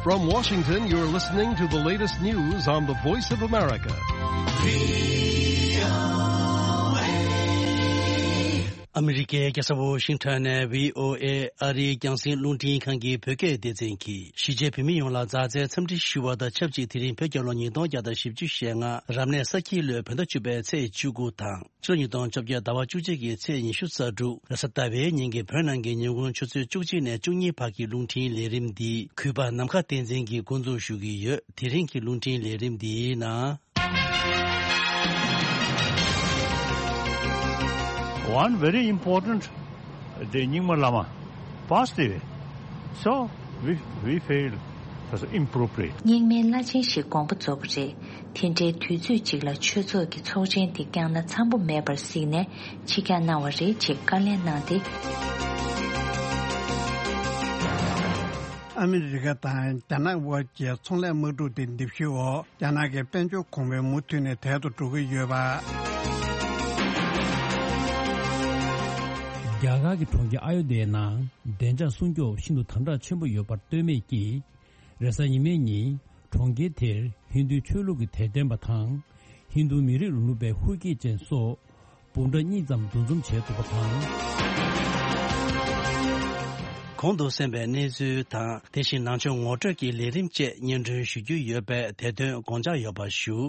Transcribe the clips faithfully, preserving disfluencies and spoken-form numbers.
From Washington, you're listening to the latest news on the Voice of America. ཨ་མི་རི་ཀའི་རྒྱལ་ས་ཝོ་ཤིང་ཊོན་ནས་བྷི་ཨོ་ཨེ་ཨ་རིའི་རྒྱང་སྲིང་རླུང་འཕྲིན་ཁང་གི་བོད་སྐད་སྡེ་ཚན་གྱིས་གཞིས་བྱེས་བོད་མི་ཡོངས་ལ་མཛའ་བརྩེའི་འཚམས་འདྲི་ཞུ་བ་དང་ཆབས་ཅིག་དེ་རིང་བོད་རྒྱལ་ལོ་ཉིས་སྟོང་བརྒྱ་དང་བཞི་བཅུ་ཞེ་ལྔ་རབ་གནས་ས་ཁྱི་ལོའི་བོད་ཟླ་བཅུ་པའི་ཚེས་བཅུ་དགུ་དང་། ཕྱི་ལོ་ཉིས་སྟོང་བཅོ་བརྒྱད་ཟླ་བ་བཅུ་གཅིག་གི་ཚེས་ཉི་ཤུ་རྩ་དྲུག་རེས་གཟའ་ཟླ་བའི་ཉིན་གྱི་བོད་ནང་གི་ཉིན་གུང་ཆུ་ཚོད་བཅུ་གཅིག་ནས་བཅུ་གཉིས་བར་གྱི་རླུང་འཕྲིན་ལས་རིམ་འདི་གུས་པ་ནམ་མཁའ་བསྟན་འཛིན་གྱིས་འགོ་འཛུགས་ཞུ་གི་ཡོད། དེ་རིང་གི་རླུང་འཕྲིན་ལས་རིམ་འདིའི་ནང་། One very important day རྙིང་མ་བླ་མ་passed away. So we we failed. That's inappropriate. རྙིང་མའི་བླ་ཆེན་ཞིག་དགོངས་པ་རྫོགས་པ་རེད། དེ་འདྲའི་དུས་ཚོད་ཅིག་ལ་ཆོས་ཚོགས་ཀྱི་ཚོགས་ཆེན་འདི་བསྐྱངས་ན་འཚམ་པོ་མེད་པར་གཟིགས་ནས་ཕྱིར་འགྱངས་གནང་བ་རེད་ཅེས་བཀའ་ལན་གནང་སྟེ། ཨ་མི་རི་ཀ་དང་རྒྱ་ནག་དབར་གྱི་ཚོང་ལས་དམག་འཁྲུག་དེ་འདེམས་ཤོག་འོག་རྒྱ་ནག་གི་དཔལ་འབྱོར་གོང་འཕེལ་མུ་མཐུད་ནས་དལ་དུ་འགྲོ་གི་ཡོད་པ། རྒྱ་གར་གྱི་གྲོང་ཁྱེར་ཨ་ཡོ་དྷྱའི་ནང་བདེ་འཇགས་སྲུང་སྐྱོབ་ཤིན་ཏུ་དམ་དྲག་ཆེན་པོ་ཡོད་པར་ལྟོས་མེད་ཀྱིས། རེས་གཟའ་ཉི་མའི་ཉིན་གྲོང་ཁྱེར་དེར་ཧིན་རྡུའི་ཆོས་ལུགས་ཀྱི་དད་ལྡན་པ་དང་། ཧིན་རྡུ་མི་རིགས་རིང་ལུགས་པའི་ཧུར་སྐྱེད་ཅན་སོགས་འབུམ་ཕྲག་གཉིས་ཙམ་འདུ་འཛོམས་བྱས་འདུག་པ་དང་། གོང་དུ་གསན་པའི་གནས་ཚུལ་དང་། དེ་བཞིན་ནང་ཆོས་ངོ་སྤྲོད་ཀྱི་ལས་རིམ་བཅས་སྙན་སྒྲོན་ཞུ་རྒྱུ་ཡོད་པས། དེ་དོན་དགོངས་འཇགས་ཡོད་པ་ཞུ།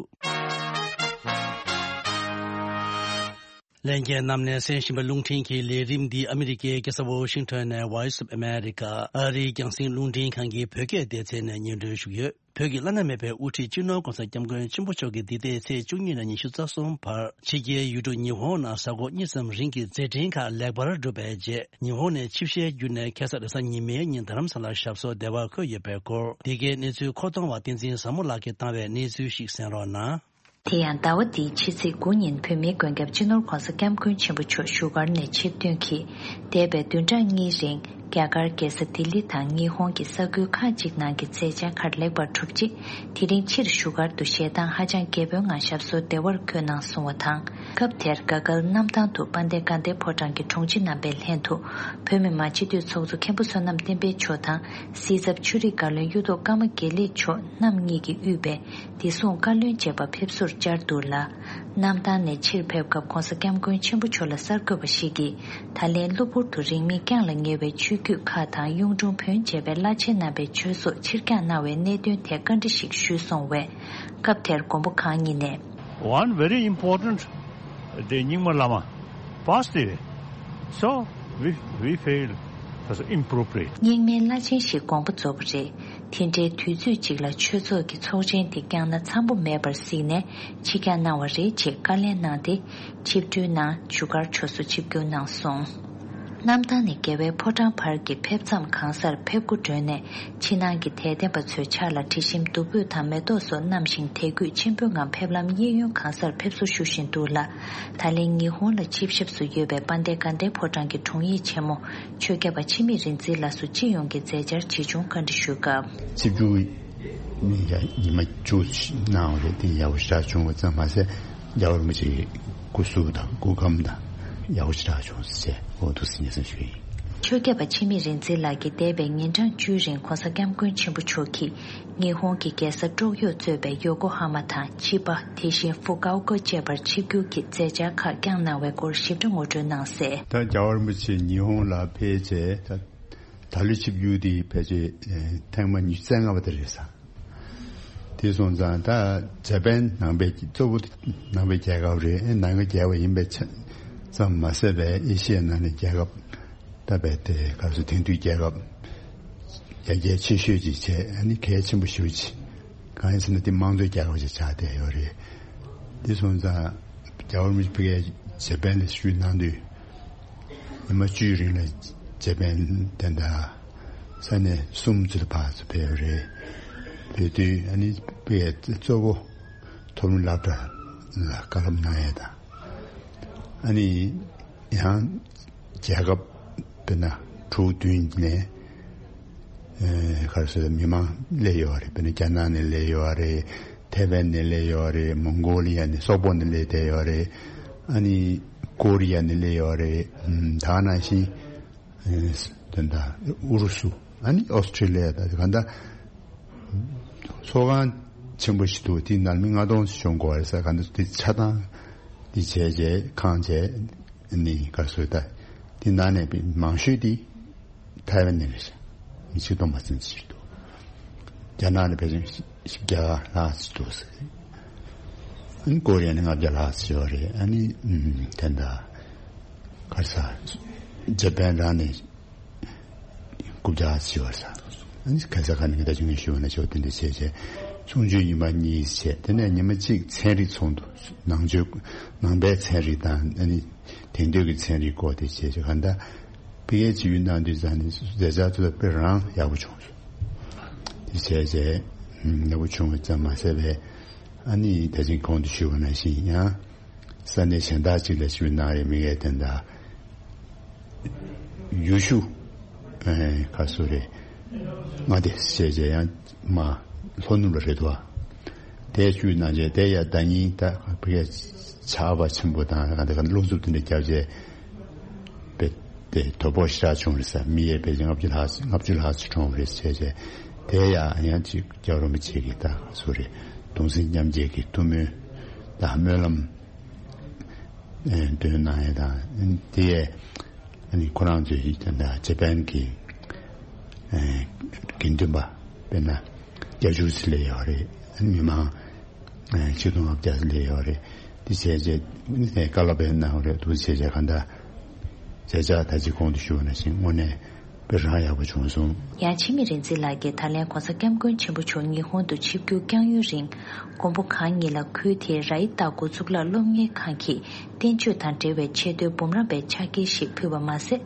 ལྷན་རྒྱས་རྣམས་ནས་གསན་བཞིན་པའི་རླུང་འཕྲིན་གྱི་ལས་རིམ་འདི་ཨ་མི་རི་ཀའི་རྒྱལ་ས་ཝོ་ཤིང་ཊོན་ནས་Voice of America ཨ་རིའི་རྒྱང་སྲིང་རླུང་འཕྲིན་ཁང་གི་བོད་སྐད་སྡེ་ཚན་ནས་སྙན་སྒྲོན་ཞུ་གི་ཡོད། བོད་ཀྱི་བླ་ན་མེད་པའི་དབུ་ཁྲིད་སྤྱི་ནོར་༸གོང་ས་༸སྐྱབས་མགོན་ཆེན་པོ་མཆོག་གིས་འདི་ཟླའི་ཚེས་བཅུ་གཉིས་ནས་ཉི་ཤུ་རྩ་གསུམ་བར་ཕྱི་རྒྱལ་ཡུལ་གྲུ་ཉི་ཧོང་ནང་གཟའ་འཁོར་གཉིས་ཙམ་རིང་གི་མཛད་འཕྲིན་ཁག་ལེགས་པར་གྲུབ་པའི་རྗེས། ཉི་ཧོང་ནས་ཆིབས་ཞལ་བརྒྱུད་ནས་ཁ་སང་རེས་གཟའ་ཉི་མའི་ཉིན་རྡ་རམ་ས་ལར་ཞབས་སོར་བདེ་བར་འཁོད་ཡོད་པའི་སྐོར། འདི་གའི་གནས་ཚུལ་མཁོ་གཏོང་བ་བསྟན་འཛིན་བཟང་མོ་ལགས་ཀྱིས་བཏང་བའི་གནས་ཚུལ་ཞིག་གསན་རོགས་གནང་། དེ་ཡང་ཟླ་བ་འདིའི་ཕྱི་ཚེས་དགུ་ཉིན་བོད་མིའི་མགོན་སྐྱབས་སྤྱི་ནོར་༸གོང་ས་༸སྐྱབས་མགོན་ཆེན་པོ་མཆོག་བཞུགས་སྒར་ནས་ཆིབས་ཐོན་གྱིས། འདས་པའི་བདུན་ཕྲག་གཉིས་རིང་རྒྱ་གར་རྒྱལ་ས་ལྡི་ལི་དང་ཉི་ཧོང་གི་ས་ཁུལ་ཁག་ཅིག་ནང་གི་མཛད་འཆར་ཁག་ལེགས་པར་གྲུབ་རྗེས། དེ་རིང་ཕྱིར་བཞུགས་སྒར་དུ་ཞལ་ཐང་ཧ་ཅང་རྒྱས་པོའི་ངང་ཞབས་སོར་བདེ་བར་འཁོད་གནང་སོང་བ་དང་། སྐབས་དེར་དགའ་སྐལ་གནམ་ཐང་དུ་དཔལ་ལྡན་དགའ་ལྡན་ཕོ་བྲང་གི་དྲུང་ཆེ་རྣམ་པའི་ལྷན་དུ། བོད་མི་མང་སྤྱི་འཐུས་ཚོགས་གཙོ་མཁན་པོ་བསོད་ནམས་བསྟན་འཕེལ་མཆོག་དང་། སྲིད་ཚབ་ཆོས་རིག་བཀའ་བློན་གཡུ་ཐོག་ཀརྨ་དགེ་ལེགས་མཆོག་རྣམ་གཉིས་ཀྱིས་དབུས་པའི་བདེ་སྲུང་བཀའ་བློན་བཅས་པ་ཕེབས་བསུར་བཅར་འདུག་ལ། གནམ་ཐང་ནས་ཕྱིར་ཕེབས་སྐབས་༸གོང་ས་༸སྐྱབས་མགོན་ཆེན་པོ་མཆོག་ལ་གསར་འགོད་པ་ཞིག་གིས། ད་ལན་གློ་བུར་དུ་རིང་མིན་བསྐྱངས་ལ་ཉེ་བའི་ཆོས་བརྒྱུད་ཁག་དང་གཡུང་དྲུང་བོན་བཅས་པའི་བླ་ཆེན་རྣམ་པའི་ཆོས་སྲོག་ཕྱིར་འགྱངས་གནང་བའི་གནད་དོན་ཐད་བཀའ་འདྲི་ཞིག་ཞུས་སོང་བས། སྐབས་དེར་མགོན་པོ་གང་ཉིད་ནས། One very important day རྙིང་མ་བླ་མ་passed away. So we we failed. That's inappropriate. རྙིང་མའི་བླ་ཆེན་ཞིག་དགོངས་པ་རྫོགས་པ་རེད། དེ་འདྲའི་དུས་ཚོད་ཅིག་ལ་ཆོས་ཚོགས་ཀྱི་ཚོགས་ཆེན་དེ་བསྐྱངས་ན་འཚམ་པོ་མེད་པར་གཟིགས་ནས་ཕྱིར་འགྱངས་གནང་བ་རེད་ཅེས་བཀའ་ལན་གནང་སྟེ། ཆིབས་འགྲུལ་ནང་བཞུགས་སྒར་ཕྱོགས་སུ་ཆིབས་བསྒྱུར་གནང་སོང་། གནམ་ཐང་ནས་རྒྱལ་བའི་ཕོ་བྲང་བར་གྱི་ཕེབས་མཚམས་གང་སར་ཕེབས་སྒོ་བསྒྲོན་ནས། ཕྱི་ནང་གི་དད་ལྡན་པ་ཚོའི་ཕྱག་ལ་དྲི་ཞིམ་བདུག་སྤོས་དང་མེ་ཏོག་སོགས་བསྣམས་ཤིང་དད་གུས་ཆེན་པོའི་ངང་ཕེབས་ལམ་གཡས་གཡོན་གང་སར་ཕེབས་བསུ་ཞུ་བཞིན་འདུག་ལ། ད་ལན་ཉི་ཧོང་ལ་ཆིབས་ཞབས་སུ་ཡོད་པའི་དཔལ་ལྡན་དགའ་ལྡན་ཕོ་བྲང་གི་དྲུང་ཡིག་ཆེན་མོ་ཆོས་སྐྱབས་པ་འཆི་མེད་རིག་འཛིན་ལགས་སུ་སྤྱི་ཡོངས་ཀྱི་མཛད་འཆར་ཇི་བྱུང་བཀའ་འདྲི་ཞུས་སྐབས། ཆིབས་བསྒྱུར་ཉི་མ་བཅུ་གནང་བ་རེད། དེ་ཡག་པོ་ཞེ་དྲག་བྱུང་བ་ཙམ་མ་ཟད། རྒྱལ་བ་རིན་པོ་ཆེའི་སྐུ་གཟུགས་དང་སྐུ་ཁམས་དང་ཡག་པོ་ཞེ་དྲག་བྱུང་ཟེར་འོ་འདུག་སེ་སྙན་སེང་ཞུས་ཡིན། ཆོས་སྐྱབས་པ་འཆི་མེད་རིག་འཛིན་ལགས་ཀྱིས་འདས་པའི་ཉིན་གྲངས་བཅུའི་རིང་༸གོང་ས་༸སྐྱབས་མགོན་ཆེན་པོ་མཆོག་གིས་ཉི་ཧོང་གི་རྒྱལ་ས་ཀྲོག་ཡོ་གཙོས་པའི་ཡོ་ཀོ་ཧ་མ་དང་ཆི་པ། དེ་བཞིན་ཧྥུ་ཀའོ་ཀོ་བཅས་པར་ཆིབས་བསྒྱུར་གྱི་མཛད་འཆར་ཁག་བསྐྱངས་གནང་བའི་སྐོར་ཞིབ་ཕྲ་ངོ་སྤྲོད་གནང་གསལ། ད་རྒྱལ་བ་རིན་པོ་ཆེ་ཉི་ཧོང་ལ་ཕེབས་རྗེས་ད་ད་ལོའི་ཆིབས་བསྒྱུར་དེ་ཕལ་ཆེར་ཐེངས་མ་ཉི་ཤུ་རྩ་ལྔ་པ་དེ་རེད་ས། དེ་སོང་ཙང་ད་ཇ་པན་ནང་པའི་གཙོ་བོ་ནང་པའི་རྒྱལ་ཁབ་རེད། ནང་པའི་རྒྱལ་ཁབ་ཡིན་པའི་ཆ་ཙམ་མ་ཟད་པའི་ཨེ་ཤི་ཡའི་ནང་ནས་རྒྱལ་ཁབ་ད་བས་དེ་ག་སོ་དེང་དུས་རྒྱལ་ཁབ་ཡར་རྒྱས་ཆེ་ཤོས་ཅིག་བྱས། ཨ་ནི་གལ་ཆེན་པོ་ཞེ་པོ་ཅིག་གང་ཡིན་ཟེར་ན་དེ་དམངས་གཙོའི་རྒྱལ་ཁབ་ཅིག་ཆགས་བསྡད་ཡོད་རེད། དེ་སོང་ཙང་རྒྱལ་བ་རིན་པོ་ཆེ་ཕ་གིར་ཇ་པན་ལ་བཞུགས་གནང་དུས། ཉི་མ་བཅུའི་རིང་ལ་ཇ་པན་དེ་འདྲ་ས་གནས་གསུམ་ཙམ་ལ་ཕར་ཚུར་ཕེབས་རེད། ཕེབས་དུས་ཨ་ནི་དཔེ་གཙོ་བོ་མཐོ་རིམ་སློབ་གྲྭ་ལ་བཀའ་སློབ་གནང་ཡས་དང་། ཨ་ནི་ཡང་རྒྱལ་ཁབ་དཔེར་ན་དྲུག་བདུན་ནས་ཨེ་ག་རེ་ཟེར་མི་མང་སླེབས་ཡོད་རེད། དཔེར་ན་རྒྱ་ནག་ནས་སླེབས་ཡོད་རེད། ཐའེ་ཝན་ནས་སླེབས་ཡོད་རེད། མོང་གོ་ལི་ཡ་ནས་སོག་པོ་ནས་སླེབས་བསྡད་ཡོད་རེད། ཨ་ནི་ཀོ་རི་ཡ་ནས་སླེབས་ཡོད་རེད། ཨམ་ད་ག་ནང་བཞིན་ཨེ་དེ་འདྲ་ཨུ་རུ་སུ། ཨ་ནི་ཨོ་སི་ཀྲི་ལི་ཡ་དང་གང་ལྟར་ ཚོགས་ཁང་ཆེན་པོ་ཞིག་འདུག་དེའི་ནང་མི་ལྔ་སྟོང་ཞིག་ཤོང་དགོས་རེད་ཟེར། ག་འདི་དེ་ཆ་ཚང་དེ་བྱས་རྗེས་ཁང་བྱས་ནི་ག་སོ་ད་དེ་ནང་ནས་མང་ཤོས་དེ་ཐའེ་ཝན་ནས་རེད་ཤག་མི་ཆིག་སྟོང་མ་ཟིན་ཅིག་འདུག་རྒྱ་ནག་ནས་ཕལ་ཆེར་བཞི་བརྒྱ་ལྷག་ཅིག་འདུག་ཟེར། ཨ་ནི་ཀོ་རི་ཡ་ནས་ལྔ་བརྒྱ་ལྷག་ཅིག་ཡོད་རེད། ཨ་ནི་ཨུམ་དེ་འདྲ་ག་རེ་ཟ། འཇར་པན་རང་ནས་དགུ་བརྒྱ་ཅིག་ཡོད་རེད་ཟ། ཨ་ནི་ག་ས་ག་ནས་ད་ཅུང་ངས་ཞུ་བ་ན་ཞུ་བ་དེ་འདྲ་བྱས་བྱས་ཆུང་ཆུང་ཉི་མ་གཉིས་བྱས། དེ་ནས་ཉི་མ་གཅིག་ཚན་རིག་ཚོགས་འདུ། ནང་ཆོས་ནང་པའི་ཚན་རིག་དང་ཨ་ནི་དེང་དུས་ཀྱི་ཚན་རིག་སྐོར་དེ་བྱས་བྱས། ག་འདྲ་ཕ་གིའི་སྤྱི་ཡུལ་ནང་དུས་ཙང་ནས་མཛད་འཆར་ཚོ་དཔེ་རང་ཡག་པོ་བྱུང་སོང་། དེ་བྱས་རྗེས་ཡག་པོ་བྱུང་བ་ཙམ་མ་ཟད་པའི་ཨ་ནི་ད་ཅིང་གོང་དུ་ཞུས་པ་ནང་བཞིན་ཡང་ས་གནས་གཞན་དག་ཅིག་ལ་ཞུས་ན་རེད། མི་ངས་དེ་འདྲ་ཡུལ་ཤུལ་ཁ་སོ་རེད། མངའ་སྡེ་བྱས་རྗེས་ཡང་མ་ལྷོ་ནུབ་ལ་རེད་དོ། དེ་བཅུའི་ནང་བཞིན་དེ་ཡ་ཟླ་ཉིན་ད་བི་ཀའི་ཆར་པ་ཆེན་པོ་དང་ག་འདི་ག་རླུང་འཚུབ་དེ་འདྲ་བརྒྱབ་རྗེས་པས་དེ་དོ་ཕོག་ཞེ་དྲག་བྱུང་རེད་ཟེར། མི་ཡས་པས་ལྔ་བཅུ་ལྷག་ལྔ་བཅུ་ལྷག་ཙམ་གྲོངས་རེད་ཟེར་བྱས། དེ་ཡ་ཡང་ཅིག་རྒྱལ་བ་རིན་པོ་ཆེ་གི་ད་སུ་རེད་གདུང་སེམས་མཉམ་སྐྱེད་ཀྱི་ཐུགས་སྨོན་དང་སྨོན་ལམ་འདོན་གནང་ཡས་དང་དེ་ཡས། ཨ་ནི་ཁོ་རང་ཚོའི་ད་ལྟ་ཇ་པན་གྱི་ཨེ་དགེ་འདུན་པ་དཔེར་ན་བརྒྱད་ཅུ་ཙམ་སླེབས་ཡོད་རེད། ཨ་ནི་མི་མང་ཨེ་ཆིག་སྟོང་ལྔ་བརྒྱ་ཙམ་སླེབས་ཡོད་རེད། དེ་བྱས་རྗེས་ཨ་ནི་དེ་བཀའ་སློབ་སྤེལ་གནང་བ་རེད་འདུག་བྱས་རྗེས་གང་ལྟར་མཛད་འཆར་ད་ཅི་གོང་དུ་ཞུས་པ་ནང་བཞིན་དངོས་གནས་དཔེ་རང་ཡག་པོ་བྱུང་སོང་། ཡང་འཆི་མེད་རིག་འཛིན་ལགས་ཀྱིས་ད་ལན་༧གོང་ས་༧སྐྱབས་མགོན་ཆེན་པོ་མཆོག་ཉི་ཧོང་དུ་ཆིབས་བསྒྱུར་བསྐྱངས་ཡུན་རིང་། མགོན་པོ་གང་ཉིད་ལ་ཁུལ་དེའི་ར་ཡི་ཏ་འགོ་ཚུགས་ལ་སློབ་གཉེར་ཁང་གི་བསྟན་བཅོས་དང་འབྲེལ་བའི་ཆེས་མཐོའི་འབུམ་རམས་པའི་ཕྱག་འཁྱེར་ཞིག་ཕུལ་བ་མ་ཟད།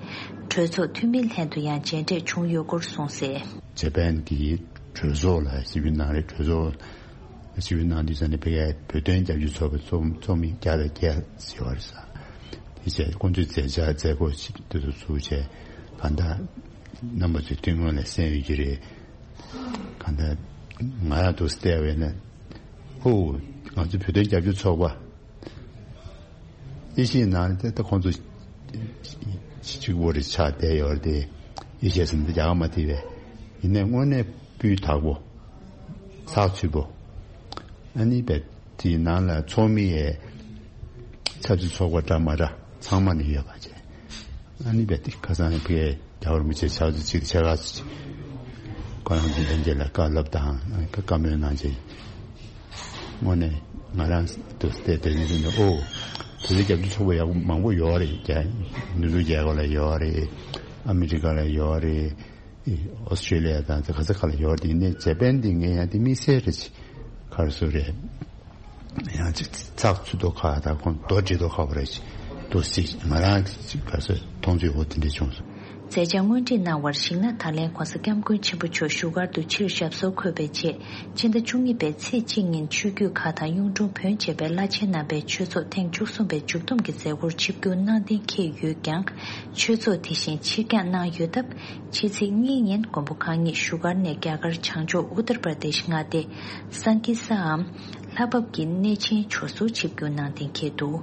གྲོས་ཚོགས་འཐུས་མིའི་ལྷན་དུ་ཡང་མཇལ་འཕྲད་བྱུང་ཡོད་སྐོར་གསུངས་གསལ། ཇ་པན་གྱི་གྲོས་ཚོགས་ལ་ཞིབ་འཇུག་གནང་རེད། གྲོས་ཚོགས་ཞིབ་འཇུག་གནང་དུས་ཙམ་ནས་ཕ་གིའི་བོད་དོན་རྒྱབ་སྐྱོར་ཚོགས་པའི་ཚོགས་མི་བརྒྱ་དང་བརྒྱད་ཟེར་བ་རེད་ས། དེ་བྱས་ཁོང་ཚོས་མཛད་འཆར་མཛད་སྒོ་ཞིག་དེ་ཚོ་ཚུགས་བྱས་གང་ལྟར་རྣམ་པ་ཚོས་ཐུགས་སྨོན་ལ་གསན་ཡོད་ཀྱི་རེད། གང་ལྟར་ང་ཡང་འདུག་བལྟས་པས་ན་ཧོ་ང་ཚོ་བོད་དོན་རྒྱབ་སྐྱོར་ཚོགས་པ་ཨེ་ཤི་ཡའི་ནང་ལ་ད་ཁོང་ཚོ་གཅིག་པོ་རེ་ཆགས་བསྡད་ཡོད་རེད་དེ། ཨེ་ཤི་ཡ་ཟེར་ན་རྒྱ་གར་མ་བལྟས་པས་ཡིན་ནའི་དངོས་གནས་སྤུས་དག་པོ་ཚགས་ཚུད་པོ་ཨ་ནི་བས། དེའི་ནང་ལ་ཚོགས་མི་ཡས་ཆབ་སྲིད་ཚོགས་པ་འདྲ་མ་འདྲ་ཚང་མ་ནས་ཡོད་པ་བྱས། ཨ་ནི་བས་དེ་ཁ་སང་ཕའི་རྒྱལ་བ་རིན་པོ་ཆེ་ཕྱག་ཚོད་གཅིག་ཕྱེད་ཀ་ཁོ་རང་གི་ལྷན་རྒྱས་ལ་བཀའ་སློབ་དང་བཀའ་མོལ་གནང་རྗེས། དངོས་གནས་ང་རང་དུ་བལྟས་བལྟས་ནས་ཨོ། དེ་ཚོ་རྒྱབ་ཀྱི་ཚོགས་པ་ཡག་པོ་མང་པོ་ཡོད་རེད། རྒྱ་ནུབ་ཕྱོགས་རྒྱལ་ཁབ་ལ་ཡོད་རེད། ཨ་མི་རི་ཀ་ལ་ཡོད་རེད། ཨོ་སི་ཀྲེ་ལི་ཡ་དང་དེ་ག་ས་ག་ལ་ཡོད་རེད། དེ་ནས་ཇ་པན་དེ་ངས་ཡང་དེ་དམིགས་བསལ་རེད་ཅིག་ག་རེ་ཟེར་རེད། ཡང་ཅིག་ཚགས་ཚུད་མདོག་ཁ་དང་ཁོང་རྡོ་འགྲིལ་མདོག་ཁ་བ་རེད་ཅིག་འདུག་སྲིད་ང་རང་ཅིག་ག་རེ་ཟེར་མཐོང་ཚུལ་འོ་དེ་འདྲས་བྱུང་སོང་། མཛད་འཆར་སྔོན་སྒྲིག་གནང་བར་གཞིགས་ན་ད་ལན་༧གོང་ས་༧སྐྱབས་མགོན་ཆེན་པོ་མཆོག་བཞུགས་སྒར་དུ་ཕྱིར་ཞབས་སོར་འཁོད་པའི་རྗེས་ཕྱི་ཟླ་བཅུ་གཉིས་པའི་ཚེས་གཅིག་ཉིན་ཆོས་བརྒྱུད་ཁག་དང་གཡུང་དྲུང་བོན་བཅས་པའི་བླ་ཆེན་རྣམ་པས་ཆོས་ཚོགས་ཐེངས་བཅུ་གསུམ་པའི་མཇུག་བསྡོམས་ཀྱི་མཛད་སྒོར་ཆིབས་བསྒྱུར་གནང་གཏན་འཁེལ་ཡོད་ཀྱང་ཆོས་ཚོགས་དེ་བཞིན་ཕྱིར་འགྱངས་གནང་ཡོད་སྟབས་ཕྱི་ཚེས་གཉིས་ཉིན་མགོན་པོ་གང་ཉིད་བཞུགས་སྒར་ནས་རྒྱ་གར་བྱང་ཕྱོགས་ཨུ་ཏར་པྲ་དེཤ་མངའ་སྡེ་སང་ཀི་སའམ་ལྷ་བབས་ཀྱི་གནས་ཆེན་ཇོ་ཟུར་ཆིབས་བསྒྱུར་གནང་གཏན་འཁེལ་འདུག་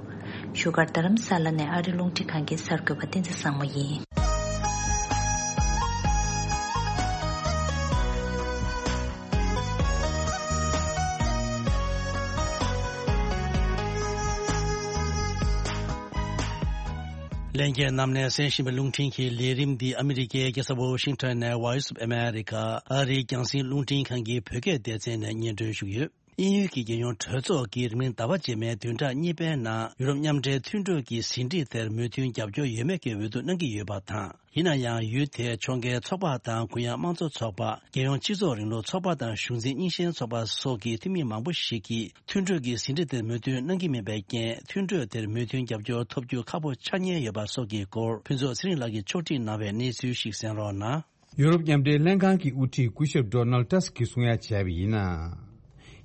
བཞུགས་སྒར་རྡ་རམ་ས་ལ་ནས་ཨ་རི་རླུང་འཕྲིན་ཁང་གི་གསར་འགོད་པ་བསྟན་འཛིན་བཟང་མོ་ཡིན། ལྷན་རྒྱས་རྣམས་ནས་གསན་བཞིན་པའི་རླུང་འཕྲིན་གྱི་ལས་རིམ་འདི་ཨ་མི་རི་ཀའི་རྒྱལ་ས་ཝོ་ཤིང་ཊོན་ནས་Voice of America ཨ་རིའི་རྒྱང་སྲིང་རླུང་འཕྲིན་ཁང་གི་བོད་སྐད་སྡེ་ཚན་ནས་སྙན་སྒྲོན་ཞུ་གི་ཡོད། དབྱིན་ཡུལ་གྱི་རྒྱལ་ཡོངས་གྲོས་ཚོགས་ཀྱིས་རིང་མིན་ཟླ་བ་རྗེས་མའི་བདུན་ཕྲག་གཉིས་པའི་ནང་ཡུ་རོབ་མཉམ་འབྲེལ་མཐུན་གྲོས་ཀྱི་ཟིན་བྲིས་དེར་མོས་མཐུན་རྒྱབ་སྐྱོར་ཡོད་མེད་སྐད་འབོད་འདུག་གནང་གི་ཡོད་པ་དང་། ཡིན་ན་ཡང་ཡུལ་དེའི་ཕྱོགས་འགལ་ཚོགས་པ་དང་གུ་ཡངས་དམངས་གཙོ་ཚོགས་པ། རྒྱལ་ཡོངས་སྤྱི་ཚོགས་རིང་ལུགས་ཚོགས་པ་དང་གཞུང་འཛིན་རྙིང་ཞེན་ཚོགས་པ་སོགས་ཀྱི་འཐུས་མི་མང་པོ་ཞིག་གིས་མཐུན་གྲོས་ཀྱི་ཟིན་བྲིས་དེར་མོས་མཐུན་གནང་གི་མེད་པའི་རྐྱེན། མཐུན་གྲོས་དེར་མོས་མཐུན་རྒྱབ་སྐྱོར་ཐོབ་རྒྱུ་ཁག་པོ་ཆགས་ཉེན་ཡོད་པ་སོགས་ཀྱི་སྐོར་ཕུན་ཚོགས་ཚེ་རིང་ལགས་ཀྱིས་ཕྱོགས་སྒྲིག་གནང་བའི་གནས་ཚུལ་ཞིག་གསན་རོགས་གནང་། ཡུ་རོབ་མཉམ་འབྲེལ་ལྷན་ཁང་གི་དབུ་ཁྲིད་སྐུ་ཞབས་ཌོ་ནལ་ཏྲས་ཀྱིས་གསུང་ཡ་བྱས་པ་ཡིན་ན།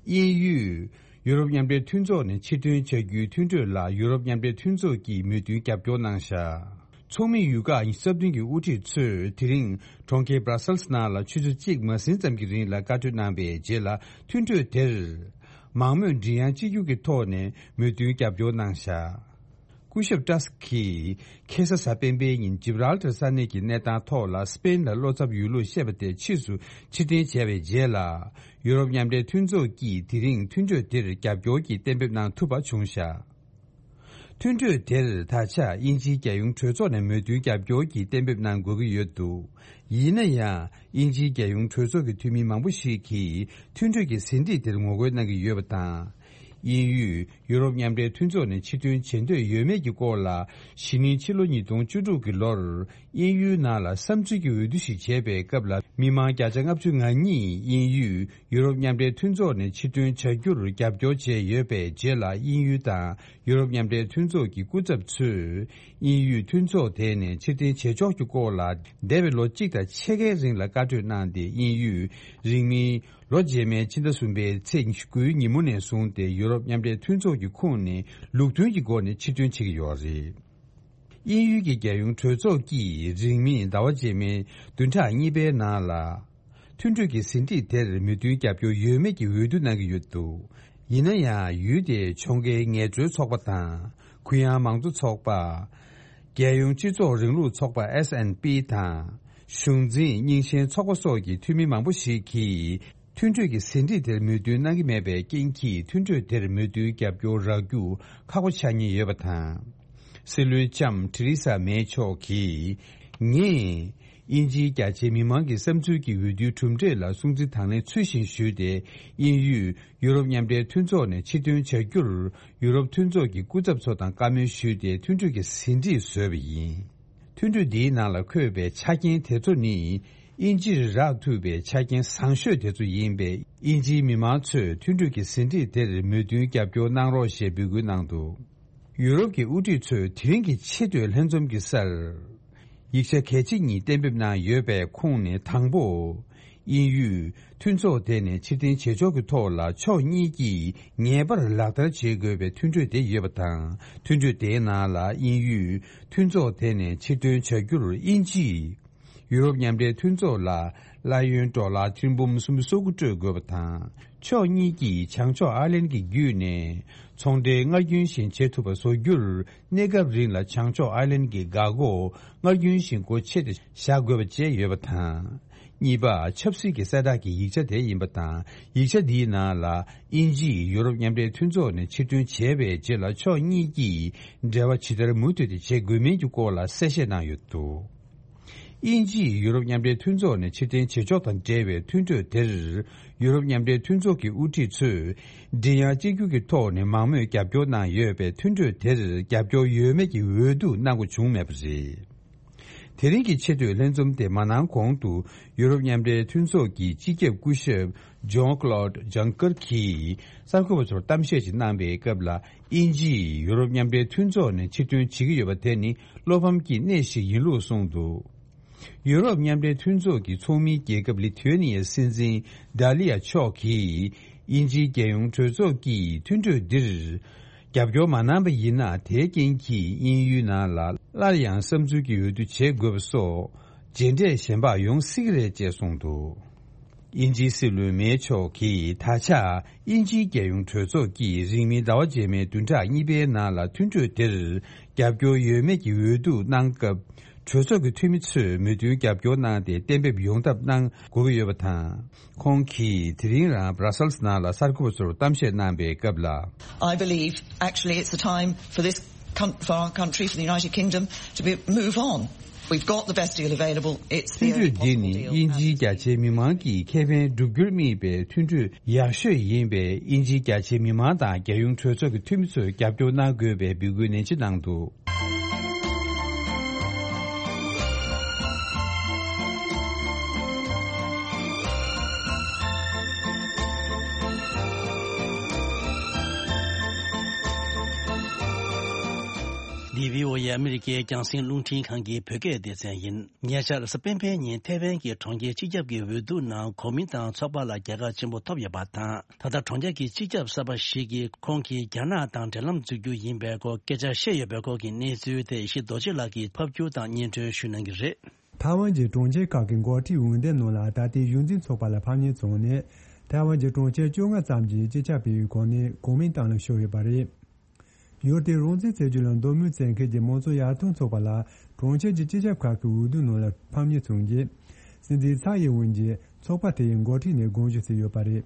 དབྱིན་ཡུལ། ཡུ་རོབ་མཉམ་འབྲེལ་མཐུན་ཚོགས་ནས་ཕྱིར་ཐོན་བྱ་རྒྱུའི་མཐུན་གྲོས་ལ་ཡུ་རོབ་མཉམ་འབྲེལ་མཐུན་ཚོགས་ཀྱིས་མོས་མཐུན་རྒྱབ་སྐྱོར་གནང་བཞག་ཚོགས་མི་ཡུལ་ཁག་ཉི་ཤུ་རྩ་བདུན་གྱི་དབུ་ཁྲིད་ཚོས་དེ་རིང་གྲོང་ཁྱེར་Brussels་ནང་ལ་ཆུ་ཚོད་གཅིག་མ་ཟིན་ཙམ་གྱི་རིང་ལ་བཀའ་འཁྲོལ་གནང་བའི་རྗེས་ལ་མཐུན་གྲོས་དེར་མང་མོས་མགྲིན་དབྱངས་གཅིག་གྱུར་གྱི་ཐོག་ནས་མོས་མཐུན་རྒྱབ་སྐྱོར་གནང་བཞག་སྐུ་ཞབས་ཏྲ་སི་གིས་ཁ་སང་གཟའ་སྤེན་པའི་ཉིན་ཇིབ་རལ་ཏར་ས་གནས་ཀྱི་གནས་སྟངས་ཐོག་ལ་སི་པེན་ལ་བློ་འཚབ་ཡོད་ལུགས་བཤད་པ་དེ་ཕྱིས་སུ་ཕྱིར་འཐེན་བྱས་པའི་རྗེས་ལ། ཡུ་རོབ་མཉམ་འབྲེལ་མཐུན་ཚོགས་ཀྱིས་དེ་རིང་མཐུན་གྲོས་དེར་རྒྱབ་སྐྱོར་གྱི་གཏན་འབེབས་གནང་ཐུབ་པ་བྱུང་བཞག་མཐུན་གྲོས་དེར་ད་ཆ་དབྱིན་ཇིའི་རྒྱལ་ཡོངས་གྲོས་ཚོགས་ནས་མོས་མཐུན་རྒྱབ་སྐྱོར་གྱི་གཏན་འབེབས་གནང་དགོས་ཀྱི་ཡོད་འདུག་ཡིན་ན་ཡང་། དབྱིན་ཇིའི་རྒྱལ་ཡོངས་གྲོས་ཚོགས་ཀྱི་འཐུས་མི་མང་པོ་ཞིག་གིས་མཐུན་གྲོས་ཀྱི་ཟིན་བྲིས་དེར་ངོ་རྒོལ་གནང་གི་ཡོད་པ་དང་། དབྱིན་ཡུལ་ཡུ་རོབ་མཉམ་འབྲེལ་མཐུན་ཚོགས་ནས་ཕྱིར་ཐོན་བྱེད་འདོད་ཡོད་མེད་ཀྱི་སྐོར་ལ། གཞེས་ནིང་ཕྱི་ལོ་ཉིས་སྟོང་བཅུ་དྲུག་གི་ལོར། དབྱིན་ཡུལ་ནང་ལ་བསམ་ཚུལ་གྱི་འོས་བསྡུ་ཞིག་བྱས་པའི་སྐབས་ལ། མི་མང་བརྒྱ་ཆ་ལྔ་བཅུ་ང་གཉིས་དབྱིན་ཡུལ་ཡུ་རོབ་མཉམ་འབྲེལ་མཐུན་ཚོགས་ནས་ཕྱིར་ཐོན་བྱ་རྒྱུར་རྒྱབ་སྐྱོར་བྱས་ཡོད་པའི་རྗེས་ལ། དབྱིན་ཡུལ་དང་ཡུ་རོབ་མཉམ་འབྲེལ་མཐུན་ཚོགས་ཀྱི་སྐུ་ཚབ་ཚོས། དབྱིན་ཡུལ་མཐུན་ཚོགས་དེ་ནས་ཕྱིར་འཐེན་བྱེད་ཕྱོགས་ཀྱི་སྐོར་ལ། འདས་པའི་ལོ་གཅིག་དང་ཕྱེད་ཀའི་རིང་ལ་བཀའ་གྲོས་གནང་སྟེ། དབྱིན་ཡུལ་རིང་མིན་ལོ་རྗེས་མའི་ཕྱི་ཟླ་གསུམ་པའི་ཚེས་ཉི་ཤུ་དགུའི་ཉིན་མོ་ནས་བཟུང་སྟེ། ཡུ་རོབ་མཉམ་འབྲེལ་མཐུན་ཚོགས་ཀྱི་ཁོངས་ནས་ལུགས་མཐུན་གྱི་སྒོ་ནས་ཕྱིར་ཐོན་བྱེད་ཀྱི་ཡོད་རེད། དབྱིན་ཡུལ་གྱི་རྒྱལ་ཡོངས་གྲོས་ཚོགས་ཀྱིས་རིང་མིན་ཟླ་བ་རྗེས་མའི་བདུན་ཕྲག་གཉིས་པའི་ནང་ལ། མཐུན་གྲོས་ཀྱི་ཟིན་བྲིས་དེར་མོས་མཐུན་རྒྱབ་སྐྱོར་ཡོད་མེད་ཀྱི་འོས་བསྡུ་གནང་གི་ཡོད་འདུག་ཡིན་ན་ཡང་། ཡུལ་དེའི་ཕྱོགས་འགལ་ངལ་རྩོལ་ཚོགས་པ་དང་། གུ་ཡངས་མང་གཙོ་ཚོགས་པ། རྒྱལ་ཡོངས་སྤྱི་ཚོགས་རིང་ལུགས་ཚོགས་པ་S N P དང་། གཞུང་འཛིན་རྙིང་ཞེན་ཚོགས་པ་སོགས་ཀྱི་འཐུས་མི་མང་པོ་ཞིག་གིས། མཐུན་གྲོས་ཀྱི་ཟིན་བྲིས་དེར་མོས་མཐུན་གནང་གི་མེད་པའི་རྐྱེན་གྱིས། མཐུན་གྲོས་དེར་མོས་མཐུན་རྒྱབ་སྐྱོར་རག་རྒྱུ་ཁག་པོ་ཆགས་ཉེན་ཡོད་པ་དང་། སྲིད་བློན་ལྕམ་ཐེ་རེ་ས་མེ་མཆོག་གིས། ངས་དབྱིན་ཇིའི་རྒྱ་ཆེའི་མི་མང་གི་བསམ་ཚུལ་གྱི་འོས་བསྡུའི་གྲུབ་འབྲས་ལ་སྲུང་བརྩི་དང་ལེན་ཚུལ་བཞིན་ཞུས་ཏེ། དབྱིན་ཡུལ་ཡུ་རོབ་མཉམ་འབྲེལ་མཐུན་ཚོགས་ནས་ཕྱིར་ཐོན་བྱ་རྒྱུར། ཡུ་རོབ་མཐུན་ཚོགས་ཀྱི་སྐུ་ཚབ་ཚོ་དང་བཀའ་མོལ་ཞུས་ཏེ། མཐུན་གྲོས་ཀྱི་ཟིན་བྲིས་བཟོས་པ་ཡིན། མཐུན་གྲོས་འདིའི་ནང་ལ་འཁོད་པའི་ཆ་རྐྱེན་དེ་ཚོ་ནི། དབྱིན་ཇིར་རག་ཐུབ་པའི་ཆ་རྐྱེན་བཟང་ཤོས་དེ་ཚོ་ཡིན་པས། དབྱིན་ཇིའི་མི་མང་ཚོས་མཐུན་གྲོས་ཀྱི་ཟིན་བྲིས་དེར་མོས་མཐུན་རྒྱབ་སྐྱོར་གནང་རོགས་ཞེས་འབོད་སྐུལ་གནང་འདུག་ཡུ་རོབ་ཀྱི་དབུ་ཁྲིད་ཚོས་དེ་རིང་གི་ཆེས་མཐོའི་ལྷན་འཛོམས་ཀྱི་སར། ཡིག་ཆ་གལ་ཆེ་གཉིས་གཏན་འབེབས་གནང་ཡོད་པའི་ཁོངས་ནས་དང་པོ། དབྱིན་ཡུལ་མཐུན་ཚོགས་དེ་ནས་ཕྱིར་འཐེན་བྱེད་ཕྱོགས་ཀྱི་ཐོག་ལ་ཕྱོགས་གཉིས་ཀྱིས་ངེས་པར་ལག་བསྟར་བྱེད་དགོས་པའི་མཐུན་གྲོས་དེ་ཡོད་པ་དང་། མཐུན་གྲོས་དེའི་ནང་ལ་དབྱིན་ཡུལ་མཐུན་ཚོགས་དེ་ནས་ཕྱིར་འཐེན་བྱ་རྒྱུར་དབྱིན་ཇིས་ཡུ་རོབ་མཉམ་འབྲེལ་མཐུན་ཚོགས་ལ་གླ་ཡོན་ཌོ་ལར་ཐེར་འབུམ་སུམ་ཅུ་སོ་དགུ་སྤྲོད་དགོས་པ་དང་། ཕྱོགས་གཉིས་ཀྱིས་བྱང་ཕྱོགས་ཨར་ལན་གྱི་བརྒྱུད་ནས་ཚོང་འབྲེལ་སྔར་རྒྱུན་བཞིན་བྱེད་ཐུབ་པ་བཟོ་རྒྱུར། གནས་སྐབས་རིང་ལ་བྱང་ཕྱོགས་ཨར་ལན་གྱི་འགག་སྒོ་སྔར་རྒྱུན་བཞིན་སྒོ་ཕྱེ་སྟེ་བཞག་དགོས་པ་བཅས་ཡོད་པ་དང་། གཉིས་པ། ཆབ་སྲིད་ཀྱི་གསལ་བསྒྲགས་ཀྱི་ཡིག་ཆ་དེ་ཡིན་པ་དང་། ཡིག་ཆ་འདིའི་ནང་ལ། དབྱིན་ཇིས་ཡུ་རོབ་མཉམ་འབྲེལ་མཐུན་ཚོགས་ནས་ཕྱིར་ཐོན་བྱས་པའི་རྗེས་ལ། ཕྱོགས་གཉིས་ཀྱིས་འབྲེལ་བ་ཇི་ལྟར་མུ་མཐུད་དེ་བྱེད་དགོས་མིན་གྱི་སྐོར་ལ་གསལ་བཤད་གནང་ཡོད་འདུག་དབྱིན་ཇིས་ཡུ་རོབ་མཉམ་འབྲེལ་མཐུན་ཚོགས་ནས་ཕྱིར་འཐེན་བྱེད་ཕྱོགས་དང་འབྲེལ་བའི་མཐུན་གྲོས་དེར། ཡུ་རོབ་མཉམ་འབྲེལ་མཐུན་ཚོགས་ཀྱི་དབུ་ཁྲིད་ཚོས། མགྲིན་དབྱངས་གཅིག་གྱུར་གྱི་ཐོག་ནས་མང་མོས་རྒྱབ་སྐྱོར་གནང་ཡོད་པས། མཐུན་གྲོས་དེར་རྒྱབ་སྐྱོར་ཡོད་མེད་ཀྱི་འོས་བསྡུ་གནང་དགོས་བྱུང་མེད་པ་རེད། དེ་རིང་གི་ཆེས་མཐོའི་ལྷན་འཛོམས་དེ་མ་གནང་གོང་དུ། ཡུ་རོབ་མཉམ་འབྲེལ་མཐུན་ཚོགས་ཀྱི་སྤྱི་ཁྱབ་སྐུ་ཞབས་ཇོན་ཀློད་ཇང་ཀར་གྱིས་གསར་འགོད་པ་ཚོར་གཏམ་བཤད་ཅིག་གནང་པའི་སྐབས་ལ། དབྱིན་ཇིས་ཡུ་རོབ་མཉམ་འབྲེལ་མཐུན་ཚོགས་ནས་ཕྱིར་ཐོན་བྱེད་ཀྱི་ཡོད་པ་དེ་ནི་བློ་ཕམ་གྱི་གནས་ཤིག་ཡིན་ལུགས་གསུངས་འདུག་ཡུ་རོབ་མཉམ་འབྲེལ་མཐུན་ཚོགས་ཀྱི་ཚོགས་མིའི་རྒྱལ་ཁབ་ལི་ཐུ་ཝེ་ནི་ཡའི་སྲིད་འཛིན་ཌ་ལི་ཡ་མཆོག་གིས། དབྱིན་ཇིའི་རྒྱལ་ཡོངས་གྲོས་ཚོགས་ཀྱིས་མཐུན་གྲོས་འདིར་རྒྱབ་སྐྱོར་མ་གནང་པ་ཡིན་ན། དེའི་རྐྱེན་གྱིས་དབྱིན་ཡུལ་ནང་ལ་སླར་ཡང་བསམ་ཚུལ་གྱི་འོས་བསྡུ་བྱེད་དགོས་པ་སོགས་རྗེས་འབྲས་གཞན་པ་ཡོང་སྲིད་ཀྱི་རེད་ཅེས་གསུངས་འདུག་དབྱིན་ཇིའི་སྲིད་བློན་མེ་མཆོག་གིས། ད་ཆ་དབྱིན་ཇིའི་རྒྱལ་ཡོངས་གྲོས་ཚོགས་ཀྱིས་རིང་མིན་ཟླ་བ་རྗེས་མའི་བདུན་ཕྲག་གཉིས་པའི་ནང་ལ་མཐུན་གྲོས་དེར་རྒྱབ་སྐྱོར་ཡོད་མེད་ཀྱི་འོས་བསྡུ་གནང་སྐབས། གྲོས་ཚོགས་ཀྱི་འཐུས་མི་ཚོས་མོས་མཐུན་རྒྱབ་སྐྱོར་གནང་སྟེ་གཏན་འབེབས་ཡོང་ཐབས་གནང་དགོས་ཀྱི་ཡོད་པ་དང་། ཁོང་གིས་དེ་རིང་རང་Brussels་ནང་ལ་གསར་འགོད་པ་ཚོར་གཏམ་བཤད་གནང་པའི་སྐབས་ལ། I believe actually it's the time for this coun- for our country, for the United Kingdom, to be, move on. We've got the best deal available. It's the only possible deal. མཐུན་གྲོས་འདི་ནི་དབྱིན་ཇིའི་རྒྱ་ཆེའི་མི་མང་གི་ཁེ་ཕན་བསྒྲུབ་རྒྱུར་དམིགས་པའི་མཐུན་གྲོས་ཡག་ཤོས་ཡིན་པས། དབྱིན་ཇིའི་རྒྱ་ཆེའི་མི་མང་དང་རྒྱལ་ཡོངས་གྲོས་ཚོགས་ཀྱི་འཐུས་མི་ཚོས་རྒྱབ་སྐྱོར་གནང་དགོས་པའི་འབོད་སྐུལ་ནན་ཆེ་གནང་འདུག་འདི་བྷི་ཨོ་ཨེ་ཨ་མི་རི་ཀའི་རྒྱང་སྲིང་རླུང་འཕྲིན་ཁང་གི་བོད་སྐད་སྡེ་ཚན་ཡིན། ཉེ་ཆར་གཟའ་སྤེན་པའི་ཉིན་ཐེ་ཝན་གྱི་གྲོང་ཁྱེར་སྤྱི་ཁྱབ་ཀྱི་འོས་བསྡུ་ནང་གོ་མིན་ཏང་ཚོགས་པ་ལ་རྒྱལ་ཁ་ཆེན་པོ་ཐོབ་ཡོད་པ་དང་། ད་ལྟ་གྲོང་ཁྱེར་གྱི་སྤྱི་ཁྱབ་གསར་པ་ཞིག་གིས་ཁོང་གིས་རྒྱ་ནག་དང་འབྲེལ་ལམ་འཛུགས་རྒྱུ་ཡིན་པའི་སྐོར་སྐད་ཆ་བཤད་ཡོད་པའི་སྐོར་གྱི་གནས་ཚུལ་དེ་ཡེ་ཤེས་རྡོ་རྗེ་ལགས་ཀྱིས་ཕབ་བསྒྱུར་དང་སྙན་སྒྲོན་ཞུ་གནང་གི་རེད། ཐའེ་ཝན་གྱི་གྲོང་ཁྱེར་ཁག་གི་འགོ་ཁྲིད་འོས་འདེམས་ནང་ལ་ད་ལྟའི་གཞུང་འཛིན་ཚོགས་པ་ལ་ཕམ་ཉེས་བྱུང་ནས། ཐའེ་ཝན་གྱི་གྲོང་ཁྱེར་བཅོ་ལྔ་ཙམ་གྱིས་སྤྱི་ཁྱབ་པའི་སྒོ་ནས་གོ་མིན་ཏང་ལ་ཞུགས་ཡོད་པ་རེད། ཡུལ་དེའི་རང་བཙན་རྩོད་རྒྱུ་ལ་འདོད་མོས་བྱེད་མཁན་གྱི་མང་གཙོ་ཡར་ཐོན་ཚོགས་པ་ལ་གྲོང་ཁྱེར་གྱི་སྤྱི་ཁྱབ་ཁག་གི་འོས་བསྡུ་ནང་ལ་ཕམ་ཉེས་བྱུང་རྗེས། སྲིད་འཛིན་ཚའེ་ཡིན་ཝེན་གྱིས་ཚོགས་པ་དེ་ཡི་འགོ་ཁྲིད་ནས་དགོངས་ཞུ་བྱས་ཡོད་པ་རེད།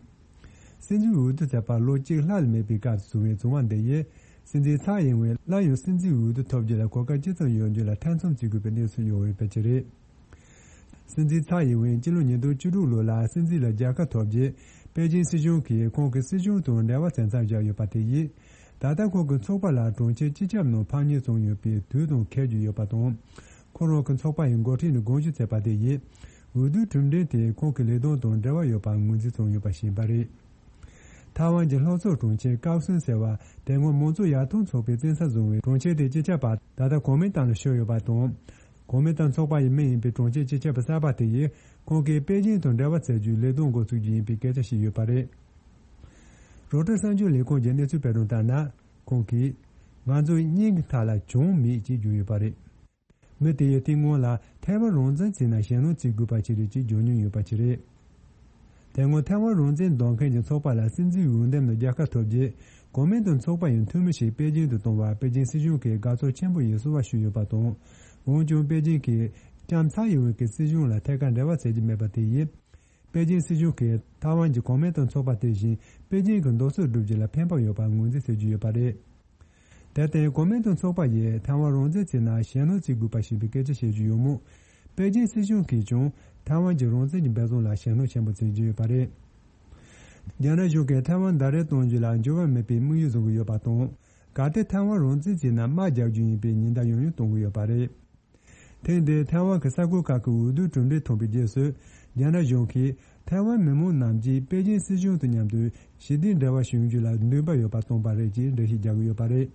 སྲིད་འཛིན་འོས་བསྡུ་བྱས་པ་ལོ་གཅིག་ལྷག་ལས་མེད་པའི་སྐབས་སུ་བྱུང་བའི་བྱུང་བ་འདི་ཡིས། སྲིད་འཛིན་ཚའེ་ཡིན་ཝེན་སླར་ཡང་སྲིད་འཛིན་འོས་བསྡུ་ཐོབ་རྒྱུ་ལ་གོ་སྐབས་ཅི་ཙམ་ཡོད་རྒྱུ་ལ་ཐེ་ཚོམ་བྱེད་དགོས་པའི་གནས་ཚུལ་ཡོང་བའི་དཔེ་ཆ་རེད། སྲིད་འཛིན་ཚའེ་ཡིན་ཝེན་སྤྱི་ལོ་ཉིས་སྟོང་བཅུ་དྲུག་ལོ་ལ་སྲིད་འཛིན་ལ་རྒྱལ་ཁ་ཐོབ་རྗེས། པེ་ཅིན་སྲིད་གཞུང་གིས་ཁོང་གི་སྲིད་གཞུང་དང་འབྲེལ་བ་བྱེད་མཚམས་བཞག་ཡོད་པ་དེ་ཡིས། ད་ལྟ་ཁོང་གི་ཚོགས་པ་ལ་གྲོང་ཁྱེར་སྤྱི་ཁྱབ་ནང་ཕམ་ཉེས་བྱུང་ཡོད་པའི་དུས་དང་འཁེལ་རྒྱུ་ཡོད་པ་དང་། ཁོ་རང་གི་ཚོགས་པ་ཡི་འགོ་ཁྲིད་ནས་དགོངས་ཞུ་བྱས་པ་དེ་ཡིས། འོས་བསྡུའི་གྲུབ་འབྲས་དེ་ཁོང་གི་ལས་དོན་དང་འབྲེལ་བ་ཡོད་པར་ངོས་འཛིན་བྱུང་ཡོད་པ་ཞིག་ཡིན་པ་རེད། ཐའེ་ཝན་གྱི་ལྷོ་ཕྱོགས་གྲོང་ཁྱེར་ཀའོ་སུན་ཟེར་བ་དེ་སྔོན་མང་གཙོ་ཡར་ཐོན་ཚོགས་པའི་བཙན་ས་བཟུང་བའི་གྲོང་ཁྱེར་དེའི་སྤྱི་ཁྱབ་པ་ད་ལྟ་གོ་མིན་ཏང་ལ་ཤོར་ཡོད་པ་དང་། གོ་མིན་ཏང་ཚོགས་པ་ཡི་མི་ཡིན་པའི་གྲོང་ཁྱེར་སྤྱི་ཁྱབ་པ་གསར་པ་དེ་ཡིས་ཁོང་གིས་པེ་ཅིན་དང་འབྲེལ་བ་བྱེད་རྒྱུའི་ལས་དོན་འགོ་ཚུགས་རྒྱུ་ཡིན་པའི་སྐད་ཆ་བཤད་ཡོད་པ་རེད། རོའི་ཊར་གསར་འགྱུར་ལས་ཁུངས་ཀྱི་གནས་ཚུལ་སྤེལ་དོན་ལྟར་ན། ཁོང་གིས། ང་ཚོ་གཉིས་ཀྱི་ཐད་ལ་གྱོང་མེད་ཅེས་བརྗོད་ཡོད་པ་རེད། མི་དེ་ཡིས་དེ་སྔོན་ལ་ཐའེ་ཝན་རང་བཙན་བྱས་ན་ཞེད་སྣང་བྱེད་དགོས་པ་ཞིག་རེད་ཅེས་བརྗོད་མྱོང་ཡོད་པ་ཞིག་རེད། དེ་སྔོན་ཐའེ་ཝན་རང་བཙན་འདོད་མཁན་གྱི་ཚོགས་པ་ལ་སྲིད་འཛིན་འོས་འདེམས་ནང་རྒྱལ་ཁ་ཐོབ་རྗེས། གོ་མིན་ཏང་ཚོགས་པ་ཡི་འཐུས་མི་ཞིག་པེ་ཅིན་དུ་གཏོང་བར་པེ་ཅིན་སྲིད་གཞུང་གིས་དགའ་ཚོར་ཆེན་པོ་ཡིས་བསུ་བ་ཞུས་ཡོད་པ་དང་། འོན་ཀྱང་པེ་ཅིན་གྱིས་ལྕམ་ཚའེ་ཡིན་ཝེན་གྱི་སྲིད་གཞུང་ལ་ཐད་ཀར་འབྲེལ་བ་བྱེད་ཀྱི་མེད་པ་དེ་ཡིས། པེ་ཅིན་སྲིད་གཞུང་གིས་ཐའེ་ཝན་གྱི་གོ་མིན་ཏང་ཚོགས་པ་དེ་བཞིན་པེ་ཅིན་གྱི་མདོ་སྲིད་བསྒྲུབ་རྒྱུ་ལ་ཕན་པ་ཡོད་པར་ངོས་འཛིན་བྱེད་ཀྱི་ཡོད་པ་རེད། དེར་བརྟེན་གོ་མིན་ཏང་ཚོགས་པ་ཡིས་ཐའེ་ཝན་རང་བཙན་བྱས་ན་ཞེད་སྣང་བྱེད་དགོས་པ་ཞིག་ཡིན་པའི་སྐད་ཆ་བཤད་ཀྱི་ཡོད་མོད། པེ་ཅིན་སྲིད་གཞུང་གིས་ཀྱང་ཐའེ་ཝན་གྱི་རང་བཙན་གྱི་འབད་བརྩོན་ལ་ཞེད་སྣང་ཆེན་པོ་བྱེད་ཀྱི་ཡོད་པ་རེད། རྒྱ་ནག་གཞུང་གིས་ཐའེ་ཝན་ཟླ་རེར་གཏོང་རྒྱུ་ལ་འགྱུར་བ་མེད་པའི་དམིགས་ཡུལ་བཟུང་གི་ཡོད་པ་དང་། གལ་ཏེ་ཐའེ་ཝན་རང་བཙན་བྱས་ན་དམག་རྒྱག་རྒྱུ་ཡིན་པའི་ཉེན་བརྡ་ཡང་ཡང་གཏོང་གི་ཡོད་པ་རེད། ཐེངས་འདིའི་ཐའེ་ཝན་གྱི་ས་ཁུལ་ཁག་གི་འོས་བསྡུའི་གྲུབ་འབྲས་ཐོན་པའི་རྗེས་སུ། རྒྱ་ནག་གཞུང་གིས་ཐའེ་ཝན་མི་མང་རྣམས་ཀྱིས་པེ་ཅིན་སྲིད་གཞུང་དང་མཉམ་དུ་ཞི་བདེའི་འབྲེལ་བ་བྱུང་རྒྱུ་ལ་འདུན་པ་ཡོད་པ་སྟོན་པ་རེད་ཅེས་འགྲེལ་བཤད་རྒྱག་གི་ཡོད་པ་རེད།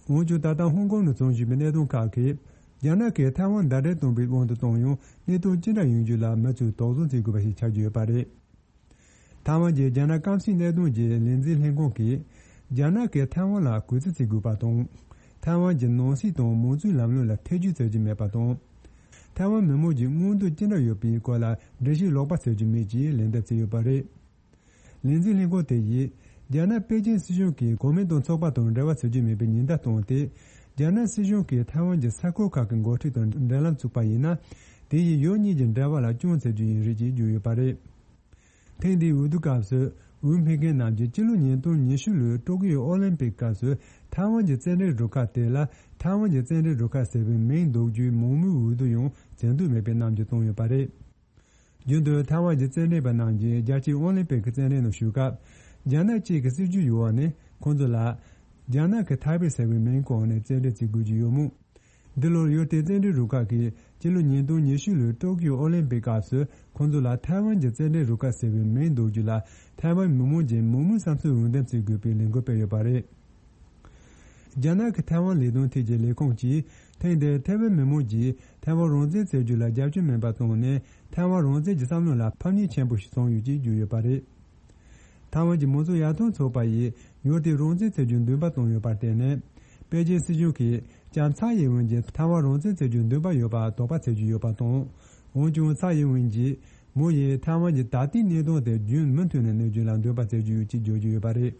འོན་ཀྱང་ད་ལྟ་ཧོང་ཀོང་ནང་འཚོགས་བཞིན་པའི་གནད་དོན་ཁག་གིས། རྒྱ་ནག་གིས་ཐའེ་ཝན་ཟླ་བྲལ་གཏོང་པའི་དབང་དུ་བཏང་ཡང་གནད་དོན་ཅི་འདྲ་ཡོང་རྒྱུ་ལ་མུ་མཐུད་དོགས་ཟོན་བྱེད་དགོས་པ་ཞིག་ཆགས་ཀྱི་ཡོད་པ་རེད། ཐའེ་ཝན་གྱི་རྒྱ་ནག་སྐམ་སའི་གནད་དོན་གྱི་ལས་འཛིན་ལྷན་ཁང་གིས། རྒྱ་ནག་གིས་ཐའེ་ཝན་ལ་གུས་བརྩི་བྱེད་དགོས་པ་དང་། ཐའེ་ཝན་གྱི་ནང་སྲིད་དང་མང་གཙོའི་ལམ་ལུགས་ལ་ཐེ་ཇུས་བྱེད་ཀྱི་མེད་པ་དང་། ཐའེ་ཝན་མི་མང་གི་མངོན་འདོད་ཅི་འདྲ་ཡོད་པའི་སྐོར་ལ་འགྲེལ་བཤད་ལོག་པ་བྱེད་རྒྱུ་མེད་ཅེས་ལན་འདེབས་བྱས་ཡོད་པ་རེད། ལས་འཛིན་ལྷན་ཁང་དེ་ཡིས། རྒྱ་ནག་པེ་ཅིན་སྲིད་གཞུང་གིས་གོ་མིན་ཏང་ཚོགས་པ་དང་འབྲེལ་བ་བྱེད་རྒྱུ་མེད་པའི་ཉེན་བརྡ་བཏང་སྟེ། རྒྱ་ནག་སྲིད་གཞུང་གིས་ཐའེ་ཝན་གྱི་ས་ཁུལ་ཁག་གི་འགོ་ཁྲིད་དང་འབྲེལ་ལམ་བཙུགས་པ་ཡིན་ན། དེ་ཡིས་ཡུལ་གཉིས་ཀྱི་འབྲེལ་བ་ལ་སྐྱོན་བྱེད་རྒྱུ་ཡིན་རེད་ཅེས་བརྗོད་ཡོད་པ་རེད། ཐེངས་འདིའི་འོས་བསྡུ་སྐབས་སུ། འོས་འཕེན་མཁན་རྣམས་ཀྱིས་སྤྱི་ལོ་ཉིས་སྟོང་ཉི་ཤུ་ལོའི་ཀྲོ་ཀི་ཡོ་ཨོ་ལིམ་པིག་སྐབས་སུ་ཐའེ་ཝན་གྱི་རྩེད་འགྲན་རུ་ཁག་དེ་ལ་ཐའེ་ཝན་གྱི་རྩེད་འགྲན་རུ་ཁག་ཟེར་བའི་མིང་འདོགས་རྒྱུའི་མང་མོས་འོས་བསྡུ་ཡང་བྱེད་འདོད་མེད་པའི་རྣམ་འགྱུར་བསྟན་ཡོད་པ་རེད། རྒྱུན་དུ་ཐའེ་ཝན་གྱི་རྩེད་འགྲན་པ་རྣམས་ཀྱིས་རྒྱལ་སྤྱིའི་ཨོ་ལིམ་པིག་གི་རྩེད་འགྲན་ནང་ཞུགས་སྐབས། རྒྱ་ནག་གཅིག་གི་སྲིད་ཇུས་ཡོད་པ་ནི་ཁོང་ཚོ་ལ། རྒྱ་ནག་གི་ཐའེ་པེ་ཟེར་བའི་མིང་བཀོད་ནས་རྩེད་འགྲན་བྱེད་དགོས་ཀྱི་ཡོད་མོད། འདི་ལོར་ཡུལ་དེའི་རྩེད་འགྲན་རུ་ཁག་གིས་སྤྱི་ལོ་ཉིས་སྟོང་ཉི་ཤུ་ལོའི་ཀྲོ་ཀི་ཡོ་ཨོ་ལིམ་པིག་སྐབས་སུ་ཁོང་ཚོ་ལ་ཐའེ་ཝན་གྱི་རྩེད་འགྲན་རུ་ཁག་ཟེར་བའི་མིང་འདོགས་རྒྱུ་ལ་ཐའེ་ཝན་མི་མང་གིས་མང་མོས་བསམ་ཚུལ་འོས་འདེམས་བྱེད་དགོས་པའི་ལས་འགུལ་སྤེལ་ཡོད་པ་རེད། རྒྱ་ནག་གི་ཐའེ་ཝན་ལས་དོན་ཐད་ཀྱི་ལས་ཁུངས་ཀྱིས་ཐེངས་འདིར་ཐའེ་ཝན་མི་མང་གིས་ཐའེ་ཝན་རང་བཙན་བྱེད་རྒྱུ་ལ་རྒྱབ་སྐྱོར་མིན་པ་བཏང་ནས་ཐའེ་ཝན་རང་བཙན་གྱི་བསམ་བློ་ལ་ཕམ་ཉེས་ཆེན་པོ་ཞིག་བྱུང་ཡོད་ཅེས་བརྗོད་ཡོད་པ་རེད། ཐའེ་ཝན་གྱི་མང་གཙོ་ཡར་ཐོན་ཚོགས་པ་ཡིས་ཡུལ་དེའི་རང་བཙན་བྱེད་རྒྱུར་འདུན་པ་བཏང་ཡོད་པར་བརྟེན་ནས། པེ་ཅིན་སྲིད་གཞུང་གིས་ལྕམ་ཚའེ་ཡིན་ཝེན་གྱིས་ཐའེ་ཝན་རང་བཙན་བྱེད་རྒྱུར་འདུན་པ་ཡོད་པར་དོགས་པ་བྱེད་ཀྱི་ཡོད་པ་དང་། འོན་ཀྱང་ཚའེ་ཡིན་ཝེན་གྱིས། མོ་ཡིས་ཐའེ་ཝན་གྱི་ད་ལྟའི་གནད་དོན་དེ་རྒྱུན་མུ་མཐུད་ནས་གནས་རྒྱུ་ལ་འདོད་པ་བྱེད་ཀྱི་ཡོད་ཅེས་བརྗོད་ཀྱི་ཡོད་པ་རེད།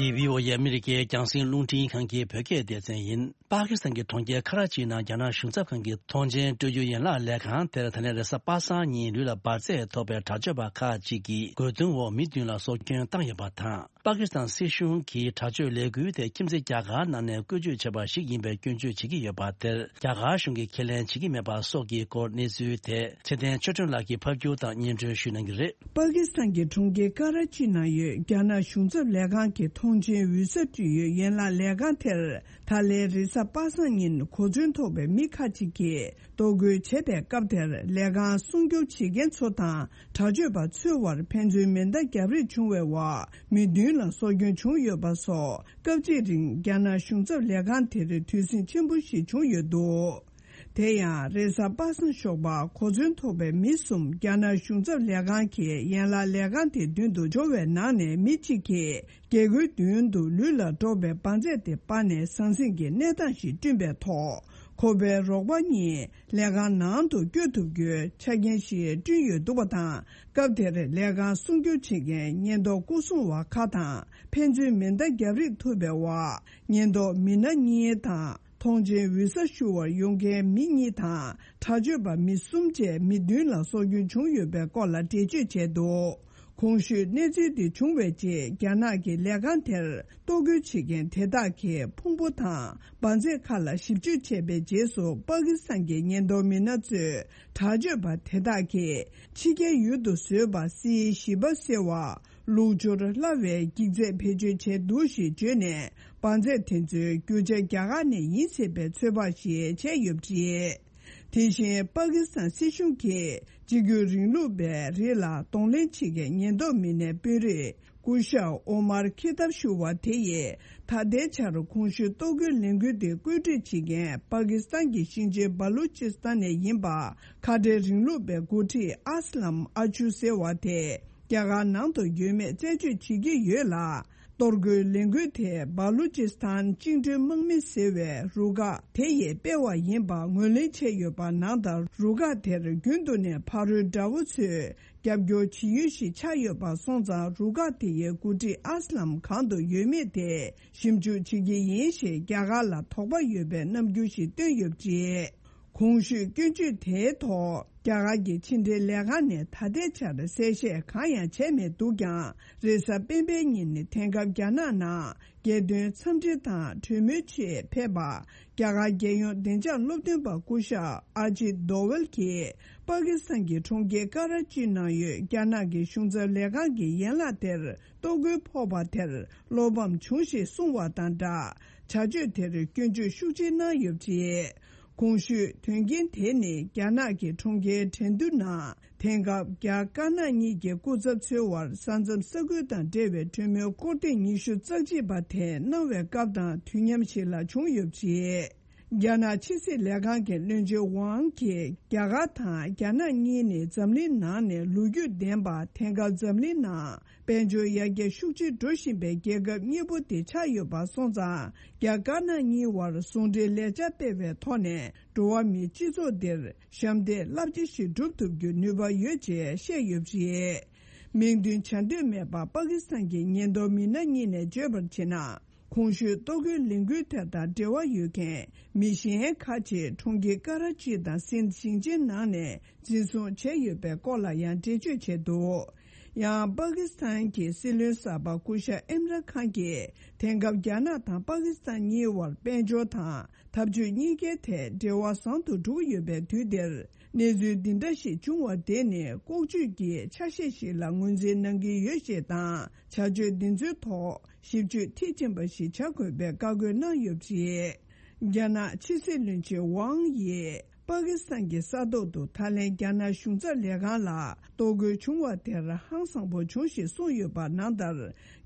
འདི་བྷི་ཨོ་ཨེ་ཨ་མི་རི་ཀའི་རྒྱང་སྲིང་རླུང་འཕྲིན་ཁང་གི་བོད་སྐད་སྡེ་ཚན་ཡིན། པ་ཀི་སི་ཐན་གྱི་གྲོང་ཁྱེར་ཁ་ར་ཅིའི་ནང་རྒྱ་ནག་གཞུང་ཚབ་ཁང་གི་ཐོངས་མཆན་སྤྲོད་རྒྱུའི་ཡན་ལག་ལས་ཁང་དེར་ད་ལན་རེས་གཟའ་པ་སངས་ཉིན་ལུས་ལ་འབར་རྫས་ཐོགས་པའི་དྲག་སྤྱོད་པ་ཁག་ཅིག་གིས་རྒོལ་རྡུང་འོག་མི་བདུན་ལ་སྲོག་སྐྱོན་བཏང་ཡོད་པ་དང་། པ་ཀི་སི་ཐན་སྲིད་གཞུང་གིས་དྲག་སྤྱོད་ལས་འགུལ་དེ་ཁྱིམ་མཚེས་རྒྱ་གར་ནང་ནས་བཀོལ་སྤྱོད་བྱས་པ་ཞིག་ཡིན་པའི་སྐྱོན་བརྗོད་བྱེད་ཀྱི་ཡོད་པ་དེར་རྒྱ་གར་གཞུང་གིས་ཁས་ལེན་བྱེད་ཀྱི་མེད་པ་སོགས་ཀྱི་སྐོར་གནས་ཚུལ་དེ་ཚེ་བརྟན་ཆོས་སྒྲོན་ལགས་ཀྱིས་ཕབ་སྒྱུར་དང་སྙན་སྒྲོན་ཞུ་གནང་གི་རེད། པ་ཀི་སི་ཐན་གྱི་གྲོང་ཁྱེར་ཀ་ར་ཅི་ནང་ཡོད་རྒྱ་ནག་གཞུང་ཚབ་ལས་ཁང་གི་ཐོངས་མཆན་འོས་གསལ་སྤྲོད་ཡུལ་ཡན་ལག་ལས་ཁང་དེར། ད་ལན་རེས་གཟའ་པ་སངས་ཉིན་གོ་མཚོན་ཐོགས་པའི་མི་ཁག་ཅིག་གིས་གཏོར་རྒོལ་བྱས་པའི་སྐབས་དེར་ལས་ཁང་སྲུང་སྐྱོབ་བྱེད་མཁན་ཚོ་དང་དྲག་སྤྱོད་པ་ཚོའི་དབར་ཕན་ཚུན་མེ་མདའ་བརྒྱབ་རེས་བྱུང་བའི་འོག་མི་བདུན་ལ་སྲོག་སྐྱོན་བྱུང་ཡོད་པ་སོགས་སྐབས་གཅིག་རིང་རྒྱ་ནག་གཞུང་ཚབ་ལས་ཁང་དེར་དུས་ཟིང་ཆེན་པོ་ཞིག་བྱུང་ཡོད་འདུག་དེ་ཡང་རེས་གཟའ་པ་སངས་ཞོགས་པ་གོ་མཚོན་ཐོགས་པའི་མི་གསུམ་རྒྱ་ནག་གཞུང་ཚབ་ལས་ཁང་གི་ཡན་ལག་ལས་ཁང་དེའི་མདུན་དུ་འབྱོར་བའི་ནང་ནས་མི་གཅིག་གིས། རྒྱལ་སྒོའི་མདུན་དུ་ལུས་ལ་འགྲོགས་པའི་འབར་རྫས་དེ་སྤར་ནས་ཟང་ཟིང་གི་གནས་སྟངས་ཤིག་བསྐྲུན་པའི་ཐོག་ ཁོ་པའི་རོགས་པ་གཉིས་ལས་ཁང་ནང་དུ་བསྐྱོད་ཐུབ་རྒྱུའི་ཆ་རྐྱེན་ཞིག་བསྐྲུན་ཡོད་འདུག་པ་དང་། སྐབས་དེར་ལས་ཁང་སྲུང་སྐྱོབ་བྱེད་མཁན་ཉེན་རྟོག་སྐུ་སྲུང་བ་ཁག་དང་། ཕན་ཚུན་མེ་མདའ་བརྒྱབ་རེས་ཐུབ་པའི་འོག་ཉེན་རྟོག་མི་སྣ་གཉིས་དང་། མཐོང་མཆན་འོད་གསལ་ཞུ་བར་ཡོང་མཁན་མི་གཉིས་དང་། དྲག་སྤྱོད་པ་མི་གསུམ་བཅས་མི་བདུན་ལ་སྲོག་སྐྱོན་བྱུང་ཡོད་པའི་སྐོར་ལ་འགྲེལ་བརྗོད་བྱས་འདུག་གོང་ཞུས་གནས་ཚུལ་འདི་བྱུང་བའི་རྗེས། རྒྱ་ནག་གི་ལས་ཁང་དེར་གཏོར་རྒོལ་བྱེད་མཁན་དེ་དག་གིས་ཕུང་པོ་དང་འབར་རྫས་ཁག་ལ་ཞིབ་དཔྱོད་བྱས་པའི་རྗེས་སུ། པ་ཀི་སི་ཐན་གྱི་ཉེན་རྟོག་མི་སྣ་ཚོས་དྲག་སྤྱོད་པ་དེ་དག་གིས་ཕྱི་རྒྱལ་ཡུལ་དུ་བཟོས་པ་སི་ཞི་བ་ཟེར་བ། ལུགས་སྦྱོར་སླ་བའི་འགྱིག་རྫས་བེད་སྤྱོད་བྱས་འདུག་ཞེས་བརྗོད་ནས། འབར་རྫས་དེ་ཚོའི་རྒྱུ་ཆ་རྒྱ་གར་ནས་ཡིན་ཟེར་བའི་ཚོད་དཔག་ཞིག་བྱས་ཡོད་པ་རེད། དེ་བཞིན། པ་ཀི་སི་ཐན་སྲིད་གཞུང་གིས་གཅིག་གྱུར་རིང་ལུགས་པའི་རིགས་ལ་གདོང་ལེན་བྱེད་མཁན་ཉེན་རྟོག་མི་སྣའི་དཔོན་རིགས་སྐུ་ཞབས་ཨོ་མར་ཁི་ཏབ་ཞུ་བ་དེ་ཡིས། ད་ལྟའི་ཆར་གོང་ཞུས་གཏོར་རྒོལ་ལས་འགུལ་དེ་བཀོད་སྒྲིག་བྱེད་མཁན་པ་ཀི་སི་ཐན་གྱི་ཞིང་ཆེན་བ་ལུ་ཅི་སི་ཐན་ནས་ཡིན་པ། ཁ་བྲལ་རིང་ལུགས་པའི་འགོ་ཁྲིད་ཨ་སི་ལམ་ཨ་ཆུ་ཟེར་བ་དེ། རྒྱ་གར་ནང་དུ་ཡོད་མེད་རྩད་གཅོད་བྱེད་ཀྱི་ཡོད་ལ། གཏོར་རྒོལ་ལས་འགུལ་དེ་བ་ལུ་ཅི་སི་ཐན་བཅིངས་འགྲོལ་དམག་མི་ཟེར་བའི་རུ་ཁག་དེ་ཡིས་སྤེལ་བ་ཡིན་པ་ངོས་ལེན་བྱས་ཡོད་པ། ནང་ལྟར་རུ་ཁག་དེར་རྒྱུན་དུ་ནས་ཕ་རོལ་དགྲ་བོ་ཚོས་རྒྱབ་སྐྱོར་བྱེད་ཡུལ་ཞིག་ཆགས་ཡོད་པ་སོང་ཙང་། རུ་ཁག་དེ་ཡི་འགོ་ཁྲིད་ཨ་སི་ལམ་གང་དུ་ཡོད་མེད་དེ་ཞིབ་འཇུག་བྱེད་ཀྱི་ཡིན་ཞེས་རྒྱ་གར་ལ་དོགས་པ་ཡོད་པའི་རྣམ་འགྱུར་ཞིག་བཏོན་ཡོད་པ་རེད། གོང་ཞུས་སྐྱོན་བརྗོད་དེའི་ཐོག་རྒྱ་གར་གྱི་ཕྱི་འབྲེལ་ལས་ཁང་ནས་ད་ལྟའི་ཆར་གསལ་བཤད་གང་ཡང་བྱས་མེད་འདུག་ཀྱང་། རེས་གཟའ་སྤེན་པའི་ཉིན་དེང་སྐབས་རྒྱ་ནག་ནང་རྒྱལ་དོན་འཚམས་འདྲི་དང་གྲོས་མོལ་ཆེད་ཕེབས་པ། རྒྱ་གར་རྒྱལ་ཡོངས་བདེ་འཇགས་སློབ་སྟོན་པ་སྐུ་ཞབས་ཨ་ཇིད་དོ་ཝལ་གྱིས། པ་ཀི་སི་ཐན་གྱི་གྲོང་ཁྱེར་ཀ་ར་ཅི་ནང་ཡོད་རྒྱ་ནག་གི་གཞུང་ཚབ་ལས་ཁང་གི་ཡན་ལག་དེར་གཏོར་རྒོལ་ཕོག་པ་དེར་བློ་ཕམ་བྱུང་ཞེས་གསུངས་བ་དང་སྦྲགས། བྱ་སྤྱོད་དེར་སྐྱོན་བརྗོད་ཤུགས་ཆེ་གནང་ཡོད་པ་རེད། གོང་ཞུས་དོན་རྐྱེན་དེ་ནི། རྒྱ་ནག་གི་གྲོང་ཁྱེར་ཁྲེང་ཏུའུ་ནང་དེང་སྐབས་རྒྱ་དཀར་ནག་གཉིས་ཀྱི་སྐུ་ཚབ་ཚོའི་དབར་ས་མཚམས་ས་ཁུལ་དང་འབྲེལ་བའི་གྲོས་མོལ་སྐོར་ཐེངས་ཉི་ཤུ་རྩ་གཅིག་པ་དེ་གནང་བའི་སྐབས་དང་དུས་མཉམ་ཞིག་ལ་བྱུང་ཡོད་པ་རེད། རྒྱ་ནག་ཕྱི་སྲིད་ལས་ཁང་གི་བློན་ཆེན་ཝང་གིས། རྒྱ་གར་དང་རྒྱ་ནག་གཉིས་ནི་འཛམ་གླིང་ནང་ནས་ལོ་རྒྱུས་ལྡན་པ། དེང་སྐབས་འཛམ་གླིང་ནང་དཔལ་འབྱོར་ཡར་རྒྱས་ཤུགས་ཆེ་འགྲོ་བཞིན་པའི་རྒྱལ་ཁབ་གཉིས་པོ་དེ་ཆགས་ཡོད་པ་སོང་ཙང་། རྒྱ་དཀར་ནག་གཉིས་དབར་ཟུང་འབྲེལ་ལས་འཆར་སྤེལ་བའི་ཐོག་ནས། འགྲོ་བ་མིའི་སྤྱི་ཚོགས་འདིར་ཞབས་འདེགས་རླབས་ཆེ་ཞིག་སྒྲུབ་ཐུབ་རྒྱུའི་ནུས་པ་ཡོད་ཅེས་བཤད་ཡོད་པ་རེད། མིང་འདོན་བྱ་འདོད་མེད་པ། པ་ཀི་སི་ཐན་གྱི་ཉེན་རྟོག་མི་སྣ་གཉིས་ནས་བརྗོད་པར་བྱས་ན། གོང་ཞུས་གཏོར་རྒོལ་ལས་འགུལ་དེ་དང་འབྲེལ་བ་ཡོད་མཁན་མི་གཞན་ཁག་ཅིག་གྲོང་ཁྱེར་ཀ་ར་ཅི་དང་སིན་ཞིང་ཆེན་ནང་ནས་འཛིན་བཟུང་བྱས་ཡོད་པའི་སྐོར་ལ་ཡང་འགྲེལ་བརྗོད་བྱས་འདུག་ཡང་པ་ཀི་སི་ཐན་གྱི་སྲིད་བློན་གསར་པ་སྐུ་ཞབས་ཨིམ་རན་ཁཱན་གྱིས། དེང་སྐབས་རྒྱ་ནག་དང་པ་ཀི་སི་ཐན་གཉིས་དབར་དཔལ་འབྱོར་དང་འཐབ་ཇུས་གཉིས་ཀའི་ཐད་འབྲེལ་བ་བཟང་དུ་འགྲོ་གི་ཡོད་པའི་དུས་འདིར། གནས་ཚུལ་འདི་འདྲ་ཞིག་བྱུང་བ་དེ་ནི་ལྐོག་ཇུས་ཀྱི་ཆ་ཤས་ཤིག་ལ་ངོས་འཛིན་གནང་གི་ཡོད་ཞེས་དང་། བྱ་སྤྱོད་འདི་ཚོའི་ཐོག་ཞིབ་དཔྱོད་མཐིལ་ཕྱིན་པ་ཞིག་བྱ་དགོས་པའི་བཀའ་བཀོད་གནང་ཡོད་པ་རེད། རྒྱ་ནག་ཕྱི་སྲིད་བློན་ཆེན་ཝང་ཡིས་པ་ཀི་སི་ཐན་གྱི་ས་ཐོག་ཏུ་ད་ལན་རྒྱ་ནག་གཞུང་ཚབ་ལས་ཁང་ལ་གཏོར་རྒོལ་བྱུང་བ་དེར་ཧང་སངས་པོ་བྱུང་ཞེས་གསུངས་ཡོད་པ། ནང་ལྟར་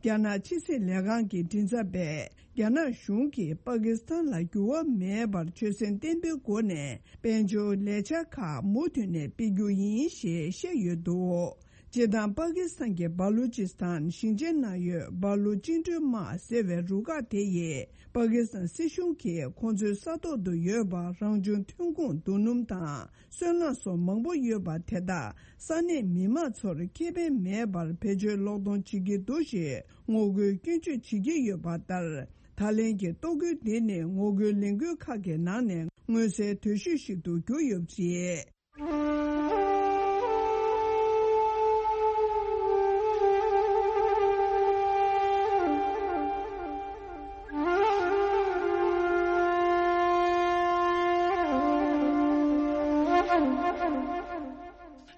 རྒྱ་ནག་ཕྱི་སྲིད་ལས་ཁང་གི་མགྲིན་ཚབ་པས། རྒྱ་ནག་གཞུང་གིས་པ་ཀི་སི་ཐན་ལ་འགྱུར་བ་མེད་པར་ཆོད་སེམས་བརྟན་པོའི་སྒོ་ནས་དཔལ་འབྱོར་ལས་འཆར་ཁག་མུ་མཐུད་ནས་སྤེལ་རྒྱུ་ཡིན་ཞེས་བཤད་ཡོད་འདུག་སྤྱིར་བཏང་པ་ཀི་སི་ཐན་གྱི་བ་ལུ་ཅི་སི་ཐན་ཞིང་ཆེན་ནང་ཡོད་བ་ལུ་བཅིངས་འགྲོལ་དམག་ཟེར་བའི་རུ་ཁག་དེ་ཡིས། པ་ཀི་སི་ཐན་སྲིད་གཞུང་གིས་ཁོང་ཚོའི་ས་ཐོག་ཏུ་ཡོད་པ་རང་བྱུང་ཐོན་ཁུངས་རྡོ་སྣུམ་དང་། སོལ་རླངས་སོགས་མང་པོ་ཡོད་པ་དེ་དག་ས་གནས་མི་མང་ཚོར་ཁེ་ཕན་མེད་པར་བེད་སྤྱོད་ལོག་གཏོང་བྱེད་ཀྱི་འདུག་ཞེས་ངོ་རྒོལ་སྐྱོན་བརྗོད་བྱེད་ཀྱི་ཡོད་པ་ལྟར། ད་ལན་གྱི་གཏོར་རྒོལ་འདི་ནི་ངོ་རྒོལ་ལས་འགུལ་ཁག་གི་ནང་ནས་མངོན་གསལ་དོད་ཤོས་ཤིག་ཏུ་གྱུར་ཡོད་པ་རེད།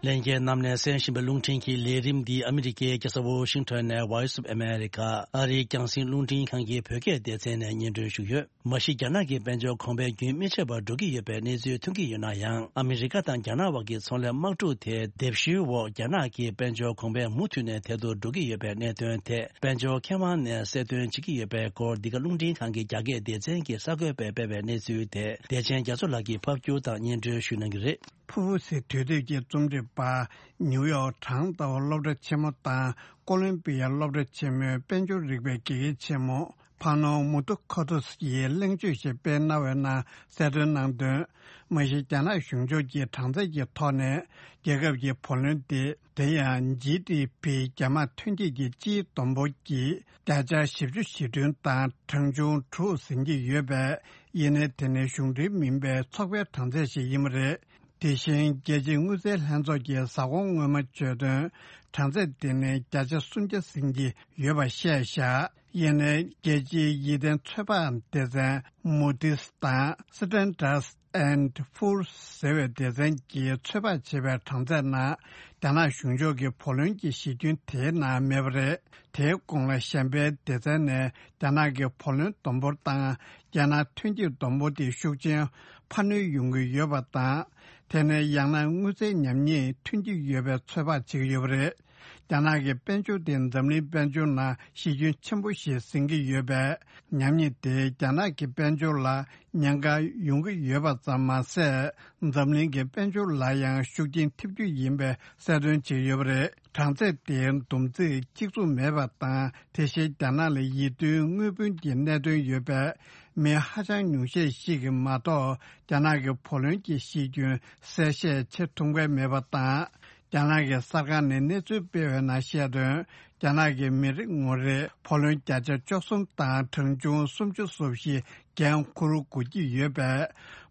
ལྷན་རྒྱས་རྣམས་ནས་གསན་བཞིན་པའི་རླུང་འཕྲིན་གྱི་ལས་རིམ་འདི་ཨ་མི་རི་ཀའི་རྒྱལ་ས་ཝོ་ཤིང་ཊོན་ནས་Voice of America ཨ་རིའི་རྒྱང་སྲིང་རླུང་འཕྲིན་ཁང་གི་བོད་སྐད་སྡེ་ཚན་ནས་སྙན་སྒྲོན་ཞུས་ཡོད། མ་གཞི་རྒྱ་ནག་གི་དཔལ་འབྱོར་གོང་འཕེལ་རྒྱུན་མི་ཆད་པར་འགྲོ་གི་ཡོད་པའི་གནས་ཚུལ་ཐོན་གྱི་ཡོད་ན་ཡང་། ཨ་མི་རི་ཀ་དང་རྒྱ་ནག་དབར་གྱི་ཚོང་ལས་དམག་འཁྲུག་དེ་སྡེབ་ཞུའི་འོག་རྒྱ་ནག་གི་དཔལ་འབྱོར་གོང་འཕེལ་མུ་མཐུད་ནས་དལ་དུ་འགྲོ་གི་ཡོད་པའི་གནད་དོན་ཐད་དཔལ་འབྱོར་མཁས་དབང་ནས་གསལ་སྟོན་བྱེད་ཀྱི་ཡོད་པའི་སྐོར། འདི་ག་རླུང་འཕྲིན་ཁང་གི་རྒྱ་སྐད་སྡེ་ཚན་གྱི་གསར་འགོད་པས་སྤེལ་བའི་གནས་ཚུལ་དེ་བདེ་ཆེན་རྒྱ་མཚོ་ལགས་ཀྱིས་ཕབ་སྒྱུར་དང་སྙན་སྒྲོན་ཞུ་གནང་གི་རེད། ཕུ་བོ་ཟེར་དུས་དེབ་ཀྱི་རྩོམ་སྒྲིག་པ། ནིའུ་ཡོག་གྲངས་ལྟ་བ་སློབ་གྲྭ་ཆེན་མོ་དང་ཀོ་ལོམ་བི་ཡ་སློབ་གྲྭ་ཆེན་མོའི་དཔལ་འབྱོར་རིག་པའི་དགེ་རྒན་ཆེན་མོ། ཕ་ནོ་མུ་ཏུ་ཁོ་ཏུས་ཀྱིས་གླེང་བརྗོད་ཞིག་སྤེལ་གནང་བའི་ནང་གསལ་སྟོན་གནང་དོན། མ་གཞི་རྒྱ་ནག་གཞུང་ཕྱོགས་ཀྱི་གྲངས་ཚད་ཀྱི་ཐོག་ནས་རྒྱལ་ཁབ་ཀྱི་བུ་ལོན་དེ། དེ་ཡང་ཇི་ཌི་པི་རྒྱ་དམག་ཐོན་སྐྱེད་ཀྱི་སྤྱིའི་བསྡོམས་འབོར་གྱི་བརྒྱ་ཆ་བཞི་བཅུ་ཞེ་བདུན་དང་གྲངས་ཆུང་དྲུག་ཟིན་གྱི་ཡོད་པས། ཡིན་ནའི་དེ་ནི་གཞུང་འབྲེལ་མིན་པའི་ཚོགས་པའི་གྲངས་ཚད་ཞིག་ཡིན་པ་རེད། དེ་བཞིན་རྒྱལ་སྤྱིའི་དངུལ་རྩའི་ལྷན་ཚོགས་ཀྱི་གཟའ་འཁོར་སྔོན་མ་བརྗོད་དོན། གྲངས་ཚད་དེ་ནི་བརྒྱ་ཆ་སུམ་བརྒྱ་ཟིན་གྱི་ཡོད་པ་བཤད་བཞག་ཡིན་ནའི་རྒྱལ་སྤྱིའི་ཡིད་བརྟན་ཚོད་དཔག་སྡེ་ཚན་Moody's་དང་Standard and Poor's་ཟེར་བའི་སྡེ་ཚན་གྱིས་ཚོད་དཔག་བྱས་པའི་གྲངས་ཚད་ནང་། རྒྱ་ནག་གཞུང་ཕྱོགས་ཀྱི་བུ་ལོན་གྱི་གཞི་ཁྱོན་དེའི་ནང་མེད་པ་རེད། དེའི་གོང་ལ་གཞན་པའི་སྡེ་ཚན་ནས་རྒྱ་ནག་གི་བུ་ལོན་བསྡོམས་འབོར་དང་། རྒྱལ་ནང་ཐོན་སྐྱེད་བསྡོམས་འབོར་དེ་ཤུགས་ཆེན་འཕར་སྣོན་ཡོང་གི་ཡོད་པ་དང་། དེ་ནས་ཡང་ན་དངུལ་རྩའི་ཉམས་ཉེས་ཐོན་གྱི་ཡོད་པའི་ཚོད་དཔག་བྱེད་ཀྱི་ཡོད་པ་རེད། རྒྱ་ནག་གི་དཔལ་འབྱོར་དེ་འཛམ་གླིང་དཔལ་འབྱོར་ནང་གཞི་ཁྱོན་ཆེན་པོ་ཞིག་ཟིན་གྱི་ཡོད་པས། ཉམས་ཉེས་དེ་རྒྱ་ནག་གི་དཔལ་འབྱོར་ལ་ཉེན་ཁ་ཡོང་གི་ཡོད་པ་ཙམ་མ་ཟད། འཛམ་གླིང་གི་དཔལ་འབྱོར་ལ་ཡང་ཤུགས་རྐྱེན་ཐེབས་རྒྱུ་ཡིན་པའི་གསལ་སྟོན་བྱས་ཡོད་པ་རེད། གྲངས་ཚད་དེའི་བསྡོམས་རྩིས་གཅིག་མཚུངས་མེད་པ་དང་། དེ་བཞིན་རྒྱ་ནག་ལ་ཡིད་རྟོན་དངུལ་བུན་གྱི་གནད་དོན་ཡོད་པས། མི་ཧ་ཅང་ཉུང་ཤས་ཤིག་གིས་མ་གཏོགས་རྒྱ་ནག་གི་བུ་ལོན་གྱི་གཞི་ཁྱོན་གསལ་བཤད་བྱེད་ཐུབ་མཁན་མེད་པ་དང་། རྒྱ་ནག་གི་གསར་ཁང་ནས་གནས་ཚུལ་སྤེལ་བའི་ནང་བཤད་དོན། རྒྱ་ནག་གི་མི་རེ་ངོ་རེར་བུ་ལོན་བརྒྱ་ཆ་བཅུ་གསུམ་དང་གྲངས་ཆུང་སུམ་ཅུ་སོ་བཞི་འགན་འཁུར་དགོས་ཀྱི་ཡོད་པས།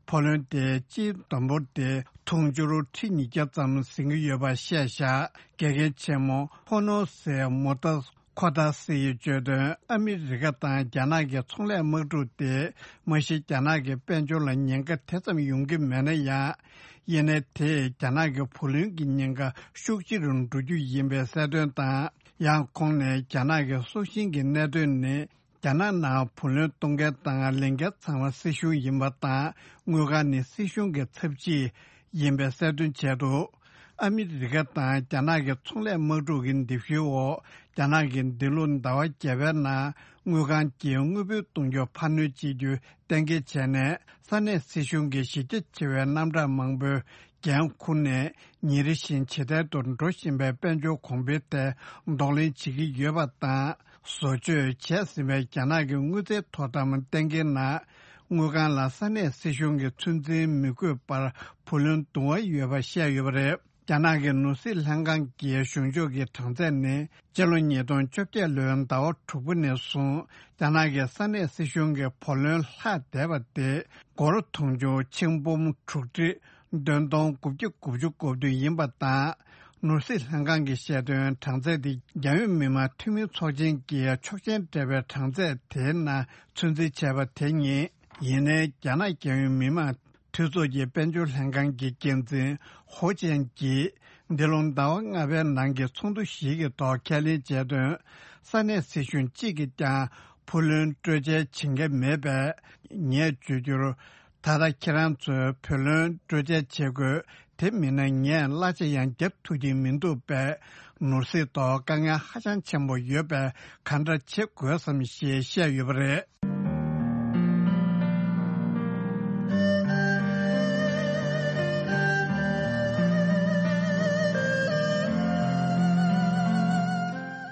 བུ་ལོན་དེའི་སྤྱིའི་བསྡོམས་འབོར་དེ་དུང་ཕྱུར་ཁྲི་ཉིས་བརྒྱ་ཙམ་ཟིན་གྱི་ཡོད་པ་བཤད་བཞག་དགེ་རྒན་ཆེན་མོ་ཧོ་ནོ་སེ་མོ་ཏཱ་ཁོ་ཏཱ་སི་ཡིས་བརྗོད་དོན། ཨ་མི་རི་ཀ་དང་རྒྱ་ནག་གི་ཚོང་ལས་དམག་འཁྲུག་དེ་མ་གཞི་རྒྱ་ནག་གི་དཔལ་འབྱོར་ལ་ཉེན་ཁ་དེ་ཙམ་ཡོང་གི་མེད་ན་ཡང་། ཡིན་ནའི་དེས་རྒྱ་ནག་གི་བུ་ལོན་གྱི་ཉེན་ཁ་ཤུགས་ཆེ་རུ་འགྲོ་རྒྱུ་ཡིན་པའི་གསལ་སྟོན་དང་། ཡང་ཁོང་ནས་རྒྱ་ནག་གི་སྲོག་ཤིང་གི་གནད་དོན་ནི། རྒྱ་ནག་ནང་བུ་ལོན་གཏོང་མཁན་དང་ལེན་མཁན་ཚང་མ་སྲིད་གཞུང་ཡིན་པ་དང་། དངུལ་ཁང་ནི་སྲིད་གཞུང་གི་ཚབ་བྱེད་ཡིན་པའི་གསལ་སྟོན་བྱས་འདུག་ཨ་མི་རི་ཀ་དང་རྒྱ་ནག་གི་ཚོང་ལས་དམག་འཁྲུག་གི་འདེབས་གཤིས་འོག་རྒྱ་ནག་གིས་འདི་ལོ་ཟླ་བ་བརྒྱད་པའི་ནང་དངུལ་ཁང་གིས་དངུལ་བུན་གཏོང་རྒྱུ་འཕར་སྣོན་བྱེད་རྒྱུ་གཏན་འཁེལ་བྱས་ནས། ས་གནས་སྲིད་གཞུང་གི་གཞི་རྒྱ་ཆེ་བའི་རྣམ་གྲངས་མང་པོའི་འགན་འཁུར་ནས། ཉིན་རེ་བཞིན་ཇེ་བརྟན་དུ་འགྲོ་བཞིན་པའི་དཔལ་འབྱོར་གོང་འཕེལ་ཐད་གདོང་ལེན་བྱེད་ཀྱི་ཡོད་པ་དང་། བཟོ་བཅོས་བྱས་ཟིན་པའི་རྒྱ་ནག་གི་དངུལ་རྩའི་དོ་དམ་གཏན་འཁེལ་ནང་། དངུལ་ཁང་ལ་ས་གནས་སྲིད་གཞུང་གི་ཚོད་འཛིན་མི་དགོས་པར་བུ་ལོན་བསྡུ་བ་ཡོད་པ་བཤད་ཡོད་པ་རེད། རྒྱ་ནག་གི་ནོར་སྲིད་ལྷན་ཁང་གི་གཞུང་ཕྱོགས་ཀྱི་གྲངས་ཚད་ནི། སྤྱི་ལོ་ཉིས་སྟོང་བཅོ་བརྒྱད་ལོའི་ཟླ་བ་དྲུག་པ་ནས་བཟུང་རྒྱ་ནག་གི་ས་གནས་སྲིད་གཞུང་གི་བུ་ལོན་ལྷག་བསྡད་པ་དེ། སྒོར་དུང་ཕྱུར་ཆིག་འབུམ་དྲུག་ཁྲི་བདུན་སྟོང་དགུ་བརྒྱ་དགུ་བཅུ་གོ་བདུན་ཡིན་པ་དང་། ནོར་སྲིད་ལྷན་ཁང་གིས་བཤད་དོན། གྲངས་ཚད་དེ་རྒྱལ་ཡོངས་མི་དམངས་འཐུས་མི་ཚོགས་ཆེན་གྱིས་ཆོག་མཆན་སྤྲད་པའི་གྲངས་ཚད་དེའི་ནང་ཚོད་འཛིན་བྱས་པ་དེ་ཉིད། ཡིན་ནའི་རྒྱ་ནག་རྒྱལ་ཡོངས་མི་དམངས་འཐུས་ཚོགས་ཀྱི་དཔལ་འབྱོར་ལྷན་ཁང་གི་འགན་འཛིན་ཧོ་ཅན་གྱིས། འདི་ལོ་ཟླ་བ་ལྔ་པའི་ནང་གི་ཚོགས་འདུ་ཞིག་གི་ཐོག་ཁས་ལེན་བྱས་དོན། ས་གནས་སྲིད་གཞུང་གཅིག་གིས་ཀྱང་བུ་ལོན་སྤྲོད་འཇལ་བྱེད་མཁན་མེད་པས། ངས་བརྗོད་རྒྱུར། ད་ལྟ་ཁྱེད་རང་ཚོས་བུ་ལོན་སྤྲོད་འཇལ་བྱེད་དགོས། དེ་མིན་ན་ངས་གླ་ཆ་ཡང་བརྒྱབ་ཐུབ་ཀྱི་མི་འདུག་པས། ནོར་སྲིད་ཐོག་དཀའ་ངལ་ཧ་ཅང་ཆེན་པོ་ཡོད་པས། ག་འདྲ་བྱེད་དགོས་སམ་ཞེས་བཤད་ཡོད་པ་རེད།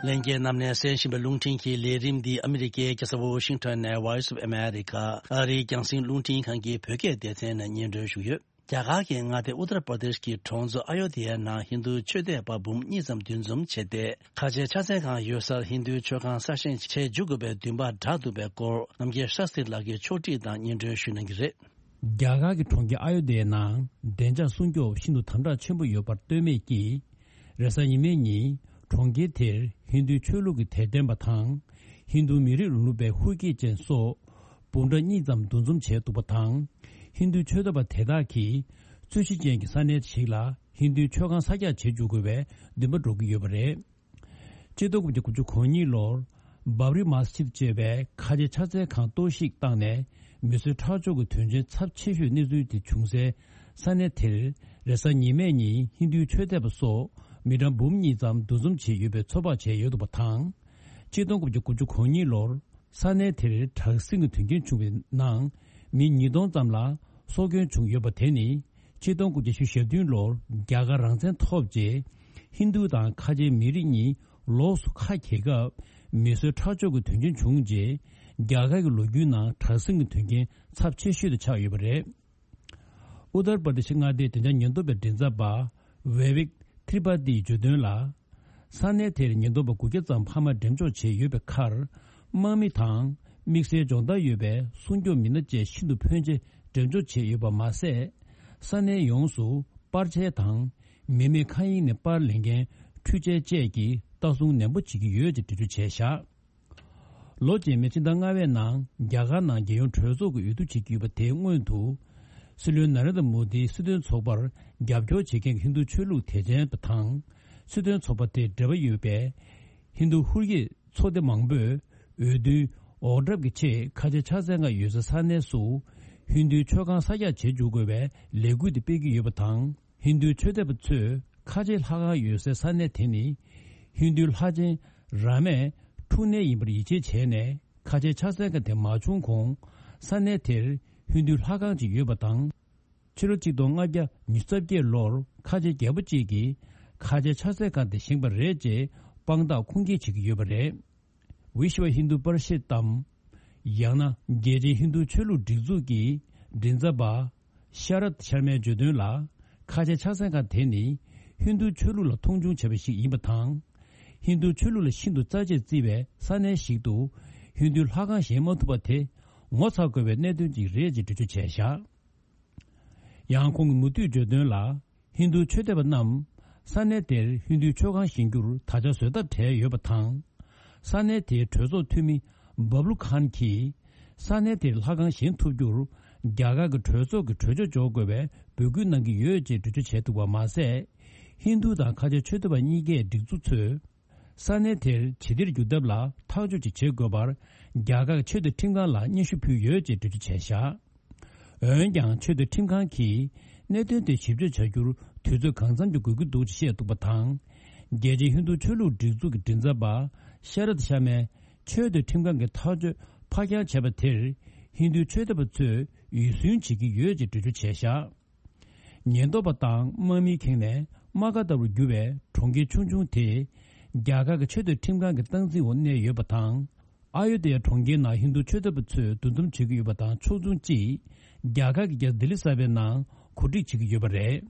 ལྷན་རྒྱས་རྣམས་ནས་གསན་བཞིན་པའི་རླུང་འཕྲིན་གྱི་ལས་རིམ་འདི་ཨ་མི་རི་ཀའི་རྒྱལ་ས་ཝོ་ཤིང་ཊོན་ནས་Voice of America ཨ་རིའི་རྒྱང་སྲིང་རླུང་འཕྲིན་ཁང་གི་བོད་སྐད་སྡེ་ཚན་ནས་སྙན་སྒྲོན་ཞུས་ཡོད། རྒྱ་གར་གྱི་མངའ་སྡེ་ཨུ་ཏར་པར་དེཤ་གྱི་གྲོང་ཚོ་ཨ་ཡོ་དྷི་ཡའི་ནང་ཧིན་རྡུ་ཆོས་དད་པ་འབུམ་གཉིས་ཙམ་འདུ་འཛོམས་བྱས་ཏེ། ཁ་ཆེའི་ཕྱག་འཚལ་ཁང་ཡོད་སར་ཧིན་རྡུའི་མཆོད་ཁང་གསར་བཞེངས་བྱས་མཇུག་དགོས་པའི་འདུན་པ་དྲག་འདུག་པའི་སྐོར་རྣམ་རྒྱལ་ཤཱ་སྟྲི་ལགས་ཀྱིས་ཕྱོགས་བསྒྲིགས་དང་སྙན་སྒྲོན་ཞུ་གནང་གི་རེད། རྒྱ་གར་གྱི་གྲོང་ཁྱེར་ཨ་ཡོ་དྷི་ཡའི་ནང་བདེ་འཇགས་སྲུང་སྐྱོབ་ཤིན་ཏུ་དམ་དྲག་ཆེན་པོ་ཡོད་པར་ལྟོས་མེད་ཀྱིས། རེས་གཟའ་ཉི་མའི་ཉིན་གྲོང་ཁྱེར་དེར་ཧིན་རྡུའི་ཆོས་ལུགས་ཀྱི་དད་ལྡན་པ་དང་། ཧིན་རྡུ་མི་རིགས་རིང་ལུགས་པའི་ཧུའུ་ཀི་ཅན་སོགས། འབུམ་ཕྲག་གཉིས་ཙམ་འདུ་འཛོམས་བྱས་འདུག་པ་དང་། ཧིན་རྡུ་ཆོས་དད་པ་དེ་དག་གིས་རྩོད་གཞི་ཅན་གྱི་ས་གནས་ཤིག་ལ་ཧིན་རྡུའི་མཆོད་ཁང་གསར་རྒྱག་བྱེད་འཇུག་དགོས་པའི་འདུན་པ་འགྲོ་གི་ཡོད་པ་རེད། ཆིག་སྟོང་དགུ་བརྒྱ་དགུ་བཅུ་གོ་གཉིས་ལོར་བྷབ་རི་མ་སི་ཇིད་ཅེས་པའི་ཁ་ཆེ་ཕྱག་འཚལ་ཁང་གཏོར་བཤིག་བཏང་ནས། མི་གསོད་ཁྲག་སྦྱོར་གྱི་དོན་རྐྱེན་ཚབས་ཆེ་ཤོས་གནས་ཚུལ་དེ་བྱུང་སའི་ས་གནས་དེར་རེས་གཟའ་ཉི་མའི་ཉིན་ཧིན་རྡུའི་ཆོས་དད་པ་སོགས་མི་གྲངས་འབུམ་གཉིས་ཙམ་འདུ་འཛོམས་བྱས་ཡོད་པའི་ཚོད་དཔག་བྱས་ཡོད་འདུག་པ་དང་། ཆིག་སྟོང་དགུ་བརྒྱ་དགུ་བཅུ་གོ་གཉིས་ལོར། ས་གནས་དེར་དྲག་ཟིང་གི་དོན་རྐྱེན་བྱུང་བའི་ནང་མི་ཉིས་སྟོང་ཙམ་ལ་སྲོག་སྐྱོན་བྱུང་ཡོད་པ་དེ་ནི་ཆིག་སྟོང་དགུ་བརྒྱ་བཞི་བཅུ་ཞེ་བདུན་ལོར་རྒྱ་གར་རང་བཙན་ཐོབ་རྗེས་ཧིན་རྡུ་དང་ཁ་ཆེའི་མི་རིགས་གཉིས་ལོགས་སུ་ཁ་གྱེས་སྐབས་མི་གསོད་ཁྲག་སྦྱོར་གྱི་དོན་རྐྱེན་བྱུང་རྗེས་ རྒྱ་གར་གྱི་ལོ་རྒྱུས་ནང་དྲག་ཟིང་གི་དོན་རྐྱེན་ཚབས་ཆེ་ཤོས་དེ་ཆགས་ཡོད་པ་རེད། ཨུ་ཏར་པར་དེ་ཤི་མངའ་སྡེའི་བདེ་འཇགས་ཉེན་རྟོག་པའི་མགྲིན་ཚབ་པ་ཝེ་ཝིག་ཐི་རི་པ་ཏིས་བརྗོད་དོན་ལ། ས་གནས་དེར་ཉེན་རྟོག་པ་དགུ་བརྒྱ་ཙམ་འཕར་མ་འགྲེམས་འཇོག་བྱས་ཡོད་པའི་ཁར། དམག་མི་དང་དམིགས་བསལ་སྦྱོང་བརྡར་ཡོད་པའི་སྲུང་སྐྱོབ་མི་སྣ་བཅས་ཤིན་ཏུ་ཕོན་ཆེ་འགྲེམས་འཇོག་བྱས་ཡོད་པ་མ་ཟད། ས་གནས་ཡོངས་སུ་པར་ཆས་དང་མི་མེད་མཁའ་དབྱིངས་ནས་པར་ལེན་མཁན་འཕྲུལ་ཆས་བཅས་ཀྱིས་ལྟ་སྲུང་ནན་པོ་བྱེད་ཀྱི་ཡོད་ཅེས་འགྲེལ་བརྗོད་བྱས་བཞག་ལོ་རྗེས་མའི་ཕྱི་ཟླ་ལྔ་པའི་ནང་རྒྱ་གར་ནང་རྒྱལ་ཡོངས་གྲོས་ཚོགས་ཀྱི་འོས་བསྡུ་བྱེད་ཀྱི་ཡོད་པ་དེའི་སྔོན་དུ། སྲིད་བློན་ན་རེན་དྲ་མོ་དིའི་སྲིད་དོན་ཚོགས་པར་རྒྱབ་སྐྱོར་བྱེད་མཁན་གྱི་ཧིན་རྡུ་ཆོས་ལུགས་དད་ཅན་པ་དང་། སྲིད་དོན་ཚོགས་པ་དེ་འབྲེལ་བ་ཡོད་པའི་ཧིན་རྡུ་ཧུར་ཡིད་ཚོགས་སྡེ་མང་པོས་འོས་བསྡུའི་འོག་གྲབས་ཀྱི་ཆེད་ཁ་ཆེ་ཕྱག་འཚལ་ཁང་ཡོད་སའི་ས་གནས་སུ་ཧིན་རྡུའི་མཆོད་ཁང་གསར་རྒྱག་བྱེད་འཇུག་དགོས་པའི་ལས་འགུལ་དེ་སྤེལ་གྱི་ཡོད་པ་དང་། ཧིན་རྡུའི་ཆོས་དད་པ་ཚོས་ཁ་ཆེ་ལྷ་ཁང་ཡོད་སའི་ས་གནས་དེ་ནི་ཧིན་རྡུའི་ལྷ་ཆེན་རཱ་མའི་འཁྲུངས་གནས་ཡིན་པར་ཡིད་ཆེས་བྱས་ནས། ཁ་ཆེ་ཕྱག་འཚལ་ཁང་དེ་མ་བྱུང་གོང་ས་གནས་དེར་ཧིན་རྡུའི་ལྷ་ཁང་ཅིག་ཡོད་པ་དང་། ཕྱི་ལོ་གཅིག་སྟོང་ལྔ་བརྒྱ་ཉི་ཤུ་རྩ་བརྒྱད་ལོར་ཁ་ཆེ་རྒྱལ་པོ་གཅིག་གིས་ཁ་ཆེ་ཕྱག་འཚལ་ཁང་དེ་བཞེངས་པ་རེད་ཅེས་དཔང་རྟགས་ཁུངས་སྐྱེལ་བྱེད་ཀྱི་ཡོད་པ་རེད། བི་ཤྭ་ཧིན་དུ་པར་ཤིད་དམ། ཡང་ན་རྒྱལ་སྤྱིའི་ཧིན་རྡུ་ཆོས་ལུགས་སྒྲིག་འཛུགས་ཀྱི་མགྲིན་ཚབ་པ་ཤ་རད་ཤར་མའི་བརྗོད་དོན་ལ། ཁ་ཆེ་ཕྱག་འཚལ་ཁང་དེ་ནི་ཧིན་རྡུ་ཆོས་ལུགས་ལ་མཐོང་ཆུང་བྱས་པ་ཞིག་ཡིན་པ་དང་། ཧིན་རྡུ་ཆོས་ལུགས་ལ་ཤིན་ཏུ་རྩ་ཆེར་བརྩི་བའི་ས་གནས་ཤིག་ཏུ་ཧིན་རྡུའི་ལྷ་ཁང་བཞེངས་མ་ཐུབ་པ་དེ་ངོ་ཚ་དགོས་པའི་གནད་དོན་ཅིག་རེད་ཅེས་འགྲེལ་བརྗོད་བྱས་བཞག་ཡང་ཁོང་གིས་མུ་མཐུད་བརྗོད་དོན་ལ། ཧིན་རྡུ་ཆོས་དད་པ་རྣམས་ས་གནས་དེར་ཧིན་རྡུའི་མཆོད་ཁང་བཞེངས་རྒྱུར་ད་ཆ་བཟོ་ལྟ་བྲལ་ཡོད་པ་དང་། ས་གནས་དེའི་གྲོས་ཚོགས་འཐུས་མི་བབ་ལུ་ཁཱན་གྱིས། ས་གནས་དེར་ལྷ་ཁང་བཞེངས་ཐུབ་རྒྱུར་རྒྱ་གར་གྱི་གྲོས་ཚོགས་ཀྱི་གྲོས་ཆོད་འཇོག་དགོས་པའི་འབོད་སྐུལ་གནང་གི་ཡོད་ཅེས་འགྲེལ་བརྗོད་བྱས་འདུག་པ་མ་ཟད། ཧིན་རྡུ་དང་ཁ་ཆེ་ཆོས་དད་པ་གཉིས་ཀའི་སྒྲིག་འཛུགས་ཚོས། ས་གནས་དེར་ཞི་བདེར་འགྱུར་ཐབས་ལ་ཐག་གཅོད་ཅིག་བྱེད་དགོས་པར་རྒྱ་གར་ཆོས་དང་ཁྲིམས་ཁང་ལ་སྙན་ཞུ་ཕུལ་ཡོད་ཅེས་འགྲེལ་བརྗོད་བྱས་བཞག་འོན་ཀྱང་ཆོས་དང་ཁྲིམས་ཁང་གིས་གནད་དོན་དེ་ཞིབ་དཔྱོད་བྱ་རྒྱུར་དུས་ཚོད་གང་འཚམ་གྱི་དགོས་ཀྱི་འདུག་ཅེས་བཤད་འདུག་པ་དང་། རྒྱལ་སྤྱིའི་ཧིན་རྡུ་ཆོས་ལུགས་སྒྲིག་འཛུགས་ཀྱི་མགྲིན་ཚབ་པ་ཤ་རད་ཤར་མས་ཆོས་དང་ཁྲིམས་ཁང་གི་ཐག་གཅོད་ཕར་འགྱངས་བྱས་པ་དེར་ཧིན་རྡུའི་ཆོས་དད་པ་ཚོས་འུད་སྲུང་བྱེད་ཀྱི་ཡོད་ཅེས་འགྲེལ་བརྗོད་བྱས་བཞག་ཉེན་རྟོག་པ་དང་དམག་མིས་ཁེངས་ནས་དམག་སྒར་ལྟ་བུར་གྱུར་བའི་གྲོང་ཁྱེར་ཆུང་ཆུང་དེ། རྒྱ་གར་གྱི་ཆོས་དད་ཁྲིམས་ཁང་གི་སྟངས་འཛིན་འོག་གནས་ཡོད་པ་དང་། ཨ་ཡོ་དྷ་ཡ་གྲོང་ཁྱེར་ནང་ཧིན་རྡུ་ཆོས་དད་པ་ཚོས་འདུ་འཛོམས་བྱེད་ཀྱི་ཡོད་པ་དང་ཕྱོགས་མཚུངས་ཀྱིས། རྒྱ་གར་གྱི་རྒྱལ་ས་ལྡི་ལི་གསར་པའི་ནང་གོ་སྒྲིག་བྱེད་ཀྱི་ཡོད་པ་རེད།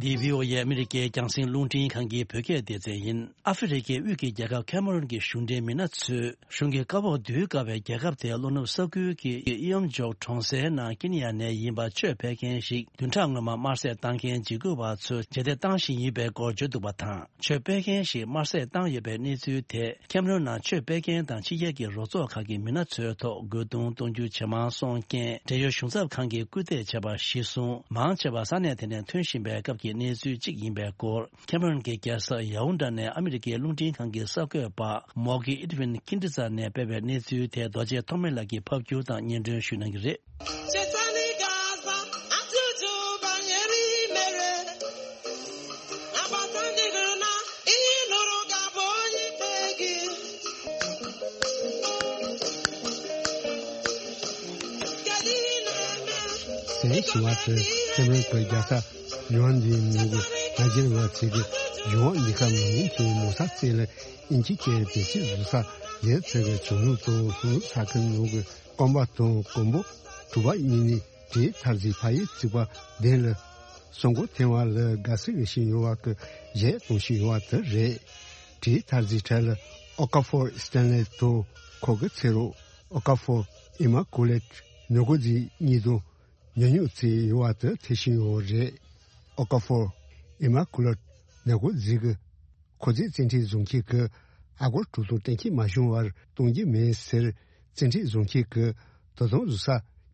འདི་བྷི་ཨོ་ཨེ་ཨ་མི་རི་ཀའི་རྒྱང་སྲིང་རླུང་འཕྲིན་ཁང་གི་བོད་སྐད་སྡེ་ཚན་ཡིན། ཨ་ཧྥེ་རི་ཁའི་དབུས་ཀྱི་རྒྱལ་ཁབ་ཁེ་མ་རོན་གྱི་གཞུང་འབྲེལ་མི་སྣ་ཚོས། གཞུང་གི་བཀའ་འོག་བསྡུ་དཀའ་བའི་རྒྱལ་ཁབ་དེའི་ལྷོ་ནུབ་ས་ཁུལ་གྱི་ཨི་ཨམ་ཇོག་གྲོང་གསེབ་ནང་ཀེ་ནི་ཡ་ནས་ཡིན་པ་ཆོས་སྤེལ་མཁན་ཞིག་བདུན་ཕྲག་སྔོན་མ་དམར་གསོད་བཏང་མཁན་འཇིགས་སྐུལ་བ་ཚོས་རྗེས་འདེད་བཏང་བཞིན་ཡོད་པའི་སྐོར་བརྗོད་འདུག་པ་དང་། ཆོས་སྤེལ་མཁན་ཞིག་དམར་གསོད་བཏང་ཡོད་པའི་གནས་ཚུལ་དེ་ཁེམ་རོན་ནང་ཆོས་སྤེལ་མཁན་དང་ཕྱི་རྒྱལ་གྱི་རོགས་ཚོགས་ཁག་གི་མི་སྣ་ཚོའི་ཐོག་རྒོལ་རྡུང་གཏོང་རྒྱུ་ཇེ་མང་སོང་རྐྱེན། འབྲེལ་ཡོད་གཞུང་ཚབ་ཁང་གིས་སྐུལ་འདེད་བྱས་པ་གཞིར་བཟུང་། མང་ཆེ་བ་ས་གནས་དེ་ནས་ཐོན་བཞིན་པའི་སྐབས་ཀྱི་གནས་ཚུལ་གཅིག་ཡིན་པའི་སྐོར། ཁེམ་རོན་གྱི་རྒྱལ་ས་ཡའུ་འདྲ་ནས་ཨ་མི་རི་ཀའི་རླུང་འཕྲིན་ཁང་གི་གསར་འགོད་པ་མོག་གི་ཨིད་ཝིན་ཁིན་ཏི་ཙ་ནས་སྤེལ་བའི་གནས་ཚུལ་དེ་རྡོ་རྗེ་ཐོགས་མེད་ལགས་ཀྱིས་ཕབ་སྒྱུར་དང་སྙན་སྒྲོན་ཞུ་གནང་གི་རེད། གསན་བྱུང་བ་དེ་ཁེ་མི་རོན་གྱི་རྒྱལ་ས་ཡོན་ཏན་ནང་གི་ད་རྒྱལ་བ་ཚེ་གི་ཡོང་ལི་ཁ་མི་ཡིན་གྱི་མོ་ས་རྩེ་ལ་ཨིན་ཇི་སྐད་བེད་སྤྱོད་བཟོ་ས་ཡན་ཚེ་གི་བྱུང་ནུ་དང་ལྷུ་ནུ་ས་ཁུལ་ནང་གི་རྐང་པ་དང་གོང་པོ་གྲུ་པ་གཉིས་ནི་བྲིས་ཐར་ཟིག་ཕ་ཡི་ཚིག་པ་ལྡན་ལ། སོང་གོ་ཐེ་ཝན་ལ་དགའ་སི་རེ་ཞིག་ཡོང་བ་གི་གཞས་གཏོང་ཞིག་ཡོང་བ་དེ་རེད། བྲིས་ཐར་ཟིག་ཁྲལ་ལ་ཨོ་ཀ་ཕོར་སྟན་ལེ་དང་ཁོ་གི་ཚེ་རོགས་ཨོ་ཀ་ཕོར་ཨི་མ་ཀུ་ལེ་ནོ་གོ་ཟིག་གཉིས་དང་ཉོ་ཉོ་ཚེ་ཡོང་བ་དེ་ཐེ་ཞིག་ཡོང་བ་རེད། ཨོ་ཀ་ཕོར་ཨི་མ་ཀུ་ལེ་ནོ་གོ་ཟིག་གི་ཁོ་ཚོས་བཙན་ཁྲིད་བཟུང་མཁན་གྱི་ཨ་སྒོར་དྲུག་སྟོང་གཏན་འཁེལ་མ་བྱུང་བར་གཏོང་རྒྱུ་མིན་ཟེར། བཙན་ཁྲིད་བཟུང་མཁན་གྱི་དོ་དམ་བཟོ་ས་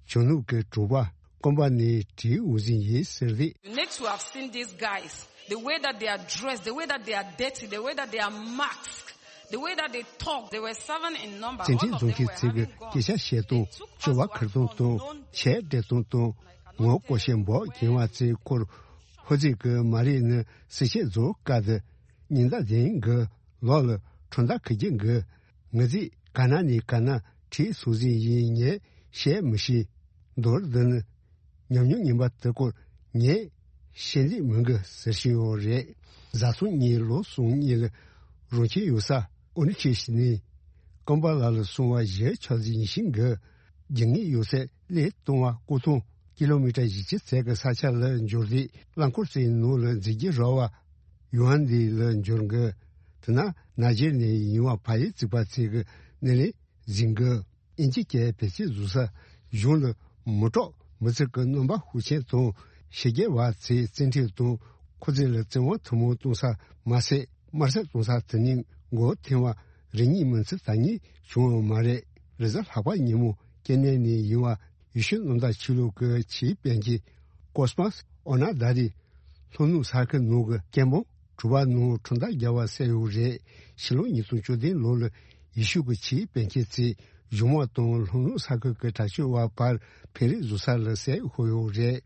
ཇོ་ནུབ་ཀྱི་གྲུ་པ་ཀོམ་པ་ནིའི་གྲས་འོས་འཛིན་ཡིན་ཟེར་ཏེ། You need to have seen these guys, the way that they are dressed, the way that they are dirty, the way that they are masked, the way that they talk, they were seven in number. བཙན་ཁྲིད་བཟུང་མཁན་ཚོས་ཀྱི་སྐད་ཆ་བཤད་སྟངས་དང་། སྤྱོད་པ་འཁུར་སྟངས་དང་། ཆས་སྤྲས་སྟངས་དང་། ངོ་ཀོ་ཤེ་འབོག་གྱིན་བ་ཚོའི་སྐོར། ཧོ་ཙི་གི་མ་རེད་ནི་སི་ཤེ་རྫོགས་ཀ་དི། ཉིན་ཟླ་ལྡན་གི་ལོ་ལ་ཁྲོན་ཟླ་ཁི་རྒྱུ་གི། ངི་ཟིག་ག་ན་ནི་ག་ན་ཁྲིད་སུ་ཟིག་ཡིན་ངས་བཤད་མི་ཤེས། མདོར་བསྡུ་ནི། ཉམས་མྱོང་ངན་པ་དེ་སྐོར་ངས་ཤེས་ལེགས་མི་འགི་ཟེར་བཞིན་ཡོད་རེད། བཟའ་ཚང་གཉིས་ལོ་གསུམ་གཉིས་ལ་རང་ཁྱིམ་ཡོད་ས་ཨོ་ནི་ཁྲི་ནས་ཀམ་པ་ལ་ལ་སོང་བ་གཞིས་ཆགས་འཛིན་ཞིང་གི་རྒྱུ་དངོས་ཡོད་ཚད་གླེ་གཏོང་བ་སྐོར་ཐོང་ཀི་ལོ་མི་ཊར་བཞི་བཅུ་ཙམ་གྱི་ས་ཆ་ལ་འབྱོར་ཏེ། རླངས་འཁོར་ཚོའི་ནང་ལ་འཛུལ་རྒྱུ་རག་པ། ཡུའན་ལི་ལ་འབྱོར་གི། དེ་ན་ན་ཇེ་རི་ནས་ཡིན་བ་ཕ་ཡུལ་བརྩིགས་པ་ཚོས་གི་ནི་ལས་འཛིན་གི། དབྱིན་ཇི་སྐད་བེད་སྤྱོད་བཟོ་ས་གཞུང་ལ་མི་སྐྲག་མི་ཚིག་གི་རྣམ་པ་ཤུགས་ཆེན་དང་། ཕྱི་རྒྱལ་བ་ཚོས་བཙན་ཁྲིད་དང་ཁོ་ཚོ་ལ་བཙན་དབང་ཐུན་མོང་གཏོང་ས་མ་ཟད། དམར་གསོད་གཏོང་ས་དེ་ནི་མགོ་ཐེངས་བ་རེ་གཉིས་མིན་ཚེ་ད་གཉིས་བྱུང་བ་མ་རེད། རེས་གཟའ་ལྷག་པ་ཉིན་མོ་ཀེ་ནེ་ནས་ཡིན་བ་ཡེ་ཤུ་གནམ་བདག་ཆོས་ལུགས་ཀྱི་ཆེས་དཔོན་གྱི་ཀོ་སི་མོ་སི་ཨོ་ན་ད་རི་ལྷོ་ནུབ་ས་ཁུལ་ནང་གི་སྐད་འབོད་གྲུ་པ་ནང་ཁྲོམ་ཐག་བརྒྱབ་པ་གསལ་ཡོད་རེད། ཕྱི་ལོ་ཉིས་སྟོང་བཅུ་བདུན་ལོ་ལ་ཡེ་ཤུ་གི་ཆེས་དཔོན་ཆེན་ཚོས་གཞུང་དམག་དང་ལྷོ་ནུབ་ས་ཁུལ་གྱི་དྲག་སྤྱོད་པ་བར་འཕེན་རེས་བཟོ་ས་ལ་གསལ་ཤོར་ཡོད་རེད།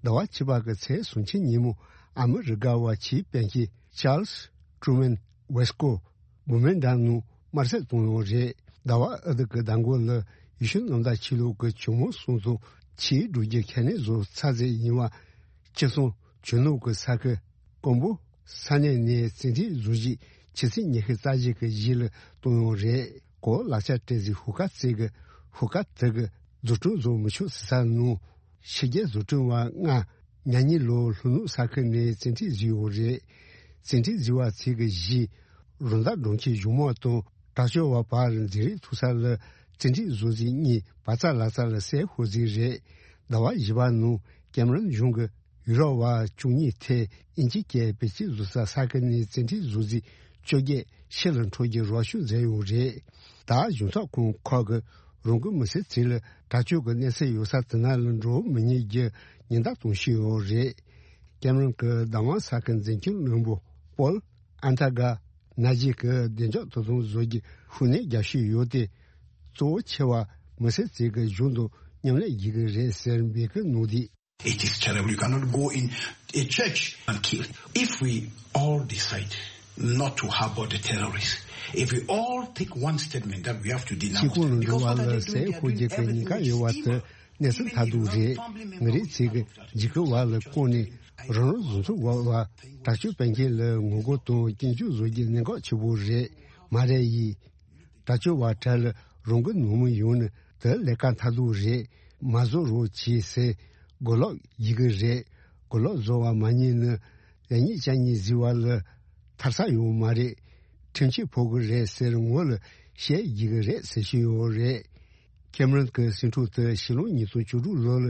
ཟླ་བ་ཕྱི་པ་གི་ཚེས་སུམ་ཅུ་ཉིན་མོ་ཨ་མི་རི་ཀ་བ་ཆེས་དཔོན་ཆེན་ཅཱལ་སི་ཀྲུ་མན་ཝེ་སི་ཀོ་བུ་མེན་འགྲམ་ནང་དམར་གསོད་བཏང་ཡོད་རེད། ཟླ་བ་ཨ་ཏི་གི་ཟླ་མགོ་ལ་ཡེ་ཤུ་གནམ་བདག་ཆོས་ལུགས་ཀྱི་ཇོ་མོ་གསུམ་དང་ཆེས་སྒྲུབ་རྒྱུ་ཁས་ལེན་བཟོ་ཚར་ཚད་ཡིན་བ་ཅི་སོང་ཇོ་ནུབ་ཀྱི་ས་ཁུལ་ཀོམ་བུ་ས་གནས་ནས་བཙན་ཁྲིད་བཟོ་རྒྱུ་ཆུ་ཚོད་ཉི་ཤུ་རྩ་བཞི་གི་གཞི་ལ་གཏོང་ཡོད་རེད། གོ་ལག་ཆ་སྤྲད་ཟིན་ཧུ་ཁ་ཚོས་གི་ཧུ་ཁ་དེ་གི་འཛུགས་སྐྲུན་བཟོ་མི་ཆོག་ཟེར་ས་ནང་ཕྱི་རྒྱལ་བཟོ་སྐྲུན་པ་ལྔ་ཉ་ཉི་ལོ་ལྷོ་ནུབ་ས་ཁུལ་ནས་བཙན་ཁྲིད་བཟོས་ཡོད་རེད། བཙན་ཁྲིད་བཟོས་པ་ཚོས་གི་གཞི་རོན་དར་སྒྲོམ་གྱི་གཞུང་དམག་དང་དྲག་སྤྱོད་པ་བར་འཛིང་རེས་ཐུག་ས་ལ་བཙན་ཁྲིད་བཟོ་རྩིས་གཉིས་བ་ཙ་ལ་ཙ་ལ་གསལ་ཤོར་རྩིས་རེད། ཟླ་བ་བཞི་པ་ནང་ཀེམ་རོན་གཞུང་གི་ཡུ་རོབ་པ་བཅུ་གཉིས་ཐད་དབྱིན་ཇི་སྐད་བེད་སྤྱོད་བཟོ་ས་ས་ཁུལ་ནས་བཙན་ཁྲིད་བཟོ་རྩིས་བཅོ་བརྒྱད་ཕྱི་ལ་འཕྲོག་རྒྱུ་རོགས་སྐྱོར་མཛད་ཡོད་རེད། ད་གཞུང་ཚབ་ཁང་ཁག་གི་རང་འགུལ་མི་སེར་ཚོ་ལ་དྲག་སྤྱོད་ཀྱི་གནས་ཚུལ་ཡོད་ས་དེ་ན་ལ་འགྲོ་མི་ཉན་རྒྱུ་ཉེན་བརྡ་གཏོང་བཞིན་ཡོད་རེད། ཀེམ་རོན་གྱི་བདག་དབང་ས་ཁུལ་འཛིན་སྐྱོང་བློན་པོ་པོལ་ཨན་ཐར་ག་ན་ཇི་གི་བདེ་འཇགས་དོ་དམ་བཟོ་རྒྱུ་ཤུགས་སྣོན་རྒྱག་བཞིན་ཡོད་དེ། གཙོ་བོ་ཆེ་བ་མི་སེར་ཚོས་གི་གཞུང་དང་མཉམ་ལས་བྱེད་ཀྱི་རེད་ཟེར་འབོད་སྐུལ་གནང་དུས། It is terrible. You cannot go in a church and kill. If we all decide not to harbor the terrorists, if we all take one statement that we have to denounce them, because what are they doing? They are doing everything with steamer. གཅིག་པུ་ལ་འགྲོ་བ་ལ་ཟས་ཤོར་རྒྱུ་གི་ཉེན་ཁ་ཡོད་པ་དེ་གནས་ཚུལ་མཐར་ཐུག་རེད། མི་རིགས་ཚོས་གི་འཇིགས་སྐུལ་བ་ལ་བཀོལ་ནས་རང་རང་བཟོ་ཚོགས་བར་བ་དྲག་སྤྱོད་སྤེལ་མཁན་ལ་ངོ་རྒོལ་དང་སྐྱོན་བརྗོད་བཟོ་རྒྱུ་གནད་འགག་ཆེ་པོ་རེད། མ་རེད་ཡིན། དྲག་སྤྱོད་པ་གྲལ་ལ་རང་འགུལ་ནང་མི་ཡོང་ནི་དེ་ལས་ཀ་མཐར་ཐུག་རེད། མ་བཟོ་རོགས་བྱེད་ཟེར་གོ་ལོག་ཡི་གི་རེད། གོ་ལོག་བཟོ་བ་མ་ཉན་ནི་ལས་ཉིད་ཅན་ཉིད་བཟི་བ་ལ་ཐར་ས་ཡོང་མ་རེད། ཁྲིམས་ཆད་ཕོག་གི་རེད་ཟེར་ངོ་ལ་བཤད་ཡི་གི་རེད་ཟེར་བཞིན་ཡོད་རེད། ཁེམ་རོན་གྱི་སེམས་ཁྲོད་དུ་ཕྱི་ལོ་ཉིས་སྟོང་བཅུ་དྲུག་ལོ་ལ་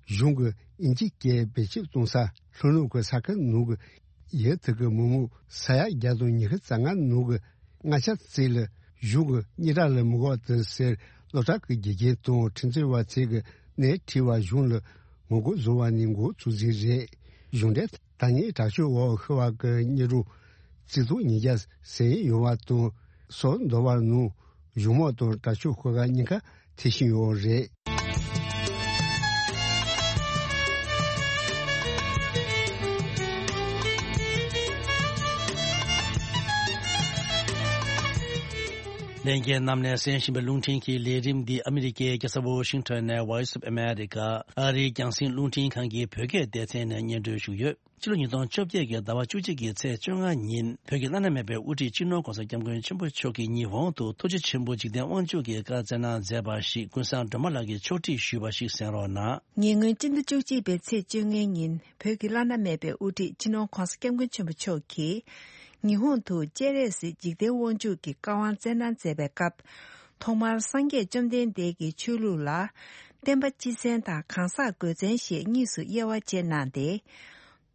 གཞུང་གི་དབྱིན་ཇི་སྐད་བེད་སྤྱོད་གཏོང་ས་ལྷོ་ནུབ་ཀྱི་ས་ཁུལ་ནང་གི་ཡུལ་དེ་གི་མི་མང་ས་ཡ་བརྒྱ་དང་ཉི་ཤུ་རྩ་ལྔ་ནང་གི་ལྔ་ཆ་ཙམ་ལ་གཞུང་གི་གཉེན་སྒྲིག་ལ་མི་དགོས་དེ་ཟེར་སློབ་གྲྭ་གི་དགེ་རྒན་དང་ཁྲིམས་རྩོད་པ་ཚོས་གི་སྣེ་ཁྲིད་པ་གཞུང་ལ་ངོ་རྒོལ་བཟོ་བ་ནི་འགོ་ཚུགས་རྩིས་རེད། གཞུང་འབྲེལ་ཐ་སྙད་དྲག་སྤྱོད་འོག་ཤི་བ་གི་སྙན་སྒྲོན་རྩིས་ཐོ་ཉིས་བརྒྱ་ཟིན་ཡོད་པ་དང་སོ་འདོ་བར་ནང་གཞུང་དམག་དང་དྲག་སྤྱོད་ཤོག་ཁག་གཉིས་ཀ་ཐེ་ཤིང་ཡོད་རེད། ལྷན་རྒྱས་རྣམས་ནས་གསན་བཞིན་པའི་རླུང་འཕྲིན་གྱི་ལས་རིམ་འདི་ཨ་མི་རི་ཀའི་རྒྱལ་ས་ཝོ་ཤིང་ཊོན་ནས་Voice of America ཨ་རིའི་རྒྱང་སྲིང་རླུང་འཕྲིན་ཁང་གི་བོད་སྐད་སྡེ་ཚན་ནས་སྙན་སྒྲོན་ཞུས་ཡོད། ཕྱི་ལོ་ཉིས་སྟོང་བཅོ་བརྒྱད་ཀྱི་ཟླ་བ་བཅུ་གཅིག་གི་ཚེས་བཅོ་ལྔ་ཉིན་བོད་ཀྱི་བླ་ན་མེད་པའི་དབུ་ཁྲིད་སྤྱི་ནོར་༧གོང་ས་༧སྐྱབས་མགོན་ཆེན་པོ་མཆོག་གིས་ཉི་ཧོང་དུ་ཐུགས་རྗེ་ཆེན་པོ་འཇིག་རྟེན་དབང་ཕྱུག་གི་བཀའ་སྩལ་གནང་མཛད་པ་ཞིག་ཀུན་བཟང་སྒྲོལ་མ་ལགས་ཀྱིས་ཕྱོགས་སྒྲིག་ཞུས་པ་ཞིག་གསན་རོགས་གནང་། ཉེ་སྔོན་སྤྱི་ཟླ་བཅུ་གཅིག་པའི་ཚེས་བཅོ་ལྔའི་ཉིན་བོད་ཀྱི་བླ་ན་མེད་པའི་དབུ་ཁྲིད་སྤྱི་ནོར་༧གོང་ས་༧སྐྱབས་མགོན་ཆེན་པོ་མཆོག་གིས་ཉི་ཧོང་དུ་སྤྱན་རས་གཟིགས་འཇིག་རྟེན་དབང་ཕྱུག་གི་བཀའ་དབང་སྩལ་གནང་མཛད་པའི་སྐབས། ཐོག་མར་སངས་རྒྱས་བཅོམ་ལྡན་འདས་ཀྱི་ཆོས་ལུགས་ལ་བསྟན་པ་སྤྱི་མཚན་དང་གང་ཟག་དགོས་མཚན་ཞེས་གཉིས་སུ་དབྱེ་བ་ཕྱེ་གནང་སྟེ།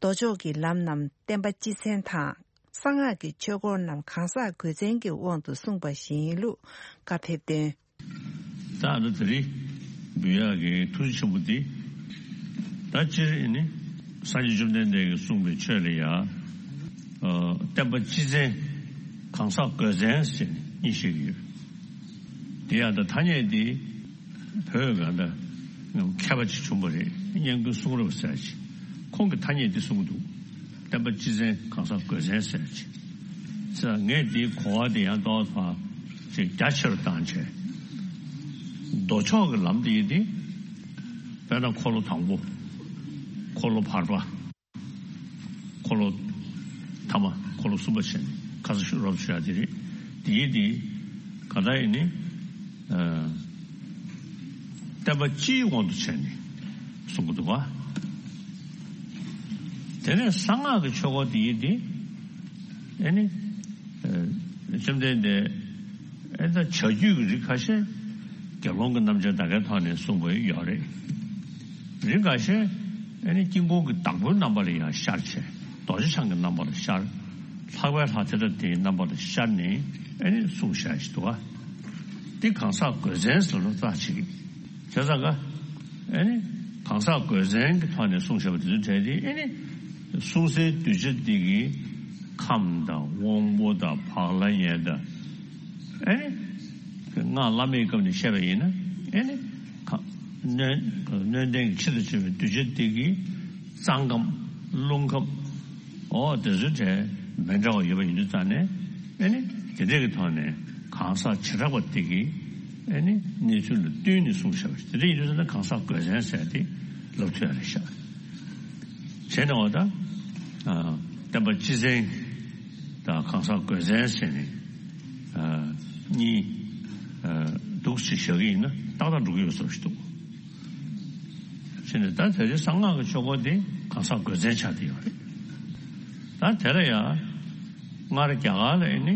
ལྡོག་ཕྱོགས་ཀྱི་ལམ་རྣམས་བསྟན་པ་སྤྱི་མཚན་དང་། གསང་སྔགས་ཀྱི་ཆོས་སྐོར་རྣམས་གང་ཟག་དགོས་མཚན་གྱི་དབང་དུ་གསུངས་པ་ཞིག་ཡིན་ལུགས་བཀའ་ཕེབས་དོན། ད་ཨ་ད་དེ་རིང་འབུལ་ཡག་གི་ཐུགས་རྗེ་ཆེན་པོ་འདི། ད་སྤྱིར་ནི་སངས་རྒྱས་བཅོམ་ལྡན་འདས་ཀྱིས་གསུངས་པའི་ཆོས་ལ་ཡང་། ཨ། བསྟན་པ་སྤྱི་མཚན། གང་ཟག་དགོས་མཚན་ཟེར་ནས་གཉིས་བཤད་ཀྱི་ཡོད། དེ་ཡང་ད་ཐ་སྙད་འདི་བོད་གང་ད་མཁས་པ་ཅིག་བྱུང་བ་རེད། སྙན་ཀུན་གསུང་རབ་ཟེར་ཅིག་ཁོང་གིས་ཐ་སྙད་འདི་གསུངས་འདུག་བསྟན་པ་སྤྱི་མཚན་གང་ཟག་དགོས་མཚན་ཟེར་ཅིག་ཟེར་ངས་འདིའི་གོ་བ་འདི་ཡང་ཏོག་ཙམ་ཅིག་རྒྱ་ཆེ་རུ་བཏང་བྱས། ལྡོག་ཕྱོགས་ཀྱི་ལམ་འདི་ཡིན་ཏེ། དཔེར་ན་འཁོར་ལོ་དང་པོ། འཁོར་ལོ་བར་པ། འཁོར་ལོ་ཐ་མ། འཁོར་ལོ་གསུམ་པ་བྱས་ནས་ཁ་ས་ཤོད་རོབ་ཤོད་ཡ་དེ་རེད། དེའི་དེ་ག་ད་ཡིན་ནི། ཨ། བསྟན་པ་སྤྱིའི་དབང་དུ་བྱས་ནས་གསུང་གི་འདུག་བ། དེ་ནས་གསང་སྔགས་ཀྱི་ཆོས་སྐོར་དེ་ཡིན་ཏེ། ཨེ་ནི། ཨ། བཅོམ་ལྡན་འདས། ཨེ་ད་བྱ་རྒྱུད་ཀྱི་རིགས་ཁ་ཤས་དགེ་སློང་གི་རྣམ་གཞག་ད་གའི་ཐོག་ནས་གསུངས་པ་ཡོད་རེད། རིགས་ཁ་ཤས་ཨེ་ནི་དཀྱིལ་འཁོར་གྱི་བདག་པོའི་རྣམ་པ་ལ་ཡང་ཤར་བྱས། རྡོ་རྗེ་འཆང་གི་རྣམ་པ་ལ་ཤར། ལྷག་པའི་ལྷ་དེ་འདྲ་དེའི་རྣམ་པ་ལ་ཤར་ནས་ཨེ་ནི་གསུངས་བཞག་ཞིག་འདུག་བ། འདི་གང་ཟག་དགོས་མཚན་ཟེར་ལོ་རྩ་ཆེ་གི། བྱས་ཙང་ཀ། ཨེ་ནི། གང་ཟག་དགོས་མཚན་གྱི་ཐོག་ནས་གསུངས་བཞག་པ་དེ་ཚོའི་གྲས་དེ་ཨེ་ནི། གསུང་སའི་གདུལ་བྱ་དེ་གི་ཁམས་དང་དབང་པོ་དང་བག་ལ་ཉལ་དང་། ཨེ་ནི། སྔགས་བླ་མེད་སྐབས་ནས་བཤད་པ་ཡིན་ན་ཨེ་ནི། ཁ། གནོན། གནོན་ལྡན་གྱི་ཆེད་དུ་བྱས་པའི་གདུལ་བྱ་དེ་གི་གཙང་ཁམས། རླུང་ཁམས། འོ་དེ་ཚོའི་གྲས་མི་འདྲ་བ་ཡོད་པ་ཡིན་དུས་ཙང་ནས་ཨེ་ནི། དེ་འདྲ་གི་ཐོག་ནས་གང་ཟག་བྱེ་བྲག་པ་དེ་གི་ཨེ་ནི་གནས་ཚུལ་ལ་བསྟུན་ནས་གསུངས་བཞག་པ་ཞིག། དེ་འདྲ་ཡིན་དུས་ཙང་ནས་གང་ཟག་དགོས་མཚན་ཟེར་ཏེ་ལབ་ཐུབ་ཡ་རེད་ཤག། བྱས་ནས་འོ་ད། ཨ། བསྟན་པ་སྤྱི་མཚན་དང་གང་ཟག་དགོས་མཚན་ཟེར་ནས། ཨ། གཉིས། ཨ། འདུག་སེ་བཞག་གི་ཡིན་ན་ཏག་ཏག་འགྲོ་གི་ཡོད་བཟོ་ཞིག་འདུག། བྱས་ནས་ད་དེ་རིང་གསང་སྔགས་ཀྱི་ཆོས་སྐོར་དེ་གང་ཟག་དགོས་མཚན་ཆགས་བསྡད་ཡོད་རེད། ད་དེ་ལ་ཡང་སྔར་རྒྱ་གར་ལ་ཨེ་ནི་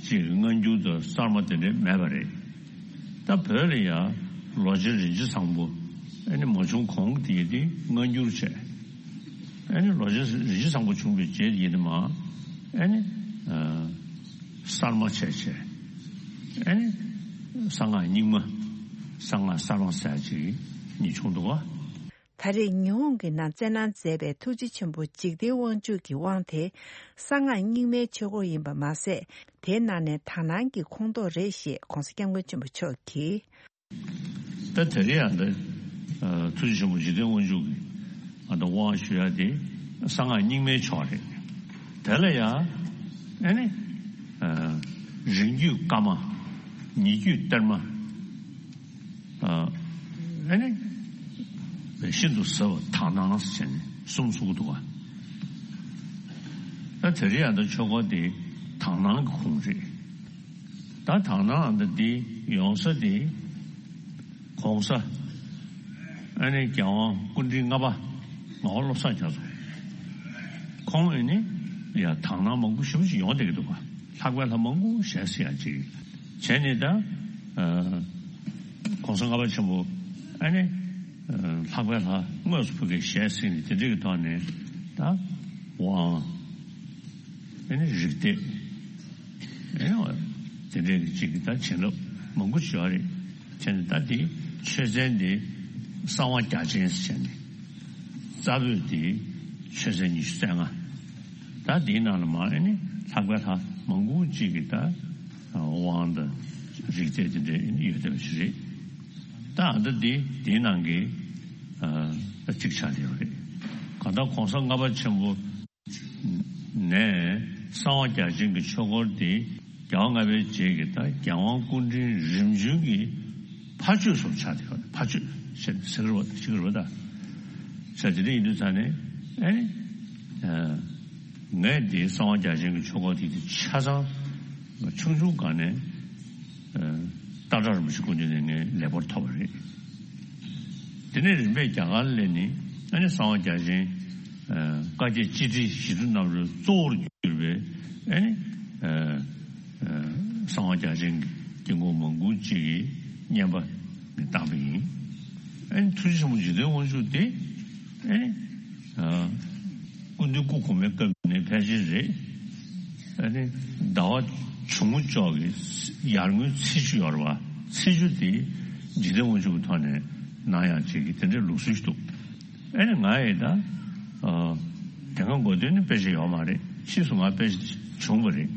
ཅིག་སྔ་འགྱུར་དང་གསར་མ་དེ་འདྲ་མེད་པ་རེད། ད་བོད་ལ་ཡང་ལོ་ཆེན་རིན་ཆེན་བཟང་པོ་ཨེ་ནི་མ་བྱུང་གོང་དེ་དེ་སྔ་འགྱུར་བྱས། ཨེ་ནི་ལོ་ཆེན་རིན་ཆེན་བཟང་པོ་བྱུང་བའི་རྗེས་ཡིན་ནི་མ། ཨེ་ནི། ཨ། གསར་མ་བྱས་བྱས། ཨེ་ནི། གསང་སྔགས་རྙིང་མ། གསང་སྔགས་གསར་མ་ཟེར་ཅིག་གཉིས་བྱུང་འདུག་བ། ད་རེས་ཉི་ཧོང་གི་ནང་བཙན་གནང་མཛད་པའི་ཐུགས་རྗེ་ཆེན་པོ་འཇིག་རྟེན་དབང་ཕྱུག་གི་དབང་དེ་གསང་སྔགས་རྙིང་མའི་ཆོས་སྐོར་ཡིན་པ་མ་ཟད། དེའི་ནང་ནས་དག་སྣང་གི་ཁོངས་གཏོགས་རེད་ཞེས་༧གོང་ས་༧སྐྱབས་མགོན་ཆེན་པོ་མཆོག་གིས། ད་དེ་རིང་ཡང་འདི། ཨ། ཐུགས་རྗེ་ཆེན་པོ་འཇིག་རྟེན་དབང་ཕྱུག་གིས་ང་ཚོ་དབང་ཞུ་ཡ་དེ་གསང་སྔགས་རྙིང་མའི་ཕྱོགས་རེད། དེ་ལ་ཡང་ཨེ་ནི། ཨ། རིང་བརྒྱུད་བཀའ་མ། ཉེ་བརྒྱུད་གཏེར་མ། ཨ། ཨེ་ནི། ཤིན་ཏུ་ཟབ་པ་དག་སྣང་ཟེར་ནས་གསུམ་གསུང་གི་འདུག་བ། ད་དེ་རིང་ཡང་འདི་ཆོས་སྐོར་དེ་དག་སྣང་གི་ཁུངས་རེད། ད་དག་སྣང་འདི་འདི་ཡོང་ས་དེ་༧གོང་ས་ཨ་ནི་རྒྱལ་དབང་སྐུ་ཕྲེང་ལྔ་པ་ངག་དབང་བློ་བཟང་རྒྱ་མཚོ། ཁོང་ཨེ་ནི་ཡ་དག་སྣང་མང་པོ་ཞེ་པོ་ཅིག་ཡོང་བསྡད་ཀྱི་འདུག་ག། ལྷག་པའི་ལྷ་མང་པོ་ཞལ་གཟིགས་ཡ་ཅིག་བྱས་ནས་ད། ཨ། ༧གོང་ས་ལྔ་པ་ཆེན་པོ་ཨ་ནི། ཨ། ལྷག་པའི་ལྷ་དངོས་སུ་ཕ་གིར་ཞལ་གཟིགས་ནས་དེ་འདྲ་གི་ཐོག་ནས་ད་དབང་། ཨེ་ནི་རིག་གཏེར། ཨེ་ནི་དེ་འདྲའི་གི་ཅིག་གི་ད་བྱིན་རླབས་མང་པོ་ཅིག་ཡོད་རེད། བྱས་ནས་ད་དེ་ཆོས་ཚན་དེ་གསང་བ་རྒྱ་ཆེན་ཟེར་ནས་རྩ་བོད་དེ་ཆོས་ཚན་ཉི་ཤུ་རྩ་ལྔ། ད་དེའི་ནང་ལ་མ་ཨེ་ནི་ལྷག་པའི་ལྷ་མང་པོ་ཅིག་གི་ད་དབང་དང་རིག་གཏེར་དེ་འདྲ་ཡོད་བསྡད་པ་ཞིག་རེད། ད་ཨ་ད་དེ་དེའི་ནང་གི་ཨ་ད་གཅིག་ཆགས་བསྡད་ཡོད་རེད། གང་ལྟར་༧གོང་ས་ལྔ་པ་ཆེན་པོ་ནས་གསང་བ་རྒྱ་ཆེན་གྱི་ཆོས་སྐོར་དེ་རྒྱལ་བ་ལྔ་པའི་རྗེས་ཀྱི་ད་རྒྱལ་དབང་སྐུ་ཕྲེང་རིམ་བྱོན་གྱི་ཕ་ཆོས་སུ་ཆགས་ཏེ་ཡོད། ཕ་ཆོས་ཟེར་ཟེར་བ་ཞིག་རེད་པ། ད་ཟེར་དེ་འདྲ་ཡིན་དུས་ཙང་ནས་ཨེ་ནི། ཨ། ངས་འདི་གསང་བ་རྒྱ་ཆེན་གྱི་ཆོས་སྐོར་དེ་དེ་ཆ་ཚང་ཆུང་ཆུང་སྒང་ནས། ཨ། སྟག་བྲག་རིན་པོ་ཆེ་སྐུ་མདུན་ནས་ངས་ལེགས་པར་ཐོབ་པ་རེད། དེ་ནས་རིམ་པས་རྒྱ་གར་ལ་སླེབས་ནས་ཨ་ནི་གསང་བ་རྒྱ་ཆེན། ཨ། བཀའ་བརྒྱད་སྤྱི་ཁྲིའི་ཞི་ཁྲོ་རྣམ་རོལ་གཙོ་བོར་གྱུར་པའི་ཨ་ནི། ཨ། ཨ། གསང་བ་རྒྱ་ཆེན་གྱི་དཀྱིལ་འཁོར་མང་པོ་ཅིག་གི་བསྙེན་པ་ནི་བཏང་པ་ཡིན། ཨ་ནི་ཐུགས་རྗེ་ཆེན་པོ་འཇིག་རྟེན་དབང་ཕྱུག་དེ་ཨ་ནི། ཨ། སྐུ་མདུན་སྐུ་གོང་མའི་སྐབས་ནས་ཕལ་ཆེར་རེད། ཨ་ནི་ཟླ་བ་ཇོ་མོ་ཅོག་གི་ཡར་ངོའི་ཚེས་བཅུ་ཡོད་རེད་པ། ཚེས་བཅུ་དེ་འཇིག་རྟེན་དབང་ཕྱུག་གི་ཐོག་ནས་གནང་ཡག་ཅིག་གི་དེ་འདྲའི་ལུགས་སྲོལ་ཞིག་འདུག། ཨ་ནི་ང་ཡི་ད། ཨ། དེ་སྔ་འགོ་སྟོད་ནས་དཔེ་ཆ་ཡོད་མ་རེད། ཕྱིས་སུ་ང་དཔེ་ཆ་བྱུང་བ་རེད།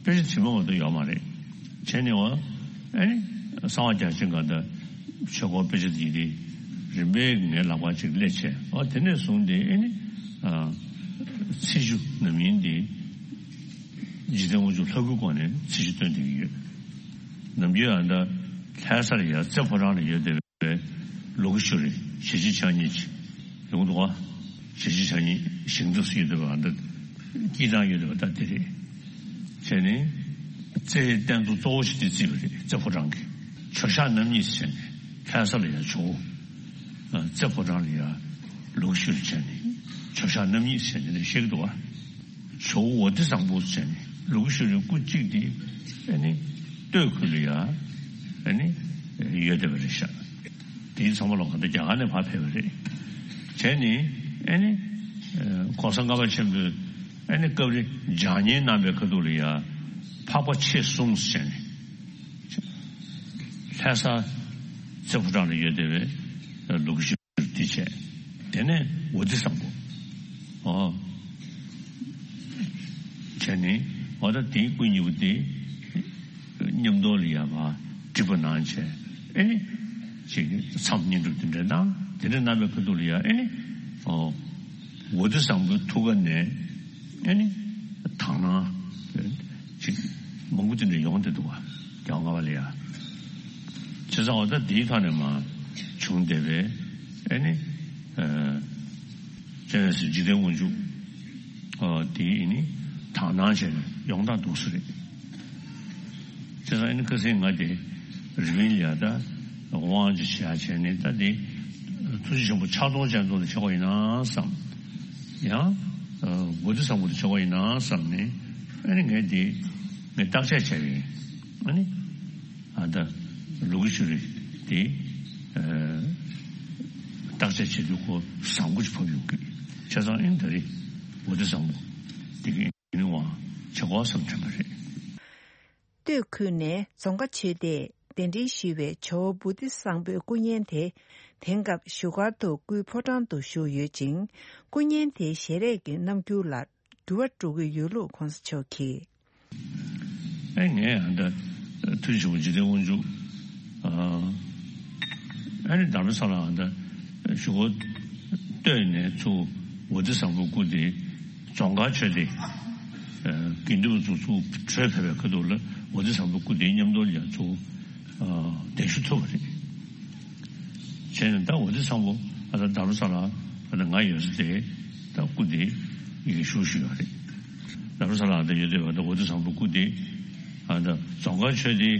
དཔེ་ཆ་དྲི་མ་མ་གཏོགས་ཡོད་མ་རེད། བྱས་ནས་འོ། ཨ་ནི། གསང་བ་རྒྱ་ཆེན་ག་ད་ཆོས་སྐོར་དཔེ་ཆ་དེ་དེ་རིམ་པས་ངའི་ལག་པ་ཅིག་སླེབས་བྱས། འོ་དེ་ནས་བཟུང་སྟེ་ཨ་ནི། ཨ། ཚེས་བཅུ་ནམ་ཡིན་དེ། འཇིག་རྟེན་དབང་ཕྱུག་ལྷ་སྐུའི་སྒོ་ནས་ཚེས་བཅུ་སྟོན་བསྡད་ཀྱི་ཡོད། ནམ་རྒྱུན་ཨ་ད་ལྷ་སར་ཡ་རྩེ་ཕོ་བྲང་ལ་ཡོད་བསྡད་པའི་ ལུ་གུ་ཤུ་རི་ཞེ་ཆེ་ཆ་གཉིས་ཀྱི་ཡོང་འདུག་བ། ཞེ་ཆེ་ཆ་གཉིས་ཞིང་འདུག་སུ་ཡོད་འདུག་བ། འདི་སྐྱིད་ཐང་ཡོད་འདུག་བ། ད་དེ་རེད། བྱས་ནས་རྩེའི་རྟེན་གཙོ་གཙོ་བོ་ཞིག་དེ་བརྩིས་པ་རེད། རྩེ་ཕོ་བྲང་གི་ཇོ་ཤཱཀ་རྣམ་གཉིས་བྱས་ནས་ལྷ་ས་ལ་ཡང་ཇོ་བོ། རྩེ་ཕོ་བྲང་ལ་ཡང་ལུ་གུ་ཤུ་རི་བྱས་ནས་ཇོ་ཤཱཀ་རྣམ་གཉིས་བྱས་ནས་བཤད་ཀྱི་འདུག་བ། ཇོ་བོ་ཝ་ཏི་བཟང་པོ་ཟེར་ནས་ལུ་གུ་ཤུ་རིའི་སྐུ་གཅིག་དེ་ཨ་ནི་སྟོད་ཁུལ་ལ་ཡ་ཨ་ནི་ཡོད་བསྡད་པ་རེད་ཤག། དེའི་ཚང་མ་ལ་གང་ལྟར་རྒྱ་གར་ནས་ཕར་ཕེབས་པ་རེད། བྱས་ནས་ཨ་ནི་གོང་ས་ལྔ་པ་ཆེན་པོས་ཨ་ནི་སྐབས་རེ་སྦྱང་བརྙན་གནང་པའི་ཁ་ཐུག་ལ་ཡ་འཕགས་པ་མཆེད་གསུམ་ཟེར་ནས་ལྷ་ས་རྩེ་ཕོ་བྲང་ལ་ཡོད་བསྡད་པའི་ལུ་གུ་ཤུ་དེ་བྱས། དེ་ནས་ཝ་ཏི་བཟང་པོ། ཨོ། བྱས་ནས་འོ་ད་དེའི་སྐུ་གཉིས་པོ་དེ་མཉམ་དུ་ལ་ཡ་མ་བསྒྲིགས་པ་གནང་བྱས། ཨེ་ནི་ཅིག་མཚམས་བསྙེན་སྒྲུབ་དེ་འདྲ་གནང་། དེ་འདྲ་གནང་བའི་ཁ་ཐུག་ལ་ཡ་ཨེ་ནི་ཨོ་ཝ་ཏི་བཟང་པོའི་ཐུགས་ཀ་ནས་ཨེ་ནི་དག་སྣང་ཅིག་མང་པོ་དེ་འདྲ་ཡོང་བསྡད་འདུག་བ། རྒྱལ་བ་ལྔ་པ་ལ་ཡ། བྱས་ཙང་འོ་ད་དེའི་ཐོག་ནས་མ་བྱུང་བསྡད་པའི་ཨེ་ནི། སྤྱན་རས་གཟིགས་འཇིག་རྟེན་དབང་ཕྱུག་དེ་ཨེ་ནི་དག་སྣང་བྱས་ནས་ཡོང་སྟངས་འདུག་སེ་རེད། བྱས་ཙང་ཨེ་ནི་ཁ་སང་ང་དེ་རི་པིན་ལ་ཡ་ད་དབང་ཅིག་བྱས་བྱས་ནས་ད་དེ་ཐུགས་རྗེ་ཆེན་པོ་ཕྱག་སྟོང་སྤྱན་སྟོང་དུ་ཆགས་པ་ཡིན་ན་བསམ། ཡང་ཝ་ཏི་བཟང་པོ་དུ་ཆགས་པ་ཡིན་ན་བསམ་ནས་ཨེ་ནི་ངས་དེ་ངས་བརྟག་དཔྱད་བྱས་པ་ཡིན། ཨ་ནི། ཨ་ད་ལུ་གུ་ཤུ་རི་དེ་བརྟག་དཔྱད་བྱེད་དུས་ཁོ་བཟང་པོ་ཅིག་ཕབ་ཡོང་གི། བྱས་ཙང་ཨིན་ད་རེས་ཝ་ཏི་བཟང་པོ་དེ་གི་ཨིན་བ་ཆེ་གོ་བསམ་དྲན་པ་རེད། སྟོད་ཁུལ་ནས་རྫོང་དཀར་ཆོས་སྡེས་གདན་འདྲེན་ཞུས་པའི་ཇོ་བོ་བོ་དྷི་བཟང་པོའི་སྐུ་བརྙན་དེ་དེང་སྐབས་བཞུགས་སྒར་དུ་སྐུའི་ཕོ་བྲང་དུ་བཞུགས་ཡོད་ཅིང་། སྐུ་བརྙན་དེའི་ཞལ་རས་ཀྱི་རྣམ་འགྱུར་ལ་འགྱུར་བ་འགྲོ་གི་ཡོད་ལུགས་གོང་ས་མཆོག་གིས། ཨེ་ངས་ཨ་ད་ཐུགས་རྗེ་ཆེན་པོ་འཇིག་རྟེན་དབང་ཕྱུག་ཨ་ཨ་ནི་དྷ་རམ་ས་ལ་ཨ་ད་བཞུགས་སྒར་སྟོད་ནས་ཚུར་ཝ་ཏི་བཟང་པོའི་སྐུ་དེ་རྫོང་དཀར་ཆོས་སྡེ་དགེ་འདུན་པ་ཚོ་ཚུར་བྲོས་ཕེབས་པའི་ཁ་ཐུག་ལ་ཝ་ཏི་བཟང་པོའི་སྐུ་དེའི་མཉམ་དུ་ཡང་ཚུར་གདན་ཞུ་ཐུབ་པ་རེད། བྱས་ནས་ད་ཝ་ཏི་བཟང་པོ་ཨ་ད་དྷ་རམ་ས་ལ་ཨ་ད་ང་ཡོད་ས་དེ་ད་སྐུ་དེ་ཡི་གེ་ཞུ་ཞུ་ཡོད་རེད། དྷ་རམ་ས་ལ་ཨ་ད་ཡོད་དེ་བ་ད་ཝ་ཏི་བཟང་པོའི་སྐུ་དེ་ཨ་ད་རྫོང་དཀར་ཆོས་སྡེའི་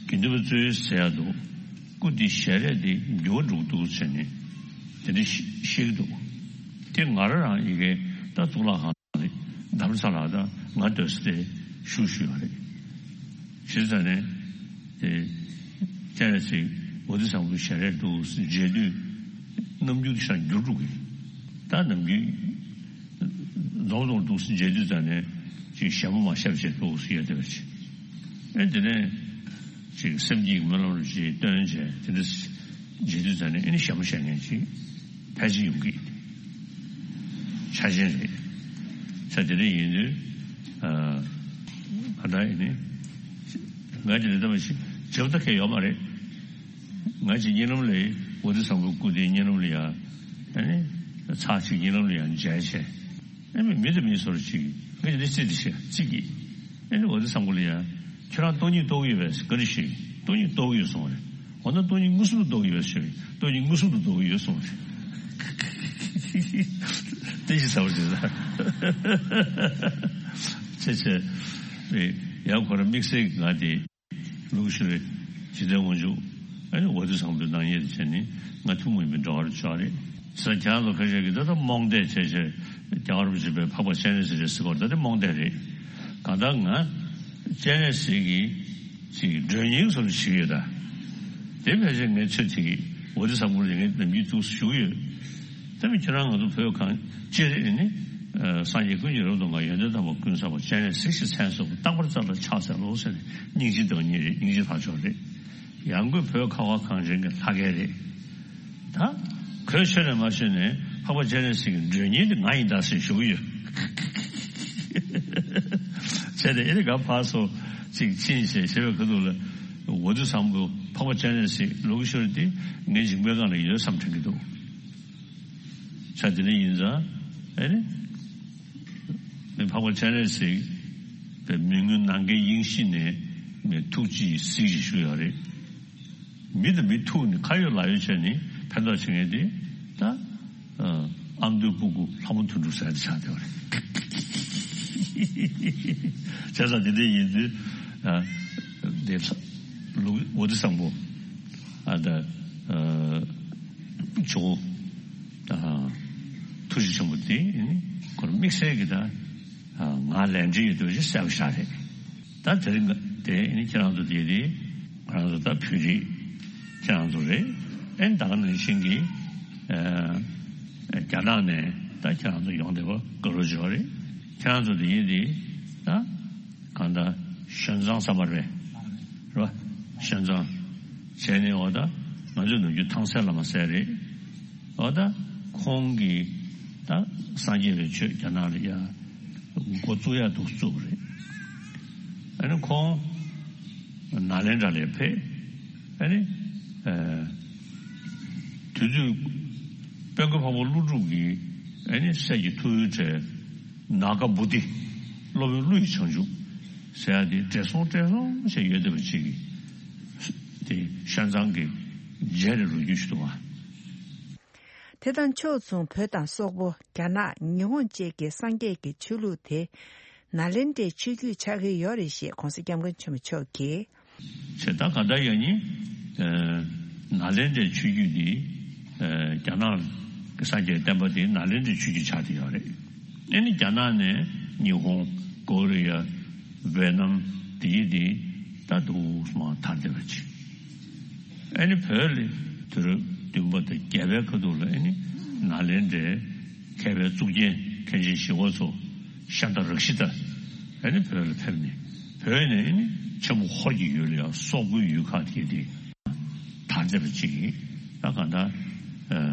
དགེ་འདུན་པ་ཚོས་ཟེར་ཡ་འདུག་སྐུ་དེ་ཞལ་རས་དེ་འགྱུར་བ་འགྲོ་གི་འདུག་ཟེར་ནས་དེ་འདྲ་བཤད་ཀྱི་འདུག་དེ་ང་རང་རང་ཡི་གེ་ད་གཙུག་ལག་ཁང་དྷ་རམ་ས་ལ་ད་ང་སྡོད་ས་དེ་ཞུ་ཞུ་ཡོད་རེད། ཞེས་ཟེར་ནས་དེ་སྤྱན་རས་གཟིགས་ཝ་ཏི་བཟང་པོའི་ཞལ་རས་འདུག་མཇལ་དུས་རྣམ་འགྱུར་ཤ་འགྱུར་འགྲོ་གི། ད་རྣམ་འགྱུར་རྫོང་རྫོང་འདུག་མཇལ་དུས་ཙམ་ནས་ཅིག་ཞལ་མོ་མ་ཤབ་བྱས་འདུག་ཡོད་དེ་བ་ཅིག་ཨེ་དེ་ནས་ཅིག་སེམས་ཀྱི་སྨོན་ལམ་རུ་ཅིག་བཏོན་བྱས་དེ་འདྲ་མཇལ་དུས་ཙམ་ནས་ཨེ་ནི་ཞལ་མོ་ཤ་མཁན་ཅིག་ཕལ་ཆེར་ཡོང་གི་ཆ་ཅན་རེད། ཆ་དེ་འདྲ་ཡིན་དུས་ཨ་ད་ཨེ་ནི་ང་ཅི་ལས་ལྟ་བ་ཞིག་བྱེད་པ་ད་གལ་ཡོད་མ་རེད། ང་ཅིག་གཉིད་ལམ་ལས་ཝ་ཏི་བཟང་པོའི་སྐུ་དེ་གཉིད་ལམ་ལ་ཡ་ཨ་ནི་ཚར་གཅིག་གཉིད་ལམ་ལ་ཡ་མཇལ་བྱས། ཨ་ནི་མི་དང་མི་སོར་ཅིག་ང་ཅིག་ལས་རྩིས་དེ་བྱས་རྩིས་ཀྱིས་ཨ་ནི་ཝ་ཏི་བཟང་པོ་ལ་ཡ་ཁྱོད་རང་སྟོང་ཉིད་རྟོགས་ཡོད་པས་བཀའ་འདྲི་ཞུས། སྟོང་ཉིད་རྟོགས་ཡོད་གསུངས་པ་རེད། འོ་ན་སྟོང་ཉིད་མངོན་སུམ་དུ་རྟོགས་ཡོད་པས་ཞུས། སྟོང་ཉིད་མངོན་སུམ་དུ་རྟོགས་ཡོད་གསུངས་པ་རེད། དེ་ཞིག་ཟ་བར་བྱེད་ས་ཆེ་ཆེ་རེད། ཡང་ཁོ་རང་དམིགས་བསལ་གྱི་ང་དེ། ལུགས་ཤིག་རེད། འཇིག་རྟེན་དབང་ཕྱུག་ཨ་ནི་ཝ་ཏི་བཟང་པོའི་སྣང་བརྙན་དེ་བྱས་ནས་ང་ཐུན་མོང་མིན་པའི་འབྲེལ་བ་རུ་ཆགས་རེད། ས་ཁྱང་ལ་ཁ་ཤས་ཀྱིས་ད་ལྟ་རྨོངས་དད་བྱས་བྱས་རྒྱལ་བ་རིན་པོ་ཆེ་པའི་འཕགས་པ་སྤྱན་རས་གཟིགས་རེད་ཟེར་བ་ད་ལྟ་རྨོངས་དད་རེད། གང་ལྟར་ང་སྤྱན་རས་གཟིགས་ཀྱི་ཅིག་མགྲོན་གཉེར་བཟོ་འདྲ་བྱེད་ཀྱི་ཡོད་ད། དེ་ཕལ་ཆེར་ངའི་ཚོད་ཐིག་གིས་ཝ་ཏི་བཟང་པོ་ལ་ངའི་ནམ་རྒྱུན་འདུག་སེ་ཞུ་གི་ཡོད། ད་མི་ཁྱེད་རང་ང་ཚོ་བོད་གངས་ཅན་རེད་ནི། སངས་རྒྱས་ཀུན་གྱི་རབ་ཏུ་བསྔགས་ཡོན་ཏན་དམ་པ་ཀུན་བསགས་པ་སྤྱན་རས་གཟིགས་ཞེས་མཚན་གསོལ་བ་རྟག་པར་རྩ་ལ་ཕྱག་འཚལ་ལོ་ཟེར་ནས་སྙིང་རྗེ་བདག་ཉིད་རེད། སྙིང་རྗེ་ལྷ་མཆོག་རེད། ཡང་སྒོས་བོད་ཁ་བ་གངས་ཅན་གྱི་ལྷ་སྐལ་རེད། ད་གོས་ཆོད་ནས་མ་ཆོད་ནས་འཕགས་པ་སྤྱན་རས་གཟིགས་ཀྱི་མགྲོན་གཉེར་དེ་ང་ཡིན་ད་ཟེར་ཞུ་གི་ཡོད། བྱས་ཏེ་ཨེ་རེད་ག་ཕར་ཚུར་ཅིག་ཕྱིན་བྱས་བྱས་པའི་ཁ་ཐུག་ལ་ཝ་ཏི་བཟང་པོ་འཕགས་པ་སྤྱན་རས་གཟིགས་ལུགས་ཤོར་དེ་ངའི་མཇིང་པའི་སྒང་ལ་ཡོད་བསམ་དྲན་གྱི་འདུག་ཆ་དེ་འདྲ་ཡིན་ཙང་ཨེ་རེད། མི་འཕགས་པ་སྤྱན་རས་གཟིགས་པའི་མི་མངོན་ནམ་མཁའི་དབྱིངས་གཞི་ནས་མི་ཐུགས་རྗེའི་གཟིགས་ཤིག་ཞུ་ཡོད་རེད། མི་དང་མི་ཐུག་ནས་ཁ་ཡོད་ལག་ཡོད་བྱས་ནས་ཕན་ཐོགས་བྱེད་མཁན་དེ་ད་ཨ་མདོའི་སྤུ་གུ་ལྷ་མོ་དོན་གྲུབ་ཟེར་དེ་ཆགས་བསྡད་པ་རེད། བྱས་ཙང་དེ་འདྲ་ཡིན་དུས་ཨ་དེ་ལ་ལུག་འོ་དེ་བཟང་པོ་ཨ་ད་ཨ་ཇོ་བོ་ཨ་ཐུགས་རྗེ་ཆེན་པོ་དེ་ཁོར་དམིགས་བསལ་གྱི་ད་ང་ལས་འབྲེལ་ཡོད་དུས་ཅི་གསལ་པོ་ཤར་རེད། ད་དེ་རིང་དེ་ནི་ཁྱེད་རང་ཚོ་དེ་དེ་ང་རང་ཚོ་ད་བོད་རིགས་ཁྱེད་རང་ཚོ་རེད། ཨེ་ད་ག་ནང་བཞིན་གྱི་ཨ་རྒྱ་ནག་ནས་ད་ཁྱེད་རང་ཚོ་ཡོང་བསྡད་པ་དགའ་རབ་བྱུང་བ་རེད། ཁྱེད་རང་ཚོ་དེ་ཡིན་དེ་ད་གང་ལྟར་ཞོན་ཙང་ས་མར་པས་རེད་བ། ཞོན་ཙང་བྱས་ནས་འོ་ད་ང་ཚོའི་ནམ་རྒྱུན་ཐང་སལ་བླ་མ་ཟེར་རེད། འོ་ད་ཁོང་གིས་ད་སངས་རྒྱས་པའི་ཆོས་རྒྱ་ནག་ལ་ཡ་འགོ་བཙུགས་ཡ་འདུག་བཙུགས་པ་རེད། ཨ་ནི་ཁོང་ནཱ་ལེནྡྲ་ལ་ཕེབས། ཨ་ནི་ཨ་དུས་ཚོད་དཔལ་མགོན་འཕགས་པ་ཀླུ་སྒྲུབ་ཀྱི་ཨ་ནི་སྲས་ཀྱི་ཐུ་བོའི་གྲས་ནཱ་ག་བོ་དྷི་སློབ་དཔོན་ཀླུ་ཡི་བྱང་ཆུབ་ཟེར་ཡ་དེ་བགྲེས་སོང་བགྲེས་སོང་བྱས་ཡོད་བསྡད་པ་ཅིག་གིས་དེ་ཤན་ཚང་གི་མཇལ་རེ་རོལ་རྒྱུ་ཞིག་འདུག་བ། དེ་དང་ཕྱོགས་མཚུངས་བོད་དང་སོག་པོ་རྒྱ་ནག་ཉི་ཧོང་བཅས་ཀྱི་སངས་རྒྱས་ཀྱི་ཆོས་ལུགས་དེ་ནཱ་ལེནྡྲའི་ཆོས་བརྒྱུད་ཆགས་ཀྱི་ཡོད་རེད་ཞེས་༧གོང་ས་༧སྐྱབས་མགོན་ཆེན་པོ་མཆོག་གིས། བྱས་ད་ག་ད་ཡང་ནི་ནཱ་ལེནྡྲའི་ཆོས་བརྒྱུད་འདི་རྒྱ་ནག་གི་སངས་རྒྱས་བསྟན་པ་དེ་ནཱ་ལེནྡྲའི་ཆོས་བརྒྱུད་ཆགས་བསྡད་ཡོད་རེད། ཨེ་ནི་རྒྱ་ནག་ནས་ཉི་ཧོང་ཀོ་རི་ཡ། ཝེ་ནམ་དེ་ཡི་དེ་ད་འདུག་སེ་མར་དར་བསྡད་པ་ཅིག་ཨེ་ནི་བོད་ལ་དུས་རབས་བདུན་པ་དང་བརྒྱད་པའི་ཁ་ཐུག་ལ་ཨེ་ནི་ནཱ་ལེནྡྲའི་མཁས་པའི་གཙུག་རྒྱན་མཁན་ཆེན་ཞི་བ་འཚོ་ཤཱནྟ་རཀྵི་ཏ་ཨེ་ནི་བོད་ལ་ཕེབས་ནས་བོད་ནས་ཨེ་ནི་ཆེན་པོ་ཧོར་གྱི་ཡུལ་ལ་ཡང་སོག་པོའི་ཡུལ་ཁག་དེ་དེ་དར་བསྡད་པ་ཅིག་གིས་ད་གང་ལྟར་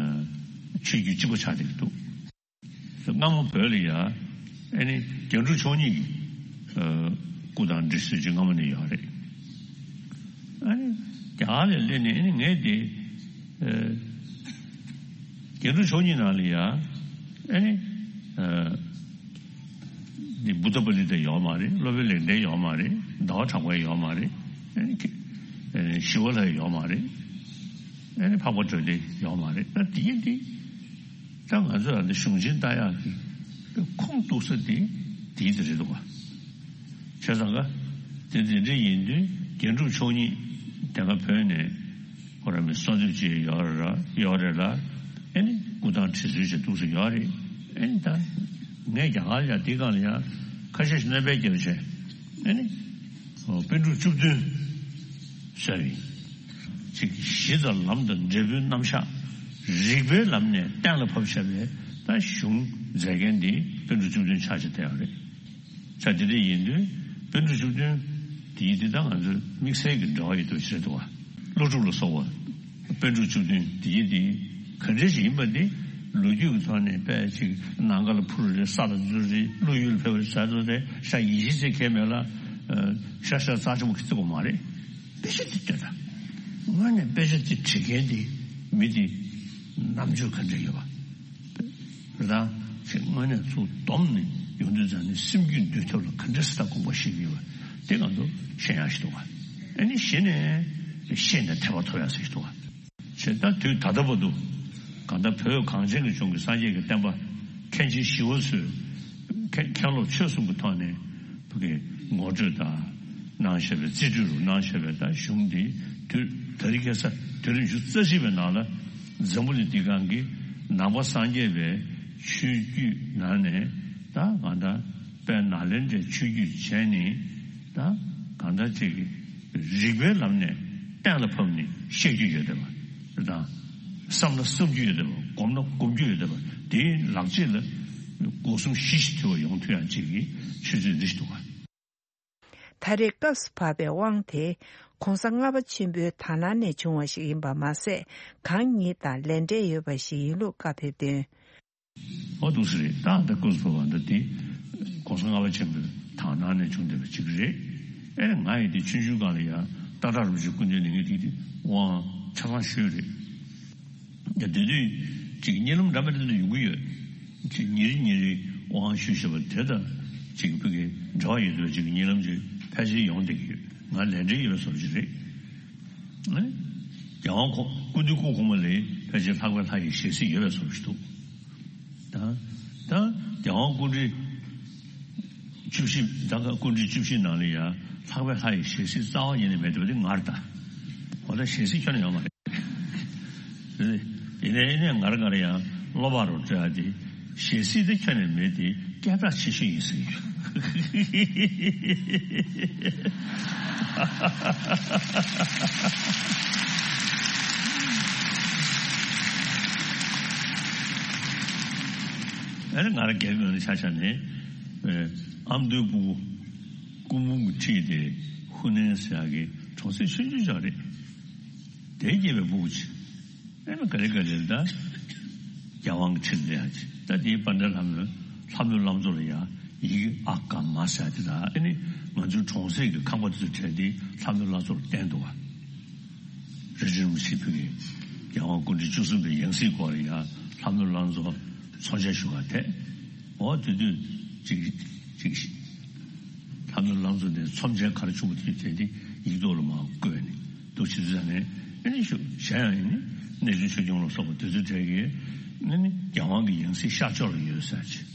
ཆོས་བརྒྱུད་གཅིག་པ་ཆགས་བསྡད་ཀྱི་འདུག་སྔ་མོ་བོད་ལ་ཡ་ཨེ་ནི་རྒྱན་དྲུག་མཆོག་གཉིས་ཀྱི་སྐུ་དང་འབྲི་སྲོལ་ཅིག་སྔ་མོ་ནས་ཡོད་རེད། ཨ་ནི་རྒྱ་གར་ལ་སླེབས་ནས་ཨེ་ནི་ངས་དེ་རྒྱན་དྲུག་མཆོག་གཉིས་ནང་ལ་ཡ་ཨེ་ནི་འདི་བུདྡྷ་པཱ་ལི་ཏ་ཡོད་མ་རེད། སློབ་དཔོན་ལེགས་ལྡན་ཡོད་མ་རེད། ཟླ་བ་གྲགས་པ་ཡོད་མ་རེད། ཨེ་ནི་ཞི་བ་ལྷ་ཡོད་མ་རེད། ཨེ་ནི་འཕགས་པ་སྒྲ་དེ་ཡོད་མ་རེད། ད་དེ་ཡིན་དེ། ད་ང་ཚོས་ཨ་འདི་གཞུང་ཆེན་ལྟ་ཡག་གི་ཁུངས་གཏུགས་ས་དེ་དེའི་དེ་རེད་འདུག་བ། བྱས་ཙང་ཀ་དེ་དེ་འདྲ་ཡིན་དུས་རྒྱན་དྲུག་མཆོག་གཉིས་དེ་སྔ་བོད་ནས་ཁོ་རང་མི་གསོལ་འདེབས་བྱས་ཡོད་ར་ཡོད་རེད་ལ། ཨེ་ནི་སྐུ་ཐང་བྲིས་སྲོལ་ཞིག་འདུག་སེ་ཡོད་རེད། ཨེ་ནི་ད་ངས་རྒྱ་གར་ཡ་དེའི་སྒང་ལ་ཡ་ཁ་ཤས་ཤིག་སྣོན་པ་བརྒྱབ་བྱས་ཨེ་ནི་པཎ་གྲུབ་བཅུ་བདུན་ཟེར་བའི་ཅིག་གཞི་དང་ལམ་དང་འབྲས་བུའི་རྣམ་གཞག་རིགས་པའི་ལམ་ནས་གཏན་ལ་ཕབ་བྱས་པའི་ད་གཞུང་མཛད་མཁན་འདི་པཎ་གྲུབ་བཅུ་བདུན་ཆགས་ཀྱི་བསྡད་ཡོད་རེད། ཆ་དེ་འདྲ་ཡིན་དུས་པཎ་གྲུབ་བཅུ་བདུན་དེ་ཡི་འདི་དང་ང་ཚོའི་དམིགས་བསལ་གྱི་འབྲེལ་བ་ཡོད་དུ་ཆེ་འདུག་བ། ཀླུ་སྒྲུབ་ལ་སོགས་པ་པཎ་གྲུབ་བཅུ་བདུན་དེ་ཡི་འདི་ག་འདྲ་ཞིག་ཡིན་པ་འདི་ལོ་རྒྱུས་ཀྱི་ཐོག་ནས་དཔེ་ཅིག་ནམ་མཁའ་ལ་འཕུར་རེད། ས་ལ་འཛུལ་རེད། ཀླུ་ཡུལ་ལ་ཕེབས་རེད་ཟེར་ཚོ་རེད། ཤ་ཡིན་གཞི་ཚེ་ཁས་མེད་ལ་ཤ་ཤ་རྩ་ཆེན་པོ་ཁི་ཚེ་གོ་མ་རེད། དཔེ་ཆ་འདི་ལྟོས་དང་། དངོས་གནས་དཔེ་ཆ་འདི་བྲིས་མཁན་འདི་མི་འདི་རྣམ་འགྱུར་ག་འདྲ་ཡོད་པ། རེད་དང་། ཅིག་དངོས་གནས་ཚུར་བསྡོམས་ནས་ཡོང་དུས་ཙང་ནས་སེམས་རྒྱུད་འདུལ་ཐབས་ལ་ག་འདྲ་སེ་ད་དགོངས་པ་བཞེས་ཀྱི་ཡོད་པ་དེ་ང་ཚོ་ཤེས་ཡག་ཞིག་འདུག་བ། ཨ་ནི་གཞི་ནས་ཤེས་ནས་ཐེག་པ་ཐོབ་ཡག་ཞིག་འདུག་བ། ཞེས་ད་དུས་ད་ལྟ་བར་དུ་གང་ལྟར་བོད་གངས་ཅན་གྱི་ལྗོངས་ཀྱི་སངས་རྒྱས་ཀྱི་བསྟན་པ་མཁན་ཆེན་ཞི་བ་འཚོས་མཁན་མཁན་སློབ་ཆོས་གསུམ་གྱི་ཐོག་ནས་བོད་ཀྱི་ངོ་སྤྲོད་དང་གནང་བཞག་པའི་རྩིས་སྤྲོད་རུ་གནང་བཞག་པའི་ད་གཞུང་འདི་དུས་ད་རེས་ཁ་སང་དུས་རབས་ཉི་ཤུ་རྩ་གཅིག་པའི་ནང་ལ་འཛམ་བུ་གླིང་འདིའི་སྒང་གི་ནང་པ་སངས་རྒྱས་པའི་ཆོས་བརྒྱུད་ནང་ནས་ད་གང་ལྟར་དཔལ་ནཱ་ལེནྡྲའི་ཆོས་བརྒྱུད་བྱས་ནས་ད་གང་ལྟར་ཅིག་རིགས་པའི་ལམ་ནས་གཏན་ལ་ཕབ་ནས་བཤད་རྒྱུ་ཡོད་བསྡད་པ་དང་། བསམ་ན་བསམ་རྒྱུ་ཡོད་བསྡད་པ། སྒོམ་ན་སྒོམ་རྒྱུ་ཡོད་བསྡད་པ། དེའི་ལག་རྗེས་ལ་སྒོ་གསུམ་གཞི་ཞིག་དུལ་བ་ཡོང་ཐུབ་ཡག་ཅིག་གི་ཆུ་ཚོད་འདི་ཞིག་འདུག་ག། ད་རེས་སྐབས་སུ་བབས་པའི་དབང་དེ་༧གོང་ས་ལྔ་པ་ཆེན་པོའི་དག་སྣང་ནས་བྱུང་བ་ཞིག་ཡིན་པ་མ་ཟད། གང་ཉིད་དང་ལས་འབྲེལ་ཡོད་པ་ཞིག་ཡིན་ལུགས་བཀའ་ཕེབས་དོན། འོ་འདུག་སེ་རེད། ད་ད་སྐབས་སུ་བབས་པ་འདི་དེ་༧གོང་ས་ལྔ་པ་ཆེན་པོའི་དག་སྣང་ནས་བྱུང་བསྡད་པ་ཅིག་རེད། ཨེ་ང་ཡི་དེ་ཆུང་ཆུང་སྒང་ལ་ཡ་སྟག་བྲག་རིན་པོ་ཆེའི་སྐུ་མདུན་ནས་ངས་དེ་དེ་དབང་ཆ་ཚང་ཞུས་རེད། ཡ་དེ་དུས་ཅིག་གཉིད་ལམ་འདྲ་མི་འདྲ་དེ་ཡོང་གི་ཡོད། ཅིག་ཉིན་རེ་ཉིན་རེ་དབང་ཞུས་བཞག་པ་དེ་དང་ཅིག་བོད་ཀྱི་འབྲེལ་བ་ཡོད་དུས་ཅིག་གཉིད་ལམ་ཅིག་ཕལ་ཆེར་ཡོང་བསྡད་ཀྱི་ཡོད། ང་ལས་འབྲེལ་ཡོད་པའི་བཟོ་འདྲ་ཅིག་རེད། ཨེ། རྒྱལ་དབང་ཁོ་སྐུ་དུས་སྐུ་གོང་མ་ལས་ཕལ་ཆེར་ལྷག་པའི་ལྷ་ཡི་ཞལ་གཟིགས་ཡོད་པའི་བཟོ་ཞིག་འདུག་ད་ད་རྒྱལ་དབང་སྐུ་ཕྲེང་བཅུ་བཞི། ད་ག་སྐུ་ཕྲེང་བཅུ་བཞི་ནང་ལ་ཡང་ལྷག་པའི་ལྷ་ཡི་ཞལ་གཟིགས་རྩ་བ་ཉིད་ནས་མེད་འདུག་པ་དེ་ངར་ད། འོ་ད་ཞལ་གཟིགས་ཁྱོན་ནས་ཡོད་མ་རེད། ཡིན་ནའི་ཡིན་ནའི་ངར་ངར་ཡང་བློ་བག་རུ་སྤྲོད་ཡ་དེ། ཞལ་གཟིགས་དེ་ཁྱོན་ནས་མེད་དེ་སྐད་གྲགས་ཆེ་ཤོས་ཡིན་ཟེར་གྱི་ཡོད། ཨ་ནི་ང་རང་སྒེར་ངོས་ནས་ཆ་བཞག་ནས། ཨ་མདོའི་སྤུ་གུ་སྐུ་འབུམ་གྱི་འཁྲིས་དེ་ཧུ་ནན་ཟེར་ཡག་གི་གྲོང་གསེབ་ཆུང་ཆུང་ཅིག་རེད། དེའི་སྐྱེས་པའི་སྤུ་གུ་ཆེ། ཨེ་ན་ག་རེ་ག་རེ་ད། རྒྱལ་དབང་གི་ཁྲིར་སླེབས་ཡ་ཅིག་ད་དེའི་པཎ་ཌི་ཏ་ལྷ་མོས་ལྷ་མོའི་བླ་མཚོ་ལ་ཡ་ཡི་གེ་ཨ་ཀ་མ་ཟེར་ཡ་དེ་དང་ཨེ་ནི་ང་ཚོའི་གྲོང་གསེབ་ཀྱི་ཁང་པ་དེ་ཚོ་བྲིས་ཏེ་ལྷ་མོའི་བླ་མཚོ་ལ་བསྟན་འདུག་བ། རི་ཁྲོད་རིན་པོ་ཆེས་ཕུལ་བའི་རྒྱལ་དབང་སྐུ་ཕྲེང་བཅུ་གསུམ་པའི་ཡང་སྲིད་སྐོར་ལ་ཡ་ལྷ་མོའི་བླ་མཚོ་མཚོན་ཆ་ཞུ་ག་ཐད། འོ་དེ་དུས་ཅིག་ཅིག་ལྷ་མོའི་བླ་མཚོ་ནས་ཚོམས་ཆེན་ག་རེ་བྱུང་བ་དེ་དེ་དེ་ཡིག་ཐོག་ལ་མར་བཀོད་ནས་འདུག་བྱེད་དུས་ཙང་ནས་ཨེ་ནི་ཞུ་གཞན་ཡང་ཡིན་ནི་གནས་ཆུང་ཆོས་སྐྱོང་ལ་སོགས་པ་དེ་ཚོའི་གྲས་ཀྱིས་ཨེ་ནི་རྒྱལ་དབང་གི་ཡང་སྲིད་ཤར་ཕྱོགས་ལ་ཡོད་ཟེར་ཅིག་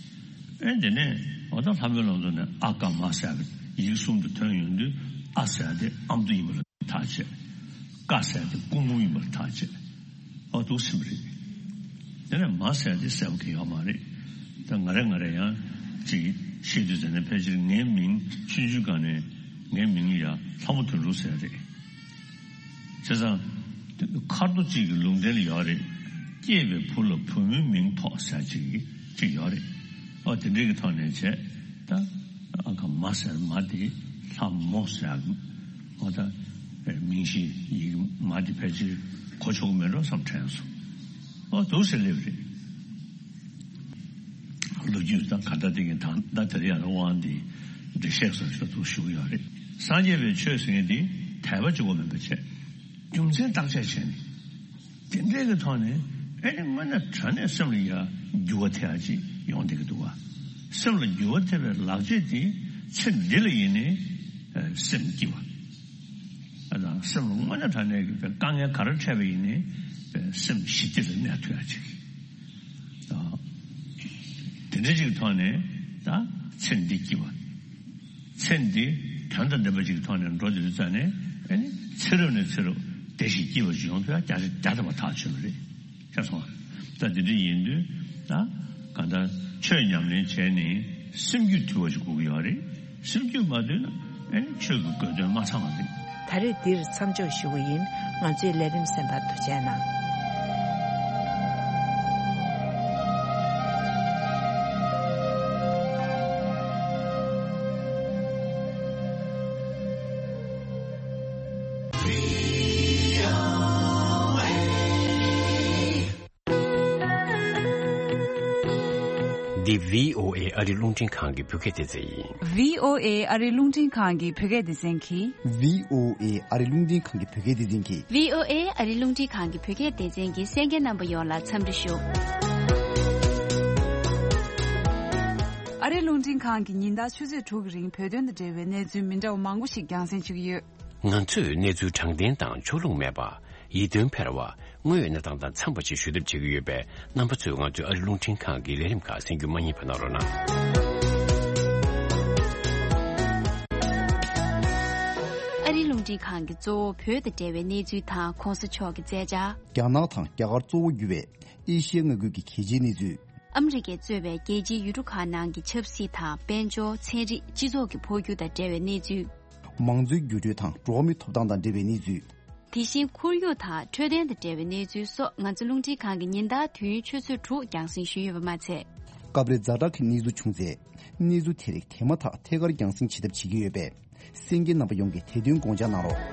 ཨེ་དེ་ནས་འོ་ད་ལྷ་མོའི་བླ་མཚོ་ནས་ཨ་ཀ་མ་ཟེར་བའི་ཡིག་གསུམ་དུ་ཐོན་ཡོང་དུས་ཨ་ཟེར་དེ་ཨ་མདོ་ཡིན་པ་ལ་ཐག་བཅད། ཀ་ཟེར་དེ་སྐུ་འབུམ་ཡིན་པར་ཐག་བཅད། ཨོ་འདུག་སེ་རེད། དེ་ནས་མ་ཟེར་དེ་གསལ་པོ་གང་ཡོད་མ་རེད། ད་ང་རེ་ང་རེ་ཡང་ཅིག་ཤེས་དུས་ཙམ་ནས་ཕལ་ཆེར་ངའི་མིང་ཆུང་ཆུང་སྒང་ནས་ངའི་མིང་ཡ་ལྷ་མོ་དོན་གྲུབ་ཟེར་རེད། བྱས་ཙང་། ཁ་རྡོ་གཅིག་གི་ལུང་བསྟན་ལ་ཡོད་རེད། སྐྱེས་པའི་བུ་ལ་བུ་མོའི་མིང་ཐོགས་ཟེར་ཅིག་ཅིག་ཡོད་རེད། ཨོ་དེ་འདྲའི་གི་ཐོག་ནས་བྱས། ད་ཨ་ཁ་མ་ཟེར་མ་དེ་ལྷ་མོ་ཟེར། ཨོ་ད་མིང་གཞི་ཡིག་མ་དེ་ཕལ་ཆེར་གོ་ཆོག་གི་མེད་འགྲོ་བསམ་དྲན་སོང་། ཨོ་འདུག་སེ་སླེབས་རེད། ལོ་རྒྱུས་དང་ག་འདྲ་དེ་གི་དང་ད་དེ་རིང་ཡང་དབང་འདི་འགྲེལ་བཤད་སོགས་ཤོག་ཐུག་ཞུ་གི་ཡོད་རེད། སངས་རྒྱས་པའི་ཆོས་ཟེར་མཁན་འདི་དད་པ་གཅིག་པོ་མིན་པ་བྱས། རྒྱུ་མཚན་བརྟག་དཔྱད་བྱས་ནས། དེ་འདྲའི་གི་ཐོག་ནས་ཨེ་ནི་དངོས་གནས་དྲང་གནས་སེམས་ལ་ཡ་འགྱུར་བ་ཐེབས་ཡ་ཅིག་ཡོང་བསྡད་ཀྱི་འདུག་བ། སེམས་ལ་འགྱུར་བ་ཐེབས་པའི་ལག་རྗེས་དེ་ཚེ་འདི་ལ་ཡིན་ནའི་སེམས་སྐྱིད་པ། ཨ་དང་སེམས་ལ་དངོས་གནས་དྲང་གནས་ཀྱི་དཀའ་ངལ་ག་རེ་འཕྲད་པ་ཡིན་ནའི་སེམས་ཞི་བདེ་ལ་གནས་ཐུབ་ཡ་ཅིག་དེ་འདྲ་ཅིག་ཐོག་ནས་ད་ཚེ་འདི་སྐྱིད་པ། ཚེ་འདི་དོན་དང་ལྡན་པ་ཅིག་གི་ཐོག་ནས་འགྲོ་བསྡད་དུས་ཙང་ནས་ཨེ་ནི་ཚེ་རབས་ནས་ཚེ་རབས་བདེ་ཞིང་སྐྱིད་པ་ཅིག་ཡོང་ཐུབ་ཡ་བརྒྱ་ཆ་བརྒྱ་ཐམ་པ་ཐག་ཆོད་པ་རེད། ཤེས་སོང་ང་། ད་འདི་འདྲ་ཡིན་དུས་ད་གང་ལྟར་ཆོས་ཉམས་ལེན་བྱས་ནས་སེམས་རྒྱུད་དུལ་བ་ཞིག་དགོས་ཀྱི་ཡོད་རེད། སེམས་རྒྱུད་མ་དུལ་ན་ཨེ་ནི་ཆོས་ཀྱི་དགོས་དོན་མ་ཚང་བ་རེད། ད་རེས་འདིར་མཚམས་འཇོག་ཞུ་གི་ཡིན། ང་ཚོའི་ལས་རིམ་གསན་པར་ཐུགས་རྗེ་གནང་། འདི་བྷི་ཨོ་ཨེ་ཨ་རི་རླུང་འཕྲིན་ཁང་གི་བོད་སྐད་སྡེ་ཚན་ཡིན། བྷི་ཨོ་ཨེ་ཨ་རི་རླུང་འཕྲིན་ཁང་གི་བོད་སྐད་སྡེ་ཚན་གྱིས། བྷི་ཨོ་ཨེ་ཨ་རི་རླུང་འཕྲིན་ཁང་གི་བོད་སྐད་སྡེ་ཚན་གྱིས། བྷི་ཨོ་ཨེ་ཨ་རི་རླུང་འཕྲིན་ཁང་གི་བོད་སྐད་སྡེ་ཚན་གྱི་གསན་མཁན་རྣམ་པ་ཡོངས་ལ་འཚམས་འདྲི་ཞུ། ཨ་རི་རླུང་འཕྲིན་ཁང་གིས་ཉིན་ལྟར་ཆུ་ཚོད་དྲུག་གི་རིང་བོད་དོན་དང་འབྲེལ་བའི་གནས་ཚུལ་མི་འདྲ་བ་མང་པོ་ཞིག་རྒྱང་སྲིང་བྱེད་ཀྱི་ཡོད། ང་ཚོས་གནས་ཚུལ་དྲང་བདེན་དང་ཕྱོགས་ལྷུང་མེད་པ། ཡིད་རྟོན་འཕེར་བ། དངོས་ཡོད་གནས་སྟངས་དང་འཚམས་པ་ཞིག་ཞུ་ཐབས་བྱེད་ཀྱི་ཡོད་པས། རྣམ་པ་ཚོས་ང་ཚོའི་ཨ་རི་རླུང་འཕྲིན་ཁང་གི་ལས་རིམ་ཁག་གསན་རྒྱུ་མ་བསྙེལ་བ་གནང་རོགས་གནང་། ཨ་རི་རླུང་འཕྲིན་ཁང་གིས་གཙོ་བོ་བོད་དང་འབྲེལ་བའི་གནས་ཚུལ་དང་གོང་ས་མཆོག་གི་མཛད་འཆར། རྒྱ་ནག་དང་རྒྱ་གར་གཙོ་བོ་གྱུར་བའི་ཨེ་ཤི་ཡ་མངའ་ཁུལ་གྱི་གལ་ཆེའི་གནས་ཚུལ། ཨ་མི་རི་ཀས་གཙོས་པའི་རྒྱལ་སྤྱིའི་ཡུལ་གྲུ་ཁག་ནང་གི་ཆབ་སྲིད་དང་དཔལ་འབྱོར། ཚན་རིག་སྤྱི་ཚོགས་ཀྱི་འཕོ་འགྱུར་དང་འབྲེལ་བའི་གནས་ཚུལ། མང་གཙོའི་འགྱུར་འགྲོས་དང་འགྲོ་བ་མིའི་ཐོབ་ཐང་དང་འབྲེལ་བའི་གནས་ཚུལ། དེ་བཞིན་ཁོར་ཡུག་དང་འཕྲོད་བསྟེན་དང་འབྲེལ་བའི་གནས་ཚུལ་སོགས་ང་ཚོ་རླུང་འཕྲིན་ཁང་གིས་ཉིན་ལྟར་དུས་ཡུན་ཆུ་ཚོད་དྲུག་རྒྱང་སྲིང་ཞུས་ཡོད་པ་མ་ཚད། སྐབས་རེ་ཛ་དྲག་གི་གནས་ཚུལ་བྱུང་ཚེ། གནས་ཚུལ་དེ་རིགས་དེ་མ་ཐག་ཐད་ཀར་རྒྱང་སྲིང་བྱེད་ཐབས་བྱེད་ཀྱི་ཡོད་པས། གསན་མཁན་རྣམ་པ་ཡོངས་ཀྱིས་དེ་དོན་དགོངས་འཇགས་གནང་རོགས།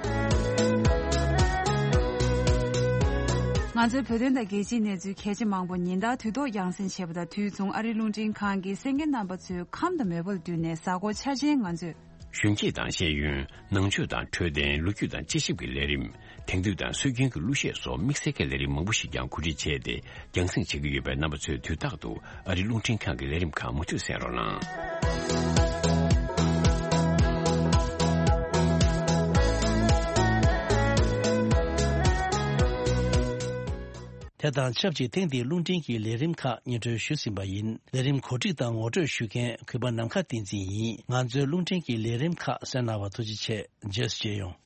ང་ཚོའི་བོད་དོན་དང་རྒྱལ་སྤྱིའི་གནས་ཚུལ་གལ་ཆེ་མང་པོ་ཉིན་ལྟར་དུས་ཐོག་རྒྱང་སྲིང་བྱེད་པ་དང་དུས་མཚུངས་ཨ་རིའི་རླུང་འཕྲིན་ཁང་གིས་གསན་མཁན་རྣམ་པ་ཚོའི་ཁམས་དང་མོས་པ་ལ་བསྟུན་ནས་གཟའ་འཁོར་འཆར་ཅན་ང་ཚོས། གཞོན་སྐྱེས་དང་ཤེས་ཡོན། ནང་ཆོས་དང་འཕྲོད་བསྟེན། ལོ་རྒྱུས་དང་དཔྱད་ཞིབ་ཀྱི་ལས་རིམ། དེང་དུས་དང་སྲོལ་རྒྱུན་གྱི་གླུ་གཞས་སོགས་དམིགས་བསལ་གྱི་ལས་རིམ་མང་པོ་ཞིག་ཀྱང་གོ་སྒྲིག་བྱས་ཏེ་རྒྱང་སྲིང་བྱེད་ཀྱི་ཡོད་པས། རྣམ་པ་ཚོས་དུས་རྟག་ཏུ་ཨ་རིའི་རླུང་འཕྲིན་ཁང་གི་ལས་རིམ་ཁག་མུ་མཐུད་གསན་རོགས་གནང་། དེ་དང་ཆབས་ཅིག་ཐེངས་འདིའི་རླུང་འཕྲིན་གྱི་ལས་རིམ་ཁག་སྙན་སྒྲོན་ཞུས་ཟིན་པ་ཡིན། ལས་རིམ་གོ་སྒྲིག་དང་ངོ་སྤྲོད་ཞུ་མཁན་གུས་པ་ནམ་མཁའ་བསྟན་འཛིན་ཡིན། ང་ཚོའི་རླུང་འཕྲིན་གྱི་ལས་རིམ་ཁག་གསན་གནང་བར་ཐུགས་རྗེ་ཆེ། རྗེས་སུ་མཇལ་ཡོང་།